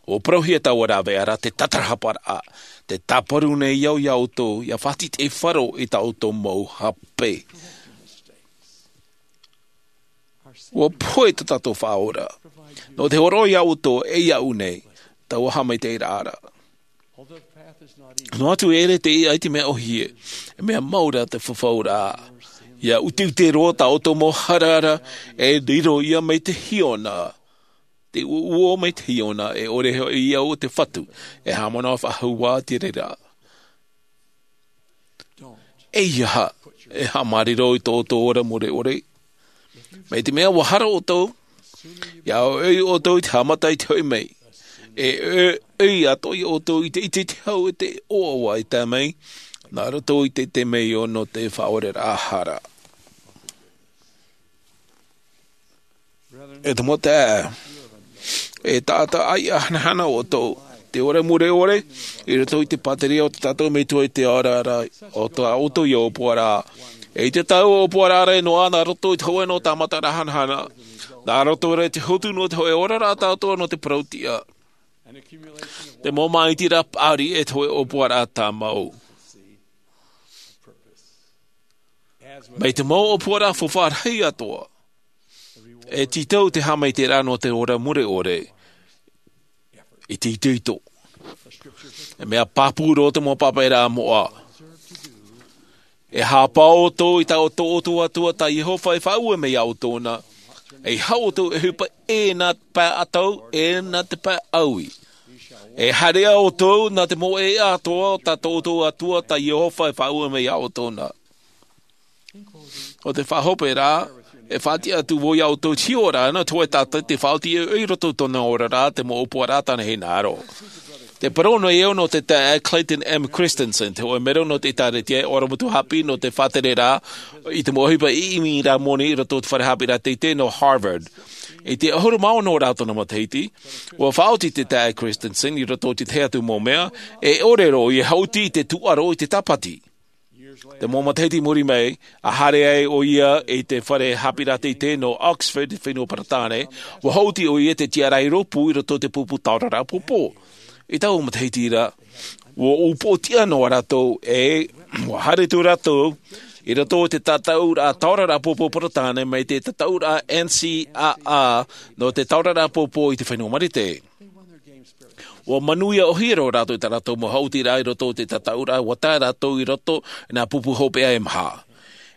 ʻUa parauhia taua rāveʻa ra, te tatarahaparaʻa, te tāparu nei au iā ʻoutou, ia faʻatītīʻaifaro i tā ʻoutou mau hape. ʻUa pohe tā tātou Faʻaora. Nō te hōroʻa iā ʻoutou e iāʻu nei, taua haʻamaitaʻiraʻa ra. Noa atu e ʻere te iʻa i te mea ʻōhie, e mea mau rā te fafauraʻa. Ia ʻuteʻute roa tā ʻoutou mau hara ra, e riro ia mai te hiona. Te uoʻuo mai te hiona, e ʻore hoʻi ia o te fatu, e haʻamanaʻo faʻahou ā te reira. ʻEiaha e haʻamāriro i tō ʻoutou ora mure ʻore. Mai te mea ʻua hara ʻoutou, ia ʻoiʻoi ʻoutou i te haʻamata i te hoʻi mai. E ʻoiʻoi atoʻa ia ʻoutou i te ʻite i te hau e te ʻoaʻoa e tae mai, nā roto i te temeio nō te faʻaoreraʻa hara. E te mau taeaʻe, e taʻata ʻaiʻa hanahana ʻoutou, te ora mure ʻore, i roto i te pāteria o tā tātou Metua i te ao ra, ʻo tā ʻoutou ia ʻōpuaraʻa. E i te tau ʻōpuaraʻa ra e noaʻa nā roto i te hōʻē noa tāmataraʻa hanahana, nā roto rā i te hotu noa te hōʻē oraraʻa tāʻatoʻa nō te parau-tiʻa. Te mau māʻitiraʻa paʻari e te hōʻē ʻōpuaraʻa tāmau. Mai te mau ʻōpuaraʻa faufaʻa rahi atoʻa. E tītau te haʻamaitaʻiraʻa nō te ora mure ʻore. I te itoito. E mea pāpū roa te mau pāpaʻiraʻa moʻa. E haʻapaʻo ʻoutou i tā ʻoutou Atua tā Iehova e faʻaue mai iā ʻoutou na. E haʻu ʻoutou e ʻohipa e nā te pae ʻatau, e nā te pae ʻaui. E haere ʻoutou nā te mau ʻēʻa atoʻa o tā ʻoutou Atua tā Iehova e faʻaue mai iā ʻoutou na. ʻO te faʻahope ra, e faʻatiʻa atu vau iā ʻoutou i te hiʻoraʻa, nō te hōʻē taʻata tē faʻaoti i roto i tōna oraraʻa te mau ʻōpuaraʻa tāna hinaʻaro. Tē parau nei au nō te taeaʻe Clayton M. Christensen, te hōʻē mero nō te ʻĒtārētia e ʻorometua haʻapiʻi nō te faʻatereraʻa i te mau ʻohipa ʻimi rā moni i roto i te fare haʻapiʻiraʻa teitei nō Harvard. I te ʻahuru mā ono rā tōna matahiti, ua faʻaoti te taeaʻe Christensen i roto i te tahi atu mau mea, e ʻore roa ia e haʻuti i te tūʻaro i te tāpati. Te mau matahiti i muri mai, ʻa haere ai ʻoia i te fare haʻapiʻiraʻa teitei nō Oxford, te fenua Peretāne, ua haʻuti ʻoia i te tiʻaraʻa rōpū i roto i te pupu taoraraʻa pōpō. I taua matahiti ra, ua upoʻotiʻa noa rātou, e, ua haere atu rātou i roto i te tataʻuraʻa taoraraʻa pōpō Peretāne mai te tataʻuraʻa N C A A nō te taoraraʻa pōpō i te fenua Marite. Ua manuia ʻōhie roa rātou i tā rātou mau haʻutiraʻa i roto i te tataʻuraʻa, ua tae rātou i roto i nā pupu hopeʻa e maha.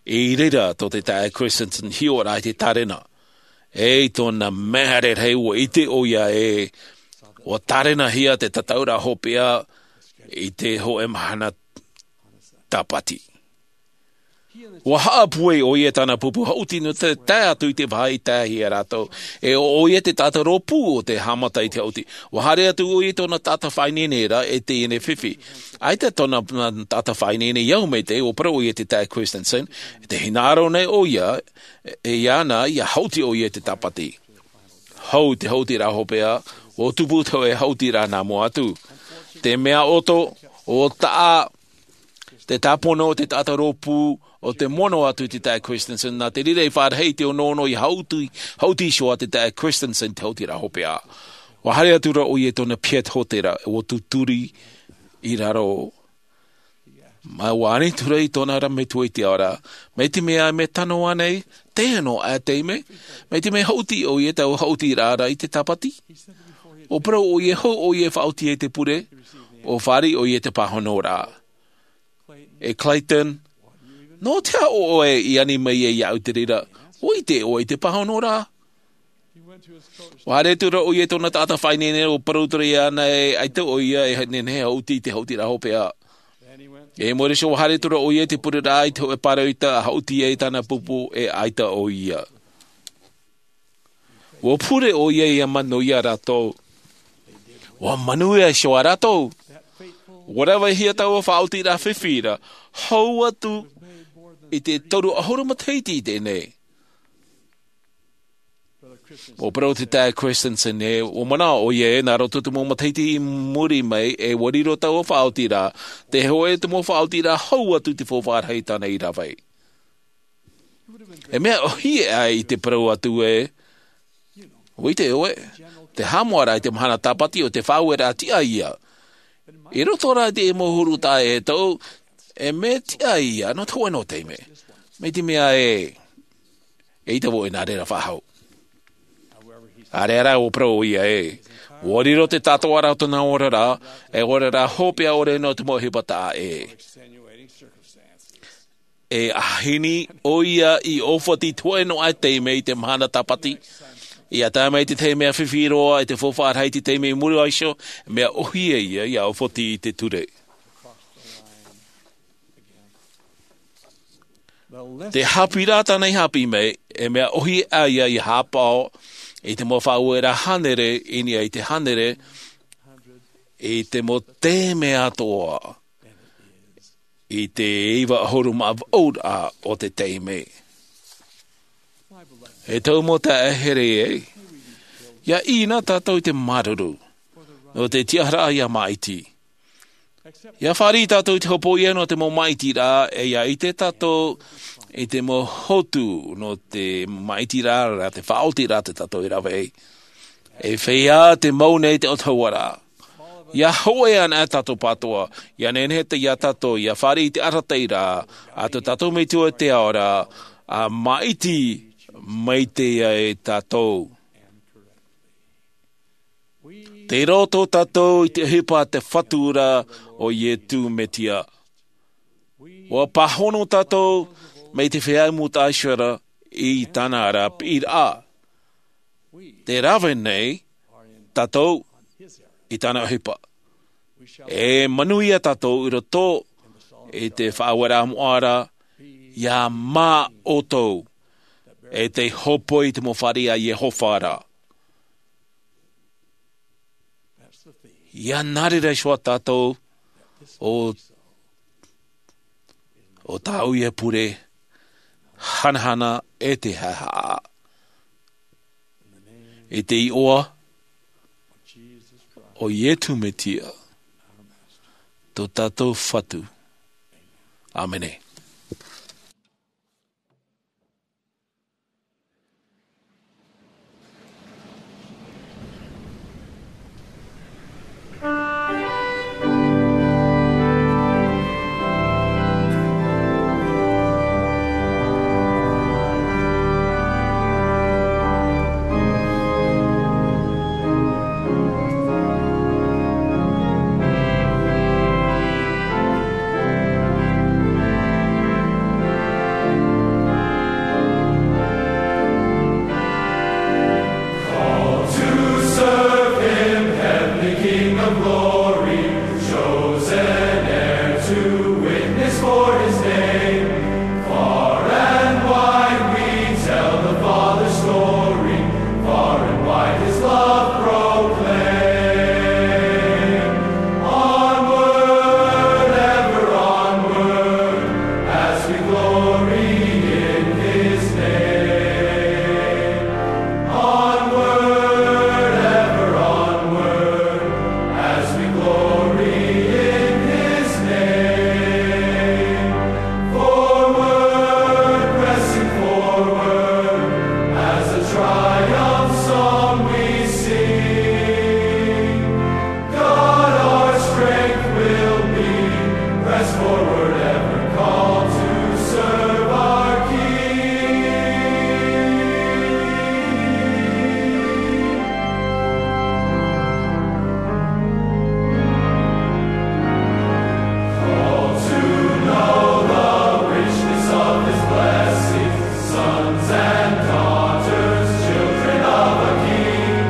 I reira tō te taeaʻe Christensen hiʻo ra i te tārena. E, i tōna mea rarahi ua ʻite ʻoia e, ua tārenahia te tataʻuraʻa hopeʻa i te hōʻē mahana tāpati. Ua haʻapūai ʻoia i tāna pupu haʻuti nō te tae atu i te vāhi i tae ai ia rātou. E ʻo ʻoia te taʻata rōpū o te haʻamata i te haʻuti. Ua haere atu ʻoia i tōna taʻata faʻaineine ra e teie nei fifi. ʻAita tōna taʻata faʻaineine i au mai te, ua parau ʻoia i te taeaʻe Christensen, e te hinaʻaro nei ʻoia, e, iāna, ia haʻuti ʻoia i te tāpati. Hou te haʻutiraʻa hopeʻa, ua tupu te hōʻē haʻutiraʻa nā mua atu. Te mea ʻoto, ʻo taʻa, te tāpono o te taʻata rōpū, ʻo te mono atu i te taeaʻe Christensen, nā te reira i faʻarahi i te onoono ia haʻuti, haʻuti iho ā te taeaʻe Christensen te haʻutiraʻa hopeʻa. Ua haere atu ra ʻoia i tōna piha hōtēra, ua tūturi i raro. Mā, ua ani atu ra i tōna ra metua i te ao ra. Mai te mea e mea tano ānei, te ano a te me, mai te mea haʻuti ʻoia i taua haʻutiraʻa ra i te tāpati. Ua parau ʻoia e hou ʻoia e faʻaoti ai te pure, ʻo fāriʻi ʻoia i te pāhonoraʻa. E Clayton, nō te aha ʻoe i ani mai ai iāʻu i te reira, ʻua ʻite ʻoe i te pāhonoraʻa? Ua haere atu ra ʻoia i tōna taʻata faʻaineine, ua parau atu ra iāna e ʻaita ʻoia e nehenehe e haʻuti i te haʻutiraʻa hopeʻa. E mōreso ua haere atu ra ʻoia i te pureraʻa i te hōʻē pāroita a haʻuti ai tāna pupu e ʻaita ʻoia. Ua pure ʻoia ia manuia rātou. Ua manuia iho ā rātou. Ua ravehia taua faʻaotiraʻa fifi ra, hou atu i te toru ʻahuru matahiti i teie nei. Ua parau te taeaʻe Christensen e, ua manaʻo ʻoia e, nā roto i te mau matahiti i muri mai, e ua riro taua faʻaotiraʻa, te hōʻē te mau faʻaotiraʻa hou atu i te faufaʻa rahi tāna i rave. E mea ʻōhie ʻoe i te parau atu e, ʻua ʻite ʻoe, te haʻamoʻaraʻa i te mahana tāpati ʻo te faʻaueraʻa tiʻa ïa. I roto rā i te mau huru taʻata e tau, e mea tiʻa ïa, nō te hōʻē noa taime. Mai te mea e, eʻita vau e nā reira faʻahou. ʻĀreʻa rā ʻua parau ʻoia e, ʻua riro te tātoʻaraʻa o tōna oraraʻa, e oraraʻa hopeʻa ʻore nō te mau ʻohipa taʻa ʻē. E ʻāhini ʻoia i ʻōfati i te hōʻē noa taime i te mahana tāpati. ʻIa tae mai te tahi mea fifi roa i te faufaʻa rahi i te taime i muri iho, mea ʻōhie ïa, ʻia ʻōfati i te ture. Te haʻapiʻiraʻa tāna i haʻapiʻi mai, e mea ʻōhie ïa ʻia haʻapaʻo i te mau faʻaueraʻa hānere, i niʻa i te hānere, i te mau taime atoʻa. I te iva ʻahuru mā vaʻu o te taime. E tau mau taeaʻe here e, ʻia ʻī na tātou i te māuruuru, nō te tiʻaraʻa ʻia māʻiti. ʻIa fāriʻi tātou i te hopoiʻa nō te mau māʻitiraʻa, e ʻia ʻite tātou i te mau hotu nō te māʻitiraʻa, te faʻaotiraʻa tē tātou i rave ai. E feiā te mau nei te ʻautahuʻaraʻa. ʻIa hōʻē anaʻe tātou pātoʻa, ʻia nehenehe ïa tātou, ʻia fāriʻi i te arataʻiraʻa, a tō tātou Metua i te ao ra, ʻa māʻiti maitaʻi ia tātou. Tei roto tātou i te ʻohipa a te Fatu ra ʻo Iesu Mesia. ʻUa pāhono tātou mai te feiā mūtaʻa Iseraela i tāna ra piʻiraʻa. Tē rave nei tātou i tāna ʻohipa. E manuia tātou i roto i te faʻaueraʻa moʻa ra, ʻia mā ʻoutou, e tē hōpoi i te mau fāriʻi a Iehova ra. ʻIa nā reira iho ā tātou ʻo, ʻo tāʻu ia pure, hanahana e te haʻehaʻa. I te iʻoa o Iesu Mesia, tō tātou Fatu. ʻĀmene. Called to serve him, heavenly King of glory, chosen heir to witness for his name. Far and wide we tell the Father's story, far and wide his love proclaim. Onward, ever onward, as we glory in his name. Onward, ever onward, as we glory in his name. Forward, pressing forward, as a triumph song we sing. God our strength will be, press forward ever, called to serve our King. Called to know the richness of his blessing, sons and daughters, children of a King,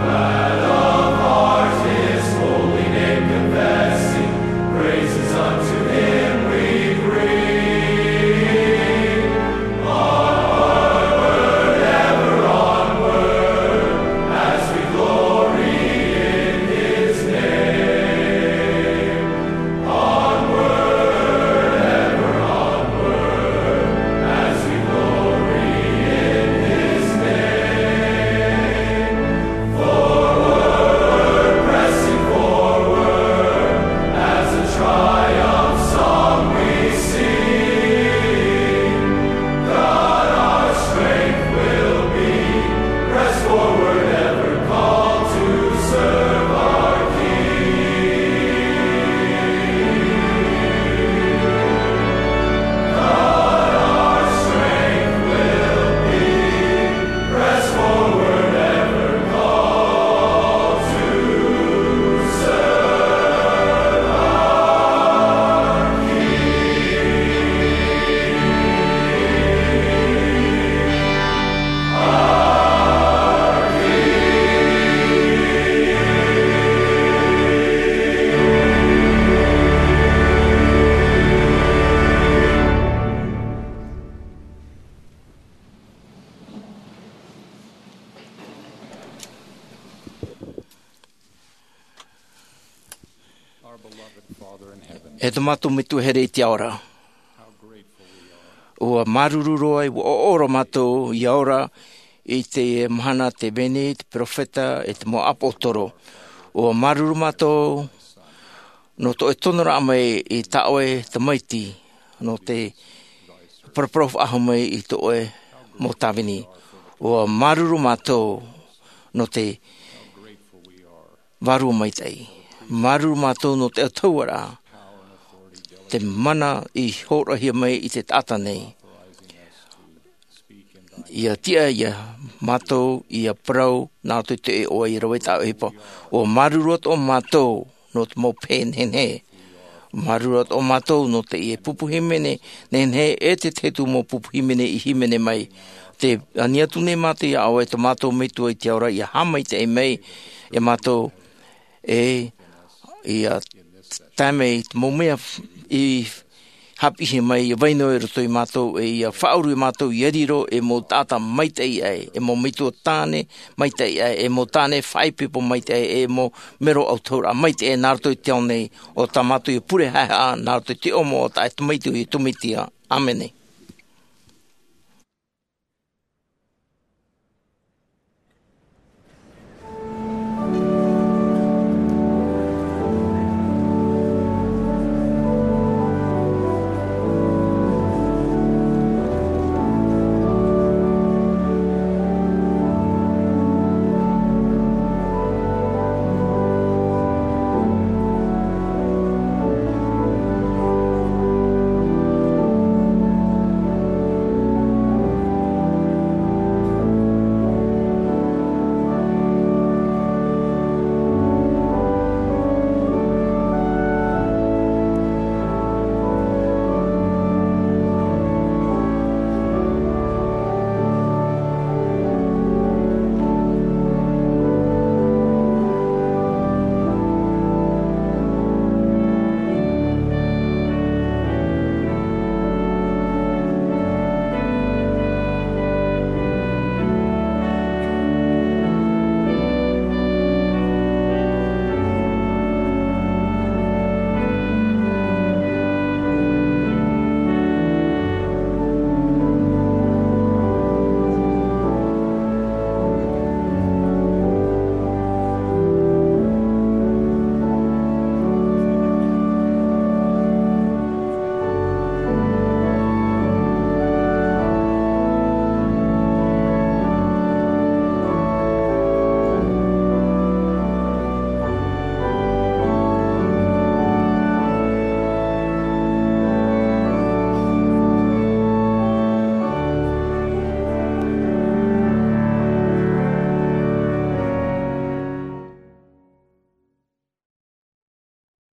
glad of heart his holy name confessing, praises unto him we bring. Onward, ever onward, as we glory in his name. Onward, ever onward, as we glory in his name. Forward, pressing forward, as a triumph song we sing. God our strength will be, press forward ever, called to serve our King. God our strength will be, press forward ever, called to serve our King. E tō mātou Metua here i te ao ra, ʻua māuruuru roa, ʻua ʻoʻoro mātou ia ora i te mahana, te vahine, te peropheta, e te mau ʻāpōsetolo. ʻUa māuruuru mātou nō tō ʻoe tonoraʻa mai i tā ʻoe tamaiti, nō te paraparau faʻahou mai i tō ʻoe mau tāvini. ʻUa māuruuru mātou nō te vārua maitaʻi. Māuruuru mātou nō te autahuʻaraʻa, te mana i hōroʻahia mai i te taʻata nei. ʻIa tiʻa ia mātou ʻia parau, nā roto i te iʻoa, ʻia rave i tā ʻoe ʻohipa. ʻUa māuruuru atoʻa mātou nō te mau pehe nehenehe. Māuruuru atoʻa mātou nō teie pupu hīmene nehenehe, e te tahi atu mau pupu hīmene i hīmene mai. Tē ani atu nei mātou ia ʻoe, tō mātou Metua i te ao ra, ʻia haʻamaitaʻi mai ia mātou, e ʻia tae mai te mau mea i haʻapiʻihia mai, ʻia vai noa i roto ia mātou, e ʻia faʻauru ia mātou ʻia riro ei mau taʻata maitaʻi aʻe, ei mau metua tāne maitaʻi aʻe, ei mau tāne faʻaipoipo maitaʻi aʻe, ei mau mero autahuʻaraʻa maitaʻi aʻe nā roto i te ao nei. ʻO tā mātou ia pure haʻehaʻa nā roto i te iʻoa o tō ʻoe tamaiti, ʻo Iesu Mesia. ʻĀmene.